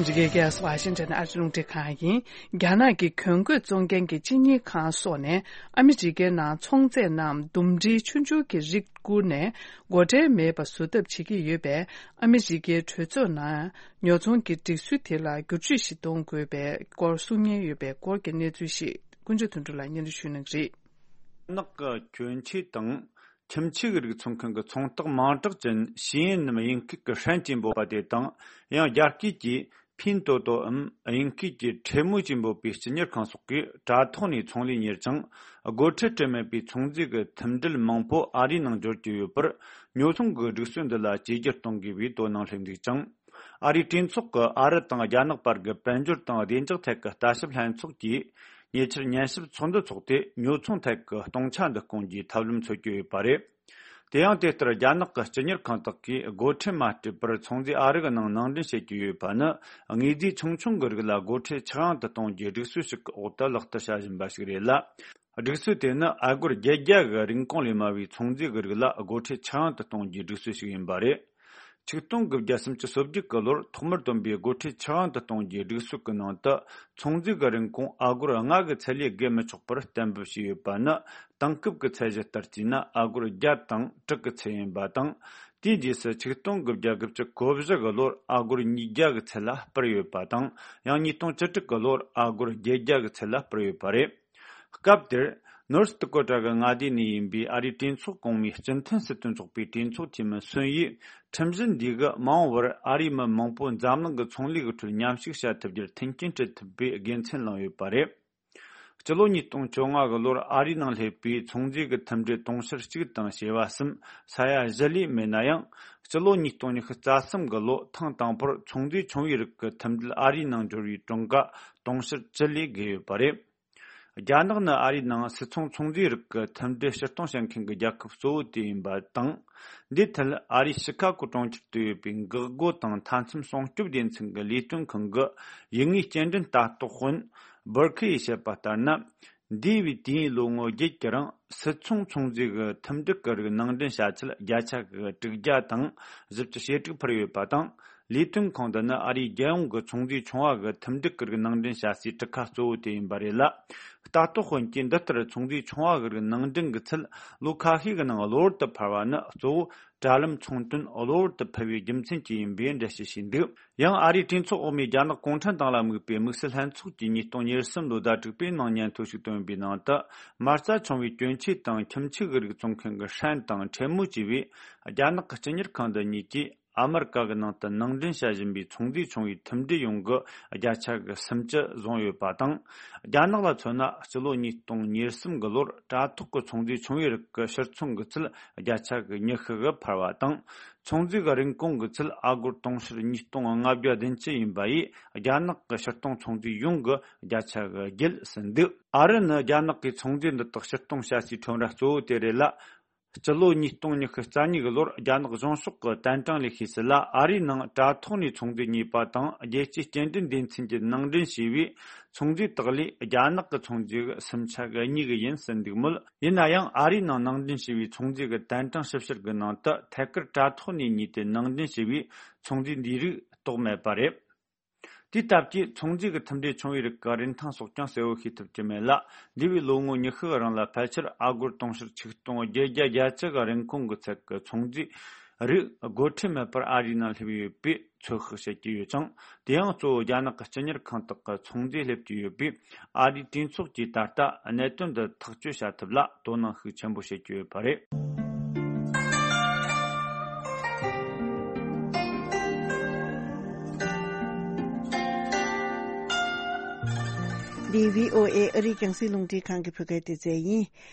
འདི་གའི་གེ་སི་ཝ་ཤིང་ཊོན་ཨ་རི་རླུང་འཕྲིན་ཁང་ཡིན། རྒྱ་ནག་གི་གྱོན་གོས་བཙོང་མཁན་གྱི་སྤྱི་གཉེར་ཁང་སོགས་ནས་ཨ་མི་རི་ཀའི་ནང་ཚོང་རྫས་རྣམས་འདུམ་འགྲིལ་ཆུང་ཆུང་གི་རིགས་བསྐུར་ནས་སྒོ་ཁྲལ་མེད་པ་བཟོ་ཐབས་བྱེད་ཀྱི་ཡོད་པས། ཨ་མི་རི་ཀའི་གྲོས་ཚོགས་ནང་ཉོ་ཚོང་གི་སྒྲིག་སྲོལ་དེ་ལ་བསྒྱུར་བཅོས་ཤིག་གཏོང་དགོས་པའི་སྐོར་གསུང་ཉེན་ཡོད་པའི་སྐོར་གྱི་གནས་ཚུལ་ཞིག་ཀུན་སྤྱོད་དོན་གྲུབ་ལགས་སྙན་སྒྲོན་ཞུ་གནང་གི་རེད། ནག་གི་གྱོན་ཆས་དང་ཁྱིམ་ཆས་ཀྱི་རིགས་ཚོང་མཁན་གྱི་ཚོང་རྟགས་མིང་གྲགས་ཅན་ཞི་ཡིན་ནམ་དབྱིན་སྐད་ཀྱི་ཧྲན་ཅེས་འབོད་པ་དེ་དང་། ཡང་རྒྱ་སྐད་ཀྱི་ཕིན་ཏོ་ཏོའམ་དབྱིན་སྐད་ཀྱི་ཁྲེ་མུའུ་ཅེས་འབོད་པའི་སྤྱི་གཉེར་ཁང་སོགས་ཀྱིས་དྲ་ཐོག་ནས་ཚོང་ལས་གཉེར་ཅིང་། སྒོ་ཁྲལ་སྤྲོད་མེད་པའི་ཚོང་རྫས་ཀྱི་མཐུན་སྒྲིལ་མང་པོ་ཨ་རིའི་ནང་འབྱོར་གྱི་ཡོད་པར། ཉོ་ཚོང་གི་སྒྲིག་སྲོལ་འདི་ལ་བཅོས་བསྒྱུར་གཏོང་དགོས་པའི་དོ་སྣང་སླེབས་འདུག་ཅིང་། ཨ་རིའི་གྲོས་ཚོགས་ཀྱི་ཨ་རི་དང་རྒྱ་ནག་བར་གྱི་དཔལ་འབྱོར་དང་བདེ་འཇགས་ཐད་ཀྱི་ལྟ་ཞིབ་ལྷན་ཚོགས་ཀྱིས་ཉེ་ཆར་ཉན་ཞིབ་ཚོགས་འདུ་འཚོགས་ཏེ། ཉོ་ཚོང་ཐད་ཀྱི་སྟོང་ཆ་འདི་སྐོང་རྒྱུའི་ཐབས་ལམ་འཚོལ་གྱི་ཡོད་པ་རེད། དེ་ཡང་དེ་ལྟར་རྒྱ་ནག་གི་སྤྱི་གཉེར་ཁང་དག་གིས་སྒོ་ཁྲལ་མ་སྤྲད་པར་ཚོང་རྫས་ཨ་རི་གི་ནང་ནང་འདྲེན་བྱེད་ཀྱི་ཡོད་པ་ནི། དངོས་རྫས་ཆུང་ཆུང་གི་རིགས་ལ་སྒོ་ཁྲལ་ཆག་ཡང་དུ་གཏོང་རྒྱུའི་སྒྲིག་སྲོལ་ཞིག་གི་འོག་ཏུ་ལག་བསྟར་བྱ་བཞིན་པ་ཞིག་རེད་ལ། སྒྲིག་སྲོལ་དེ་ནི་ཨ་སྒོར་བརྒྱད་བརྒྱ་གི་རིན་གོང་ལས་དམའ་བའི་ཚོང་རྫས་ཀྱི་རིགས་ལ་སྒོ་ཁྲལ་ཆག་ཡང་དུ་གཏོང་རྒྱུའི་སྒྲིག་སྲོལ་ཞིག་ཡིན་པ་རེད། ཆིག་སྟོང་དགུ་བརྒྱ་སུམ་ཅུ་སོ་བརྒྱད་ཀྱི་ལོར་ཐོག་མར་བཏོན་པའི་སྒོ་ཁྲལ་ཆག་ཡང་དུ་གཏོང་རྒྱུའི་སྒྲིག་སྲོལ་གྱི་ནང་དུ། ཚོང་རྫས་ཀྱི་རིན་གོང་ཨ་སྒོར་ལྔ་གི་ཚད་ལས་བརྒལ་མི་ཆོག་པར་གཏན་འབེབས་བྱས་ཡོད་པ་ནི། དེང་སྐབས་ཀྱི་ཚད་གཞི་ལྟར་བྱས་ན་ཨ་སྒོར་བརྒྱ་དང་དྲུག་གི་ཚད་ཡིན་པ་དང་། དེའི་རྗེས་སུ་ཆིག་སྟོང་དགུ་བརྒྱ་དགུ་བཅུ་གོ་བཞི་གི་ལོར་ཨ་སྒོར་ཉིས་བརྒྱ་གི་ཚད་ལ་སྤར་ཡོད་པ་དང་། ཡང་ཉིས་སྟོང་བཅུ་དྲུག་གི་ལོར་ཨ་སྒོར་བརྒྱད་བརྒྱ་གི་ཚད་ལ་སྤར་ཡོད་པ་རེད། སྐབས་དེར། ནོར་ཐི་ཀོ་ཊ་གི་མངའ་སྡེ་ནས་ཡིན་པའི་ཨ་རིའི་གྲོས་ཚོགས་གོང་མའི་སྤྱི་མཐུན་སྲིད་དོན་ཚོགས་པའི་གྲོས་ཚོགས་འཐུས་མི་སུན་ཡིས། ཁྲིམས་གཞི་འདི་གིས་མ་འོངས་པར་ཨ་རིའི་མི་མང་པོ་འཛམ་གླིང་གི་ཚོང་ལས་ཀྱི་ཁྲོད་མཉམ་ཞུགས་བྱ་ཐུབ་རྒྱུར་མཐུན་རྐྱེན་སྤྲད་ཐུབ་པའི་དགེ་མཚན་བླངས་ཡོད་པ་རེད། སྤྱི་ལོ་ཉིས་སྟོང་བཅོ་ལྔ་གི་ལོར་ཨ་རིའི་ནང་སླེབས་པའི་ཚོང་རྫས་ཀྱི་མཐུན་སྒྲིལ་དུང་ཕྱུར་གཅིག་དང་བྱེ་བ་གསུམ། ས་ཡ་བཞི་ལས་མེད་ན་ཡང་། སྤྱི་ལོ་ཉིས་སྟོང་ཉི་ཤུ་རྩ་གསུམ་གི་ལོ་ཐེངས་དང་པོར་ཚོང་རྫས་ཆུང་བའི་རིགས་ཀྱི་མཐུན་སྒྲིལ་ཨ་རིའི་ནང་འབྱོར་བའི་གྲངས་ཀ་དུང་ཕྱུར་བཅུ་ལས་བརྒལ་ཡོད་པ་རེད། རྒྱ་ནག་ནི་ཨ་རིའི་ནང་སིལ་ཚོང་ཚོང་རྫས་རིགས་ཀྱི་མཐུན་སྒྲིལ་ཕྱིར་གཏོང་བྱེད་མཁན་གྱི་རྒྱལ་ཁབ་གཙོ་བོ་དེ་ཡིན་པ་དང་། འདིའི་ཐད་ཨ་རིའི་ཤི་ཁ་གོ་གྲོང་ཁྱེར་དུ་ཡོད་པའི་འགག་སྒོ་དང་མཐའ་མཚམས་སྲུང་སྐྱོབ་སྡེ་ཚན་གྱི་ལས་དོན་ཁང་གི་ཡུལ་དངོས་སྐྱེལ་འདྲེན་ལྟ་རྟོག་དཔོན་སྦུར་ཁི་ཡིས་བཤད་པ་ལྟར་ན། འདས་པའི་དུས་ཡུན་ལོ་ངོ་བརྒྱད་ཀྱི་རིང་སིལ་ཚོང་ཚོང་རྫས་ཀྱི་མཐུན་སྒྲིལ་གྱི་རིགས་ནང་འདྲེན་བྱ་ཆེད་བརྒྱ་ཆ་གི་དྲུག་བརྒྱ་དང་བཞི་བཅུ་ཞེ་དྲུག་འཕར་ཡོད་པ་དང་། ལས་དོན་ཁང་འདི་ནི་ཨ་རིའི་རྒྱལ་ཡོངས་ཀྱི་ཚོང་རྫས་ཆུང་བ་གི་མཐུན་སྒྲིལ་གྱི་རིགས་ནང་འདྲེན་བྱ་སའི་གྲུ་ཁ་གཙོ་བོ་དེ་ཡིན་པ་རེད་ལ། ལྟ་རྟོག་དཔོན་གྱིས་འདི་ལྟར་ཚོང་རྫས་ཆུང་བ་གི་རིགས་ནང་འདྲེན་གྱི་ཚད་ལོ་ཁ་ཤས་ཀྱི་ནང་གློ་བུར་དུ་འཕར་བ་ནི་གཙོ་བོ་དྲ་ལམ་ཚོང་དོན་གློ་བུར་དུ་འཕར་བའི་རྒྱུ་མཚན་གྱིས་ཡིན་པའི་འགྲེལ་བཤད་བྱས་འདུག་ཡང་ཨ་རིའི་གྲོས་ཚོགས་འོག་མའི་རྒྱ་ནག་གུང་ཁྲན་ཏང་ལ་དམིགས་པའི་དམིགས་བསལ་ལྷན་ཚོགས་ཀྱིས་ཉིས་སྟོང་ཉེར་གསུམ་ལོའི་ཟླ་དྲུག་པའི་ནང་སྙན་ཐོ་ཞིག་བཏོན་པའི་ནང་དུ། མ་རྩ་ཆུང་བའི་གྱོན་ཆས་དང་ཁྱིམ་ཆས་ཀྱི་རིགས་བཙོང་མཁན་གྱི་ཧྲན་དང་ཁྲེ་མུ་བཅས་པས་རྒྱ་ནག་གི་སྤྱི་གཉེར་ཁང་འདི་གཉིས་ཀྱིས། ཨ་མི་རི་ཀ་གི་ནང་དུ་ནང་འདྲེན་བྱ་བཞིན་པའི་ཚོང་རྫས་ཆུང་བའི་མཐུན་སྒྲིལ་ཡོངས་ཀྱི་བརྒྱ་ཆ་གི་སུམ་ཅུ་བཟུང་ཡོད་པ་དང་། རྒྱ་ནག་ལ་མཚོན་ན་སྤྱི་ལོ་ཉིས་སྟོང་ཉེར་གསུམ་གི་ལོར་དྲ་ཐོག་གི་ཚོང་རྫས་ཆུང་བའི་རིགས་ཀྱི་ཕྱིར་ཚོང་གི་ཚད་བརྒྱ་ཆ་གི་ཉི་ཤུ་གི་འཕར་བ་དང་། ཚོང་རྫས་ཀྱི་རིན་གོང་གི་ཚད་ཨ་སྒོར་དུང་ཕྱུར་ཉིས་སྟོང་ལྔ་བརྒྱ་བདུན་ཅུ་ཡིན་པ་ཡིས་རྒྱ་ནག་གི་ཕྱིར་གཏོང་ཚོང་རྫས་ཡོངས་ཀྱི་བརྒྱ་ཆ་གི་བརྒྱད་ཟིན་འདུག་ཨ་རི་ནི་རྒྱ་ནག་གིས་ཚོང་རྫས་འདི་དག་ཕྱིར་གཏོང་བྱ་སའི་ཁྲོམ་ར་གཙོ་བོ་དེ་རེད་ལ། སྤྱི་ལོ་ཉིས་སྟོང་ཉི་ཤུ་རྩ་གཉིས་ཀྱི་ལོར་རྒྱ་ནག་གཞུང་ཕྱོགས་ཀྱི་ཏན་ཀྲང་ལས་ཤེས་སི་ལ་ཨ་རིའི་ནང་དྲ་ཐོག་ནས་ཚོང་རྫས་རྙེད་པ་དང་རྒྱལ་སྤྱིའི་སྐྱེལ་འདྲེན་སྡེ་ཚན་གྱིས་ནང་འདྲེན་བྱས་པའི་ཚོང་རྫས་དག་ལས་རྒྱ་ནག་གི་ཚོང་རྫས་སུམ་ཆ་གི་གཉིས་ཀྱི་ཡིན་ཟིན་འདུག་མོད། ཡིན་ན་ཡང་ཨ་རིའི་ནང་ནང་འདྲེན་བྱས་པའི་ཚོང་རྫས་ཀྱི་ཏན་ཀྲང་ཞིབ་བཤེར་གྱི་ནང་དུ་ཐད་ཀར་དྲ་ཐོག་ནས་རྙེད་དེ་ནང་འདྲེན་བྱས་པའི་ཚོང་རྫས་འདིའི་རིགས་རྟོགས་མེད་པ་རེད། དེའི་སྟབས་ཀྱིས་ཚོང་རྫས་ཀྱི་མཐུན་སྒྲིལ་ཆུང་བའི་རིགས་ཀྱི་རིན་ཐང་སོགས་ཀྱང་གསལ་བོ་ཤེས་ཐུབ་ཀྱི་མེད་ལ། འདས་པའི་ལོ་ངོ་ཉི་ཤུ་གི་རིང་ལ་ཕལ་ཆེར་ཨ་སྒོར་དུང་ཕྱུར་ཆིག་སྟོང་བརྒྱད་བརྒྱ་གྱ་གཅིག་གི་རིན་གོང་གི་ཚད་ཀྱི་ཚོང་རྫས་རིགས་སྒོ་ཁྲལ་མེད་པར་ཨ་རིའི་ནང་སླེབས་ཡོད་པའི་ཚོད་དཔག་བྱེད་ཀྱི་ཡོད་ཅིང་། དེ་ཡང་གཙོ་བོ་རྒྱ་ནག་གི་སྤྱི་གཉེར་ཁང་དག་གི་ཚོང་རྫས་སླེབས་ཀྱི་ཡོད་པས། ཨ་རིའི་གྲོས་ཚོགས་ཀྱིས་ད་ལྟ་གནད་དོན་འདི་ཐག་གཅོད་བྱ་ཐབས་ལ་དོ་སྣང་ཤུགས་ཆེན་པོ་བྱེད་ཀྱི་ཡོད་པ་རེད། འདི་བྷི་ཨོ་ཨེ་ཨ་རིའི་རྒྱང་སྲིང་རླུང་འཕྲིན་ཁང་གི་བོད་སྐད་སྡེ་ཚན་ཡིན།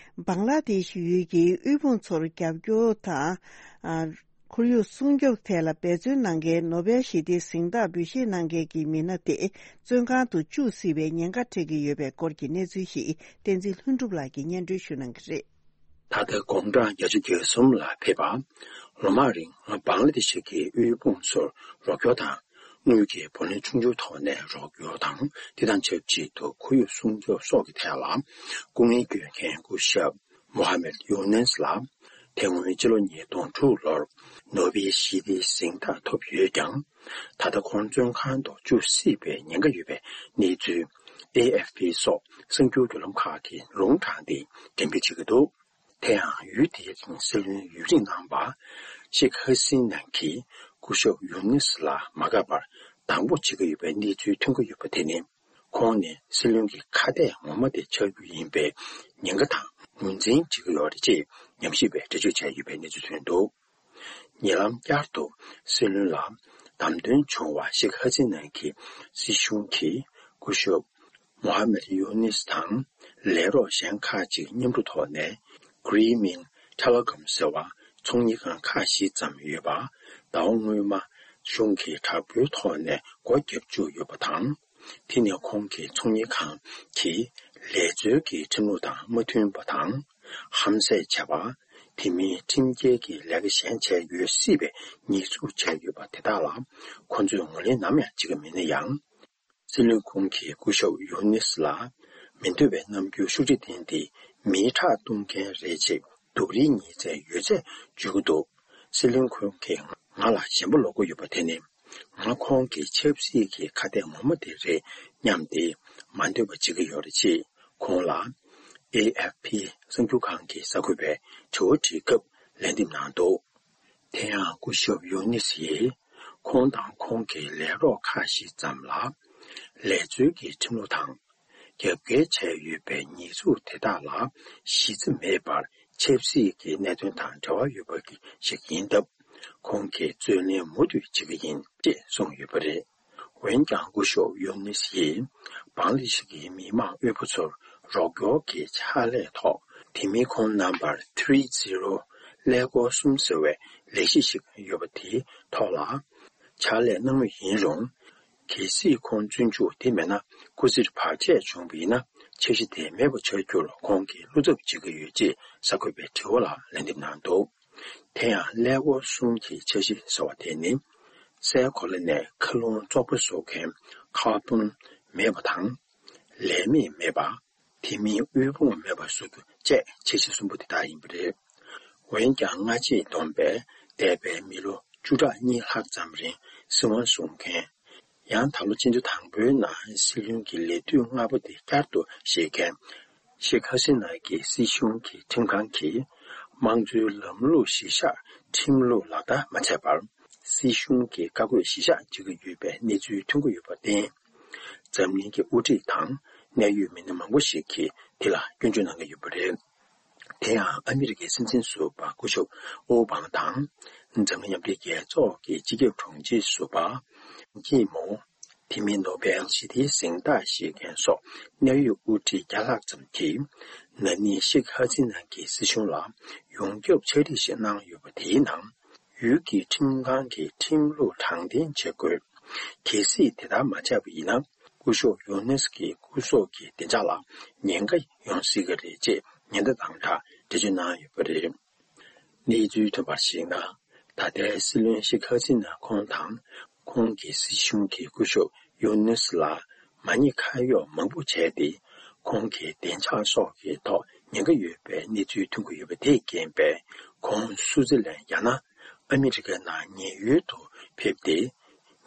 བང་ལ་དེ་ཤི་ཡུལ་གྱི་དབུལ་ཕོངས་ཚོར་རྒྱབ་སྐྱོར་དང་། ཁོར་ཡུག་སྲུང་སྐྱོབ་ཐད་ལ་འབད་བརྩོན་གནང་མཁན་ནོ་བེལ་ཞི་བདེའི་གཟེངས་རྟགས་འབུལ་བཞེས་གནང་མཁན་གྱི་མི་སྣ་དེ་བཙོན་ཁང་དུ་བཅུག་སྲིད་པའི་ཉེན་ཁ་འཕྲད་ཀྱི་ཡོད་པའི་སྐོར་གྱི་གནས་ཚུལ་ཞིག་བསྟན་འཛིན་ལྷུན་གྲུབ་ལགས་ཀྱིས་སྙན་སྒྲོན་ཞུ་གནང་གི་རེད། ད་ལྟ་དགུང་གྲངས་བརྒྱད་ཅུ་གྱ་གསུམ་ལ་ཕེབས་པ། ལོ་མང་རིང་བང་ལ་དེ་ཤི་གི་དབུལ་ཕོངས་ཚོར་རོགས་སྐྱོར་དང་། དངུལ་གྱི་བུ་ལོན་ཆུང་ཆུང་ཐོག་ནས་རོགས་སྐྱོར་དང་། དེ་དང་ཆབས་ཅིག་ཏུ་ཁོར་ཡུག་སྲུང་སྐྱོབ་སོགས་ཀྱི་ཐད་ལ་སྐུ་ངལ་སྐྱོན་མཁན་སྐུ་ཞབས་མོ་ཧ་མེད་ཡུ་ནེས་ལ། དེ་སྔོན་སྤྱི་ལོ་ཉིས་སྟོང་དྲུག་ལོར་ནོ་བེལ་ཞི་བདེའི་གཟེངས་རྟགས་ཐོབ་ཡོད་ཀྱང་། ད་ལྟ་ཁོང་བཙོན་ཁང་དུ་བཅུག་སྲིད་པའི་ཉེན་ཁ་ཡོད་པའི་གནས་ཚུལ་ཨེ་ཨེཕ་པི་སོགས་གསར་འགྱུར་བརྒྱུད་ལམ་ཁག་གིས་ལུང་དྲངས་ཏེ་འགྲེམས་སྤེལ་བྱེད་ཀྱི་འདུག་དེ་ཡང་ཡུལ་དེའི་སྲིད་བློན་ཡུན་རིང་གནང་བ་ཤེག་ཧ་སིན་ན་གིས་སྐུ་ཞབས་ཡུ་ནིས་ལ་མ་དགའ་བར་སྡང་པོ་བྱེད་ཀྱི་ཡོད་པའི་གནས་ཚུལ་ཐོན་གྱི་ཡོད་པ་དེ་ནི། ཁོང་ནི་སྲིད་བློན་གྱི་ཁ་གཏད་ངོ་མ་དེ་ཆགས་རྒྱུ་ཡིན་པའི་ཉེན་ཁ་དང་ངོས་འཛིན་བྱེད་ཀྱི་ཡོད་རེད་ཅེས་ཉམས་ཞིབ་པས་འགྲེལ་བརྗོད་བྱས་ཡོད་པའི་གནས་ཚུལ་ཐོན་འདུག་ཉེ་ལམ་བསྐྱར་དུ་སྲིད་བློན་ལ་བདམས་ཐོན་བྱུང་བ་ཤེག་ཧ་སི་ན་གི་སྲིད་གཞུང་གིས་སྐུ་ཞབས་མོ་ཧ་མེད་ཡུ་ནིས་དང་ལས་རོགས་གཞན་ཁག་ཅིག་མཉམ་རུབ་ཐོག་ནས་Green Telecom ཟེར་བ་ཚོང་གཉེར་ཁང་ཁག་བཞི་ཙམ་ཡོད་པ་ཟླ་བ་སྔོན་མ་ གཞུང་གི་དྲག་པོའི་ཐོག་ནས་སྒོ་བརྒྱབ་བཅུག་ཡོད་པ་དང་། དེ་ནི་ཁོང་གི་ཚོང་གཉེར་ཁང་གིས་ལས་རྩོལ་གྱི་ཁྲིམས་ལུགས་དང་མ་མཐུན་པ་དང་། ཧམ་ཟས་བྱས་པ། དེ་མིན་ཁྲིམས་འགལ་གྱི་ལས་ཀ་གཞན་བྱས་ཡོད་སྲིད་པའི་ཉེས་འཛུགས་བྱས་ཡོད་པ་དེ་དག་ལ། ཁོ་ཚོས་ངོས་ལེན་ནམ་ཡང་བྱེད་ཀྱི་མེད་ན་ཡང་། སྲིད་བློན་ཁོང་གི་སྐུ་ཞབས་ཡོ་ནིས་ལ་མི་འདོད་པའི་རྣམ་འགྱུར་ཤུགས་ཆེ་བསྟན་ཏེ། མིའི་ཁྲག་བཏུང་མཁན་རེད་ཅེས་སྡུག་རུས་ངེས་ཚད་ཡོད་ཚད་བརྗོད་ཀྱི་འདུག། སྲིད་བློན་ཁོང་གིས་ང་ལ་ཞེན་པ་ལོག་གི་ཡོད་པ་དེ་ནི། ང་ཁོང་གི་ཆབ་སྲིད་ཀྱི་ཁ་གཏད་ངོ་མ་དེ་རེད་སྙམ་སྟེ། མ་འདོད་པ་བྱེད་ཀྱི་ཡོད་རེད་ཅེས་ཁོང་ལ་ཨེ་ཨེཕ་ཕི་གསར་འགྱུར་ཁང་གི་གསར་འགོད་པས་དྲི་བ་དྲིས་སྐབས་ལན་འདེབས་གནང་འདུག། དེ་ཡང་སྐུ་ཞབས་ཡོ་ནིས་ཡིས་ཁོང་དང་ཁོང་གི་ལས་རོགས་ཁག་ཞིག་ཙམ་ལ་ལས་རྩོལ་གྱི་ཁྲིམས་ལུགས་དང་རྒྱབ་འགལ་བྱས་ཡོད་པའི་ཉེས་འཛུགས་དེ་དག་ལ་གཞི་རྩ་མེད་པར། ཆབ་སྲིད་ཀྱི་གནད་དོན་དང་འབྲེལ་བ་ཡོད་པ་ཞིག་ཡིན་སྟབས། ཁོང་གིས་རྩོད་ལེན་མུ་མཐུད་བྱེད་ཀྱི་ཡིན་ཅེས་གསུངས་ཡོད་པ་རེད། འོན་ཀྱང་སྐུ་ཞབས་ཡོ་ནིས་ཡིས་བང་ལི་ཤི་གི་མི་མང་དབུལ་པོ་ཚོར་རོགས་སྐྱོར་གྱི་ཕྱག་ལས་ཐོག། དེ་མིན་ཁོང་རྣམ་པར་ཐི་རི་ཛི་རོ་ཀླད་ཀོར་གསུམ་ཟེར་བའི་ལས་གཞི་ཞིག་ཡོད་པ་དེའི་ཐོག་ལ་ཕྱག་ལས་གནང་མུས་ཡིན་རུང་། གལ་སྲིད་ཁོང་བཙོན་འཇུག་དེ་མེད་ན། སྐུ་ཚེར་བར་ཆད་བྱུང་བ་ཡིན་ན། འཆར་གཞི་དེ་མེད་པ་བྱ་རྒྱུར་ཁོང་གིས་བློ་འཚབ་བྱེད་ཀྱི་ཡོད་ཅེས་གསར་འགོད་པའི་དྲི་བ་ལ་ལན་འདེབས་གནང་འདུག། དེ་ཡང་ཀླད་ཀོར་གསུམ་གྱི་འཆར་གཞི་ཟེར་བ་དེ་ནི། སའི་གོ་ལ་ནས་མཁའ་རླུང་བཙོག་པ་བཟོ་མཁན་ཀར་བོན་མེད་པ་དང་། ལས་མེད་མེད་པ། དེ་མིན་དབུལ་ཕོངས་མེད་པ་བཟོ་རྒྱུ་བཅས་འཆར་གཞི་གསུམ་པོ་དེ་དག་ཡིན་པ་རེད། འོན་ཀྱང་སྔ་རྗེས་བསྡོམས་པས་འདས་པའི་མི་ལོ་བཅུ་ཕྲག་གཉིས་ལྷག་ཙམ་རིང་སྲིད་དབང་བཟུང་མཁན། ཡང་ད་ལོ་སྤྱི་ཟླ་དང་པོའི་ནང་སྲིད་བློན་གྱི་ལས་དུས་ལྔ་པ་དེ་བསྐྱར་དུ་བཞེས་མཁན་ཤེག་ཧ་སི་ན་གྱི་སྲིད་གཞུང་གི་ཁྲིམས་ཁང་གིས་དམངས་གཙོའི་ལམ་ལུགས་གཞིར་བཞག་ཁྲིམས་ལུགས་ལག་བསྟར་མ་བྱས་པར། སྲིད་གཞུང་གི་བཀའ་བཀོད་གཞིར་བཞག་བྱེད་ཀྱི་ཡོད་པའི་གནས་ཚུལ་ཐོན་གྱི་ཡོད་པར་བརྟེན། འཛམ་གླིང་གི་དབུ་ཁྲིད་དང་གནད་ཡོད་མི་སྣ་མང་པོ་ཞིག་གིས་དེ་ལ་སྐྱོན་བརྗོད་གནང་གི་ཡོད་པ་རེད། དེ་ཡང་ཨ་མི་རི་ཀའི་སྲིད་འཛིན་ཟུར་པ་སྐུ་ཞབས་ཨོ་བྷ་མ་དང་། འཛམ་གླིང་མཉམ་འབྲེལ་རྒྱལ་ཚོགས་ཀྱི་སྤྱི་ཁྱབ་དྲུང་ཆེ་ཟུར་པ་ཀི་མོ། དེ་མིན་ནོ་བེལ་ཞི་བདེའི་གཟེངས་རྟགས་བཞེས་མཁན་སོགས་གནད་ཡོད་དབུ་ཁྲིད་བརྒྱ་ལྷག་ཙམ་གྱིས། ན་ནིང་ཤེག་ཧ་སི་ན་གྱི་སྲིད་གཞུང་ལ་ཡོངས་ཁྱབ་ཕྱག་བྲིས་ཤིག་གནང་ཡོད་པ་དེའི་ནང་། ཡུལ་གྱི་ཁྲིམས་ཁང་གིས་ཁྲིམས་ལུགས་དྲང་བདེན་བྱེད་དགོས། གལ་སྲིད་དེ་ལྟར་མ་བྱས་པ་ཡིན་ན། སྐུ་ཞབས་ཡོ་ནེས་ཀྱི་སྐུ་སྲོག་གི་བདེ་འཇགས་ལ་ཉེན་ཁ་ཡོང་སྲིད་ཀྱི་རེད་ཅེས་ཉེན་བརྡ་དང་སྦྲགས་འགྲེལ་བརྗོད་གནང་ཡོད་པ་རེད། གནས་ཚུལ་ཐོན་པར་གཞིགས་ན། ད་ལྟའི་སྲིད་བློན་ཤེག་ཧ་སི་ན་ཁོང་དང་། ཁོང་གི་སྲིད་གཞུང་གི་སྐུ་ཞབས་ཡོ་ནེས་ལ་མ་ཉེས་ཁ་གཡོག་མང་པོ་བྱས་ཏེ། ཁོང་གི་བདེ་འཇགས་སོགས་ཀྱི་ཐོག་ཉེན་ཁ་ཡོད་པའི་གནས་ཚུལ་ཐོན་གྱི་ཡོད་པ་དེས་རྐྱེན་པས། ཁོང་སུའུ་ཙི་ལན་ཡང་ན་ཨ་མི་རི་ཀའི་ནང་ཉེན་གཡོལ་དུ་ཕེབས་ཏེ།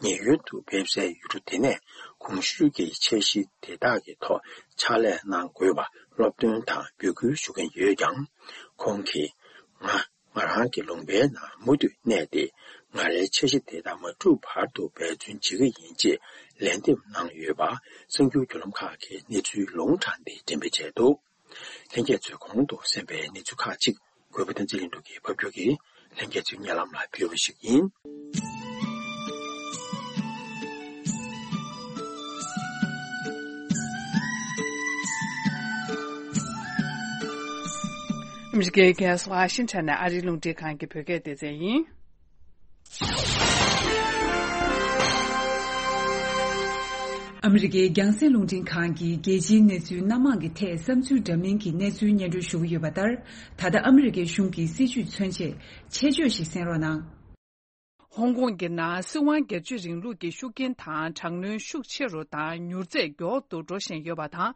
ཉེན་གཡོལ་དུ་ཕེབས་སའི་ཡུལ་གྲུ་དེ་ནས་གོང་ཞུས་ཀྱི་འཆར་གཞི་དེ་དག་གི་ཐོག་ཕྱག་ལས་གནང་དགོས་པ་སློབ་སྟོན་དང་འབོད་སྐུལ་ཞུ་གིན་ཡོད་ཀྱང་། ཁོང་གིས་ང་ང་རང་གི་ལུང་པའི་ནང་མུ་མཐུད་གནས་ཏེ། ང་རའི་འཆར་གཞི་དེ་དག་མ་འགྲུབ་བར་དུ་འབད་བརྩོན་བྱེད་ཀྱི་ཡིན་ཅེས་ལན་འདེབས་གནང་ཡོད་པ་གསར་འགྱུར་བརྒྱུད་ལམ་ཁག་གིས་གནས་ཚུལ་ལུང་དྲངས་ཏེ་འགྲེམས་སྤེལ་བྱས་འདུག། ལྷན་རྒྱས་ཚོས་གོང་དུ་གསན་པའི་གནས་ཚུལ་ཁག་ཅིག་གུས་པ་བསྟན་འཛིན་ལྷུན་གྲུབ་ཀྱིས་ཕབ་སྒྱུར་གྱིས་ལྷན་རྒྱས་ཚོའི་སྙན་ལམ་ལ་ཕུལ་བ་ཞིག་ཡིན། ཨ་མི་རི་ཀའི་རྒྱལ་ས་ཝ་ཤིང་ཊོན་ནས་ཨ་རིའི་རླུང་འཕྲིན་ཁང་གི་བོད་སྐད་སྡེ་ཚན་ཡིན། ཨ་མི་རི་ཀའི་རྒྱང་སྲིང་རླུང་འཕྲིན་ཁང་གིས་རྒྱལ་སྤྱིའི་གནས་ཚུལ་སྣ་མང་གི་ཐད་བསམ་ཚུལ་འདྲ་མིན་གྱི་གནས་ཚུལ་སྙན་སྒྲོན་ཞུ་གི་ཡོད་པ་ལྟར། ད་ལྟ་ཨ་མི་རི་ཀའི་གཞུང་གི་སྲིད་བྱུས་མཚོན་ཆེད་ཆེད་བརྗོད་ཞིག་གསན་རོགས་གནང་། ཧོང་ཀོང་གི་ནང་སྲིད་དབང་སྒེར་གཅོད་རིང་ལུགས་ཀྱི་ཤུགས་རྐྱེན་དང་དྲག་གནོན་ཤུགས་ཆེ་རུ་དང་མྱུར་ཚད་མགྱོགས་དུ་འགྲོ་བཞིན་ཡོད་པ་དང་།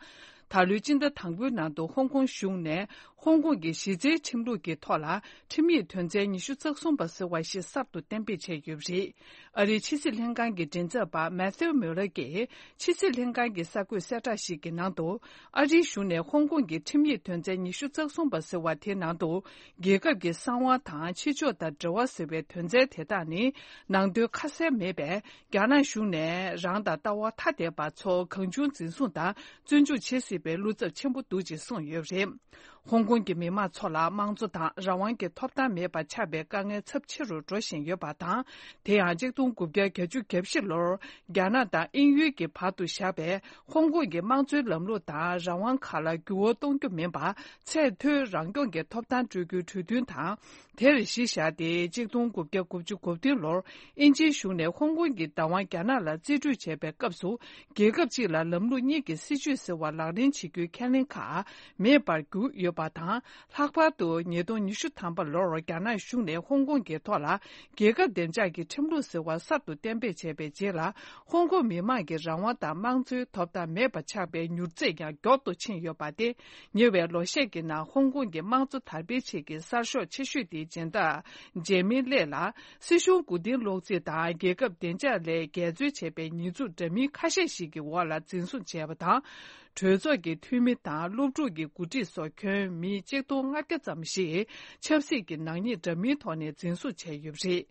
ད་ལོའི་སྤྱི་ཟླ་དང་པོའི་ནང་དུ་ཧོང་ཀོང་གཞུང་ནས་ཧོང་ཀོང་གི་གཞི་རྩའི་ཁྲིམས་ལུགས་ཀྱི་ཐོག་ལ་ཁྲིམས་ཡིག་དོན་ཚན་ཉི་ཤུ་རྩ་གསུམ་པ་ཟེར་བ་ཞིག་གསར་དུ་གཏན་འབེབས་བྱས་ཡོད་པ་རེད། ཨ་རིའི་ཕྱི་སྲིད་ལྷན་ཁང་གི་མགྲིན་ཚབ་པ་མེ་ཐིའུ་མིའུ་ལར་གྱིས་ཕྱི་སྲིད་ལྷན་ཁང་གི་གསར་འགོད་གསལ་བསྒྲགས་ཤིག་གི་ནང་དུ། ཨ་རིའི་གཞུང་ནས་ཧོང་ཀོང་གི་ཁྲིམས་ཡིག་དོན་ཚན་ཉི་ཤུ་རྩ་གསུམ་པ་ཟེར་བ་དེའི་ནང་དུ། རྒྱལ་ཁབ་ཀྱི་གསང་བ་དང་ཕྱི་ཕྱོགས་དང་འབྲེལ་བ་ཟེར་བའི་དོན་ཚན་དེ་དག་ནི་ནང་དོན་ཁ་གསལ་མེད་པས། རྒྱ་ནག་གཞུང་ནས་རང་དང་ལྟ་བ་ཐ་དད་པ་ཚོ་གང་བྱུང་འཛིན་བཟུང་དང་བཙོན་འཇུག་བྱེད་སྲིད་པའི་བློ་འཚབ་ཆེན་པོ་འདུག་ཅེས་གསུངས་ཡོད་པ་རེད། ཧོང་ཀོང་གི་མི་མང་ཚོ་ལ་དམངས་གཙོ་དང་རང་དབང་གི་ཐོབ་ཐང་མེད་པ་ཆགས་པའི་དཀའ་ངལ་ཚབས་ཆེ་རུ་འགྲོ་བཞིན་ཡོད་པ་དང་། དེ་ཡང་གཅིག་སྟོང་དགུ་བརྒྱ་གྱ་བཞི་ལོར་རྒྱ་ནག་དང་དབྱིན་ཡུལ་གྱི་བར་དུ་བཞག་པའི་ཧོང་ཀོང་གི་དམངས་གཙོའི་ལམ་ལུགས་དང་རང་དབང་ཁག་ལ་འགྱུར་བ་གཏོང་རྒྱུ་མིན་པར། ཚད་མཐོའི་རང་སྐྱོང་གི་ཐོབ་ཐང་སྤྲོད་རྒྱུའི་གྲོས་མཐུན་དང་། དེར་གཞི་བཞག་སྟེ་གཅིག་སྟོང་དགུ་བརྒྱ་དགུ་བཅུ་གོ་བདུན་ལོར་དབྱིན་ཇིའི་གཞུང་ནས་ཧོང་ཀོང་གི་བདག་དབང་རྒྱ་ནག་ལ་རྩིས་སྤྲོད་བྱས་པའི་སྐབས་སུ། རྒྱལ་ཁབ་གཅིག་ལ་ལམ་ལུགས་གཉིས་ཀྱི་སྲིད་བྱུས་ཟེར་བ་ལག་ལེན་བྱེད་རྒྱུའི་ཁས་ལེན་ཁག་མེད་པར་གྱུར་ཡོད་པ་དང་། ལྷག་པར་དུ་ཉིས་སྟོང་ཉི་ཤུ་ཐམ་པ་ལོར་རྒྱ་ནག་གཞུང་ནས་ཧོང་ཀོང་གི་ཐོག་ལ་རྒྱལ་ཁབ་བདེ་འཇགས་ཀྱི་ཁྲིམས་ལུགས་ཟེར་བ་གསར་དུ་གཏན་འབེབས་བྱས་པའི་རྗེས་ལ། ཧོང་ཀོང་མི་མང་གི་རང་དབང་དང་དམངས་གཙོའི་ཐོབ་ཐང་མེད་པ་ཆགས་པའི་མྱུར་ཚད་ཀྱང་མགྱོགས་སུ་ཕྱིན་ཡོད་པ་སྟེ། ཉེ་བའི་ལོ་ཤས་ཀྱི་ནང་ཧོང་ཀོང་གི་དམངས་གཙོ་དར་སྤེལ་ཆེད་ཀྱི་གསར་ཤོག་ཆེ་ཤོས་དེའི་སྦྱིན་བདག་ཇེ་མི་ལེ་ལ། སྲིད་གཞུང་མགོ་རྟིང་སློག་རྩིས་དང་རྒྱལ་ཁབ་བདེ་འཇགས་སླད་འགལ་འཛོལ་བྱས་པའི་ཉེས་འཛུགས་འདྲ་མིན་ཁ་ཤས་ཤིག་གི་འོག་ལ་འཛིན་བཟུང་བྱས་པ་དང་། གྲོས་ཚོགས་ཀྱི་འཐུས་མི་དང་སློབ་ཕྲུག་གི་འགོ་ཁྲིད་སོགས་ཁྱོན་མི་གཅིག་སྟོང་ལྔ་བརྒྱ་ཙམ་ཞིག་ཆབ་སྲིད་ཀྱི་ནག་ཉེས་འདྲ་མིན་ཐོག་ནས་འཛིན་བཟུང་བྱས་ཡོད་པ་རེད།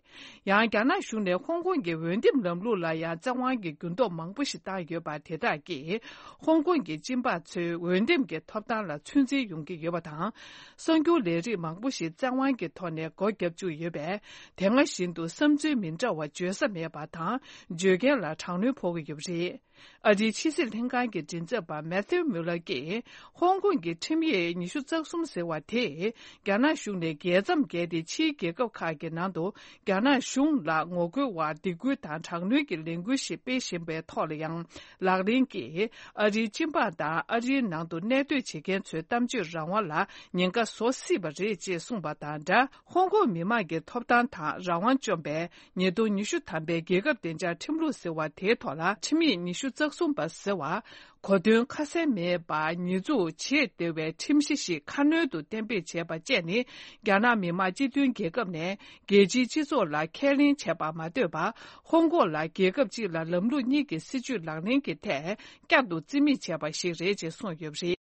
ཡང་རྒྱ་ནག་གཞུང་ནས་ཧོང་ཀོང་གི་འོས་འདེམས་ལམ་ལུགས་ལ་ཡང་བཙན་དབང་གི་འགྱུར་ལྡོག་མང་པོ་ཞིག་བཏང་ཡོད་པ་དེ་དག་གིས་ཧོང་ཀོང་གི་སྤྱི་འབངས་ཚོའི་འོས་འདེམས་ཀྱི་ཐོབ་ཐང་ལ་ཚོད་འཛིན་ཡོང་གི་ཡོད་པ་དང་། གསར་འགྱུར་ལས་རིགས་མང་པོ་ཞིག་བཙན་དབང་གི་ཐོག་ནས་སྒོ་བརྒྱབ་བཅུག་ཡོད་པས། དེ་སྔ་བཞིན་དུ་བསམ་ཚུལ་མི་འདྲ་བ་བརྗོད་ས་མེད་པ་དང་། བརྗོད་མཁན་ལ་དྲག་གནོན་ཕོག་གི་ཡོད་པ་རེད། ཨ་རིའི་ཕྱི་སྲིད་ལྷན་ཁང་གི་མགྲིན་ཚབ་པ་མེ་ཐིའུ་མུ་ལར་གྱིས། ཧོང་ཀོང་གི་ཁྲིམས་ཡིག་ཉི་ཤུ་རྩ་གསུམ་ཟེར་བ་དེས། རྒྱ་ནག་གཞུང་ནས་རྒྱལ་མཚམས་བརྒལ་ཏེ་ཕྱིའི་རྒྱལ་ཁབ་ཁག་གི་ནང་དུ། རྒྱ་ནག་གཞུང་ལ་ངོ་རྒོལ་བ་སྡིགས་སྐུལ་དང་དྲག་གནོན་གྱི་ལས་འགུལ་ཞིག་སྤེལ་བཞིན་པའི་ཐོག་ལ་ཡང་ལག་ལེན་གྱིས། ཨ་རིའི་སྤྱི་འབངས་དང་ཨ་རིའི་ནང་དུ་གནས་སྡོད་བྱེད་མཁན་ཚོའི་གཏམ་བརྗོད་རང་དབང་ལ་ཉེན་ཁ་བཟོ་སྲིད་པ་རེད་ཅེས་གསུངས་པ་དང་སྦྲགས། ཧོང་ཀོང་མི་མང་གི་ཐོབ་ཐང་དང་རང་དབང་བཅོམ་པའི་ཉིས་སྟོང་ཉི་ཤུ་ཐམ་པའི་རྒྱལ་ཁབ་བདེ་འཇགས་ཁྲིམས་ལུགས་ཟེར་བ་དེའི་ཐོག་ལ། ཁྲིམས་ཡིག་ཉི་ཤུ་རྩ་གསུམ་པ་ཟེར་བ། གོ་དོན་ཁ་གསལ་མེད་པར་ཉེས་འཛུགས་བྱེད་བདེ་བའི་ཁྲིམས་གཞི་ཞིག་ཁ་སྣོན་དུ་གཏན་འབེབས་བྱས་པ་བཅས་ནི། རྒྱ་ནག་མི་དམངས་སྤྱི་མཐུན་རྒྱལ་ཁབ་ནས་རྒྱལ་སྤྱིའི་སྤྱི་ཚོགས་ལ་ཁས་ལེན་བྱས་པར་མ་ལྟོས་པར། ཧོང་ཀོང་ལ་རྒྱལ་ཁབ་གཅིག་ལ་ལམ་ལུགས་གཉིས་ཀྱི་སྲིད་བྱུས་ལག་ལེན་གྱི་ཐད་བསྐྱར་དུ་རྩིས་མེད་བྱས་པ་ཞིག་རེད་ཅེས་གསུངས་ཡོད་པ་རེད།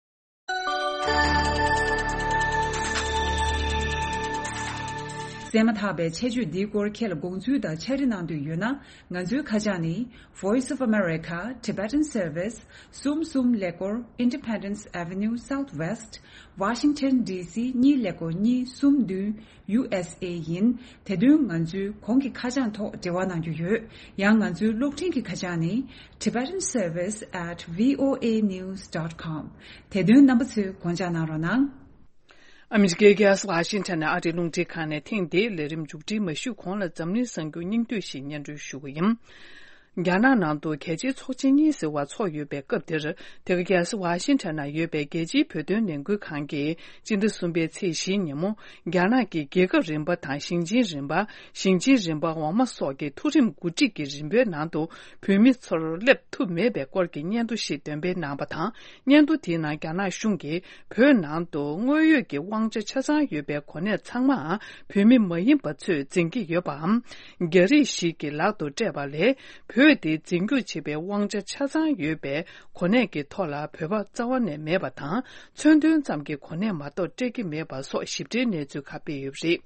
གསན་མ་ཐག་པའི་ཆེད་བརྗོད་འདིའི་སྐོར་ཁྱེད་ལ་དགོངས་ཚུལ་དང་ཕྱག་བྲིས་གནང་འདོད་ཡོད་ན། ང་ཚོའི་ཁ་བྱང་ནི། Voice of America Tibetan Service གསུམ་གསུམ་ཀླད་ཀོར་Independence Avenue Southwest Washington D C གཉིས་ཀླད་ཀོར་གཉིས་གསུམ་བདུན། U S A ཡིན། དེ་དོན་ང་ཚོའི་གོང་གི་ཁ་བྱང་ཐོག་འབྲེལ་བ་གནང་རྒྱུ་ཡོད། ཡང་ང་ཚོའི་གློག་འཕྲིན་གྱི་ཁ་བྱང་ནི། Tibetan Service at V O A news dot com དེ་དོན་རྣམ་པ་ཚོས་དགོངས་འཇགས་གནང་རོགས་གནང་། ཨ་མི་རི་ཀའི་རྒྱལ་ས་ཝ་ཤིང་ཊོན་ནས་ཨ་རིའི་རླུང་འཕྲིན་ཁང་ནས་ཐེངས་འདིའི་ལས་རིམ་མཇུག་སྒྲིལ་མ་ཞུས་གོང་ལ་འཛམ་གླིང་གསར་འགྱུར་སྙིང་བསྡུས་ཤིག་སྙན་སྒྲོན་ཞུ་གི་ཡིན། རྒྱ་ནག་ནང་དུ་རྒྱལ་སྤྱིའི་ཚོགས་ཆེན་གཉིས་ཟེར་བ་ཚོགས་ཡོད་པའི་སྐབས་འདིར། དེ་ག་རྒྱལ་ས་ཝ་ཤིང་ཊོན་ན་ཡོད་པའི་རྒྱལ་སྤྱིའི་བོད་དོན་ལས་འགུལ་ཁང་གིས་སྤྱི་ཟླ་གསུམ་པའི་ཚེས་བཞིའི་ཉིན་མོ། རྒྱ་ནག་གི་རྒྱལ་ཁབ་རིམ་པ་དང་ཞིང་ཆེན་རིམ་པ། ཞིང་ཆེན་རིམ་པ་འོག་མ་སོགས་ཀྱི་མཐོ་རིམ་འགོ་ཁྲིད་ཀྱི་རིམ་པའི་ནང་དུ་བོད་མི་ཚོར་སླེབས་ཐུབ་མེད་པའི་སྐོར་གྱི་སྙན་ཐོ་ཞིག་འདོན་སྤེལ་གནང་བ་དང་། སྙན་ཐོ་དེའི་ནང་རྒྱ་ནག་གཞུང་གིས་བོད་ནང་དུ་དངོས་ཡོད་ཀྱི་དབང་ཆ་ཆ་ཚང་ཡོད་པའི་གོ་གནས་ཚང་མའང་བོད་མི་མ་ཡིན་པ་ཚོས་འཛིན་གྱི་ཡོད་པའམ། རྒྱ་རིགས་ཤིག་གི་ལག་ཏུ་སྤྲད་པ་ལས། བོད་དེ་འཛིན་སྐྱོང་བྱེད་པའི་དབང་ཆ་ཆ་ཚང་ཡོད་པའི་གོ་གནས་ཀྱི་ཐོག་ལ་བོད་པ་རྩ་བ་ནས་མེད་པ་དང་། མཚོན་དོན་ཙམ་གྱི་གོ་གནས་མ་གཏོགས་སྤྲད་ཀྱི་མེད་པ་སོགས་ཞིབ་ཕྲའི་གནས་ཚུལ་ཁག་སྤེལ་ཡོད་པ་རེད།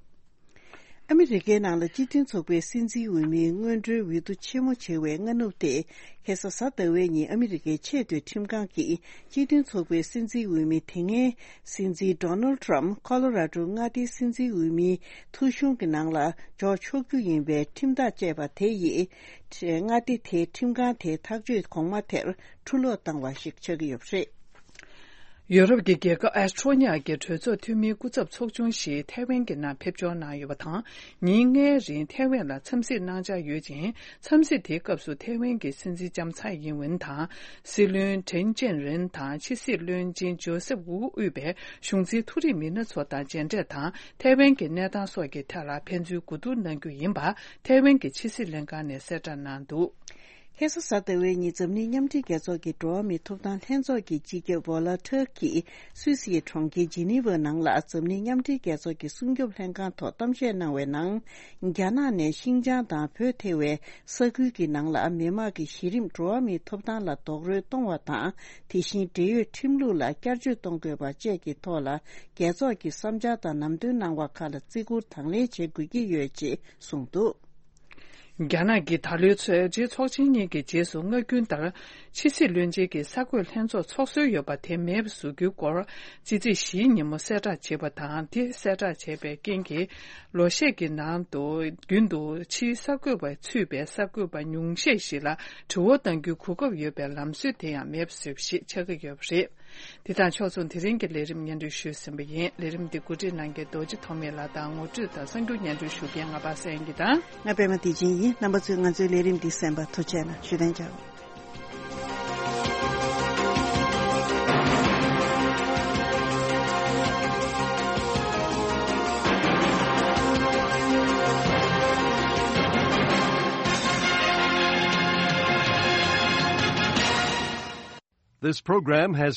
ཨ་མི་རི་ཀའི་ནང་ལ་སྤྱི་མཐུན་ཚོགས་པའི་སྲིད་འཛིན་འོས་མིའི་སྔོན་འགྲོའི་འོས་བསྡུ་ཆེན་མོ་བྱེད་པའི་སྔ་ནུབ་སྟེ། ཁ་སང་གཟའ་ཟླ་བའི་ཉིན་ཨ་མི་རི་ཀའི་ཆེས་མཐོའི་ཁྲིམས་ཁང་གིས་སྤྱི་མཐུན་ཚོགས་པའི་སྲིད་འཛིན་འོས་མི་དེ་སྔའི་སྲིད་འཛིན་ཌོ་ནལ་ཊམ་ཁོ་ལོ་ར་ཌོ་མངའ་སྡེའི་སྲིད་འཛིན་འོས་མིའི་ཐོ་གཞུང་གི་ནང་ལ་འཇོག་ཆོག་རྒྱུ་ཡིན་པའི་ཁྲིམས་ཐག་བཅད་པ་དེ་ཡིས། མངའ་སྡེ་དེའི་ཁྲིམས་ཁང་དེའི་ཐག་གཅོད་གོང་མ་དེར་འཁྲུ་སློག་བཏང་བ་ཞིག་ཆགས་ཀྱི་ཡོད་པ་རེད། ཡོ་རོབ་ཀྱི་རྒྱལ་ཁབ་ཨེ་སི་ཊོ་ནི་ཡ་གྱི་གྲོས་ཚོགས་འཐུས་མིའི་སྐུ་ཚབ་ཚོགས་ཆུང་ཞིག་ཐའེ་ཝན་གྱི་ནང་ཕེབས་འབྱོར་གནང་ཡོད་པ་དང་། ཉིན་ལྔའི་རིང་ཐའེ་ཝན་ལ་འཚམས་གཟིགས་གནང་འཆར་ཡོད་ཅིང་། འཚམས་གཟིགས་དེའི་སྐབས་སུ་ཐའེ་ཝན་གྱི་སྲིད་འཛིན་ལྕམ་ཚའེ་ཡིན་ཝུན་དང་། སྲིད་བློན་ཁྲེན་ཅན་རིན་དང་ཕྱི་སྲིད་བློན་ཆེན་ཇོ་སེབ་ཝུ་དབུས་པའི་གཞུང་འཛིན་མཐོ་རིམ་མི་སྣ་ཚོ་དང་མཇལ་འཕྲད་དང་། ཐའེ་ཝན་གྱི་གནས་སྟངས་སོགས་ཀྱི་ཐད་ལ་ཕན་ཚུན་གོ་བསྡུར་གནང་རྒྱུ་ཡིན་པ་ཐའེ་ཝན་གྱི་ཕྱི་སྲིད་ལྷན་ཁང་ནས་གསལ་བསྒྲགས་གནང་འདུག། ཁ་སང་གཟའ་ཟླ་བའི་ཉིན་འཛམ་གླིང་མཉམ་འབྲེལ་རྒྱལ་ཚོགས་ཀྱི་འགྲོ་བ་མིའི་ཐོབ་ཐང་ལྷན་ཚོགས་ཀྱི་སྤྱི་ཁྱབ་བྷོ་ལ་ཐུར་གྱིས་སུད་སིའི་གྲོང་ཁྱེར་ཇི་ནི་ཝ་ནང་ལ་འཛམ་གླིང་མཉམ་འབྲེལ་རྒྱལ་ཚོགས་ཀྱི་སྲུང་སྐྱོབ་ལྷན་ཁང་ཐོག་གཏམ་བཤད་གནང་བའི་ནང་། རྒྱ་ནག་ནས་ཤིན་ཅང་དང་བོད་ཐེ་བའི་ས་ཁུལ་གྱི་ནང་ལ་མི་དམངས་ཀྱི་གཞི་རིམ་འགྲོ་བ་མིའི་ཐོབ་ཐང་ལ་རྡོག་རོལ་གཏོང་བ་དང་། དེ་བཞིན་འབྲེལ་ཡོད་ཁྲིམས་ལུགས་ལ་བསྐྱར་བཅོས་གཏོང་དགོས་པ་བཅས་ཀྱི་ཐོག་ལ་རྒྱལ་ཚོགས་ཀྱི་བསམ་འཆར་དང་ལམ་སྟོན་གནང་བ་ཁག་ལ་བརྩི་བཀུར་དང་ལེན་བྱེད་དགོས་ཀྱི་ཡོད་ཅེས་གསུངས་འདུག། རྒྱ་ནག་གིས་ད་ལོའི་ཚོས་རྗེ་ཚོགས་ཆེན་གཉིས་ཀྱི་རྗེས་སུ་སྔ་རྒྱུན་ལྟར་ཕྱི་སྲིད་བློན་ཆེན་གྱི་གསར་འགོད་ལྷན་ཚོགས་ཚོགས་སྲོལ་ཡོད་པ་དེ་མེད་པ་བཟོ་རྒྱུའི་སྐོར་ཕྱི་ཚེས་བཞིའི་ཉིན་མོ་གསལ་བསྒྲགས་བྱས་པ་དང་། དེ་གསལ་བསྒྲགས་བྱས་པའི་རྐྱེན་གྱིས་ལོ་ཤས་ཀྱི་ནང་དུ་རྒྱུན་དུ་ཕྱིའི་གསར་འགོད་པ་ཚུད་པའི་གསར་འགོད་པ་ཉུང་ཤས་ཤིག་ལ་དྲི་བ་གཏང་རྒྱུའི་གོ་སྐབས་ཡོད་པའི་ལམ་སྲོལ་དེ་ཡང་མེད་པ་བཟོས་པ་ཞིག་ཆགས་ཀྱི་ཡོད་པ་རེད། དེ་དང་ཕྱོགས་མཚུངས་དེ་རིང་གི་ལས་རིམ་སྙན་སྒྲོན་ཞུས་ཟིན་པ་ཡིན། ལས་རིམ་འདི་གོ་སྒྲིག་གནང་མཁན་རྡོ་རྗེ་ཐོགས་མེད་ལགས་དང་ངོ་སྤྲོད་དང་གསར་འགྱུར་སྙན་སྒྲོན་ཞུ་མཁན་ང་པ་སངས་ཡིན་གྱི་དང་། ང་པད་མ་བདེ་ཆེན་ཡིན། རྣམ་པ་ཚོས་ང་ཚོའི་ལས་རིམ་འདི་གསན་པར་ཐུགས་རྗེ་གནང་། བཞུགས་གདན་འཇགས། This program has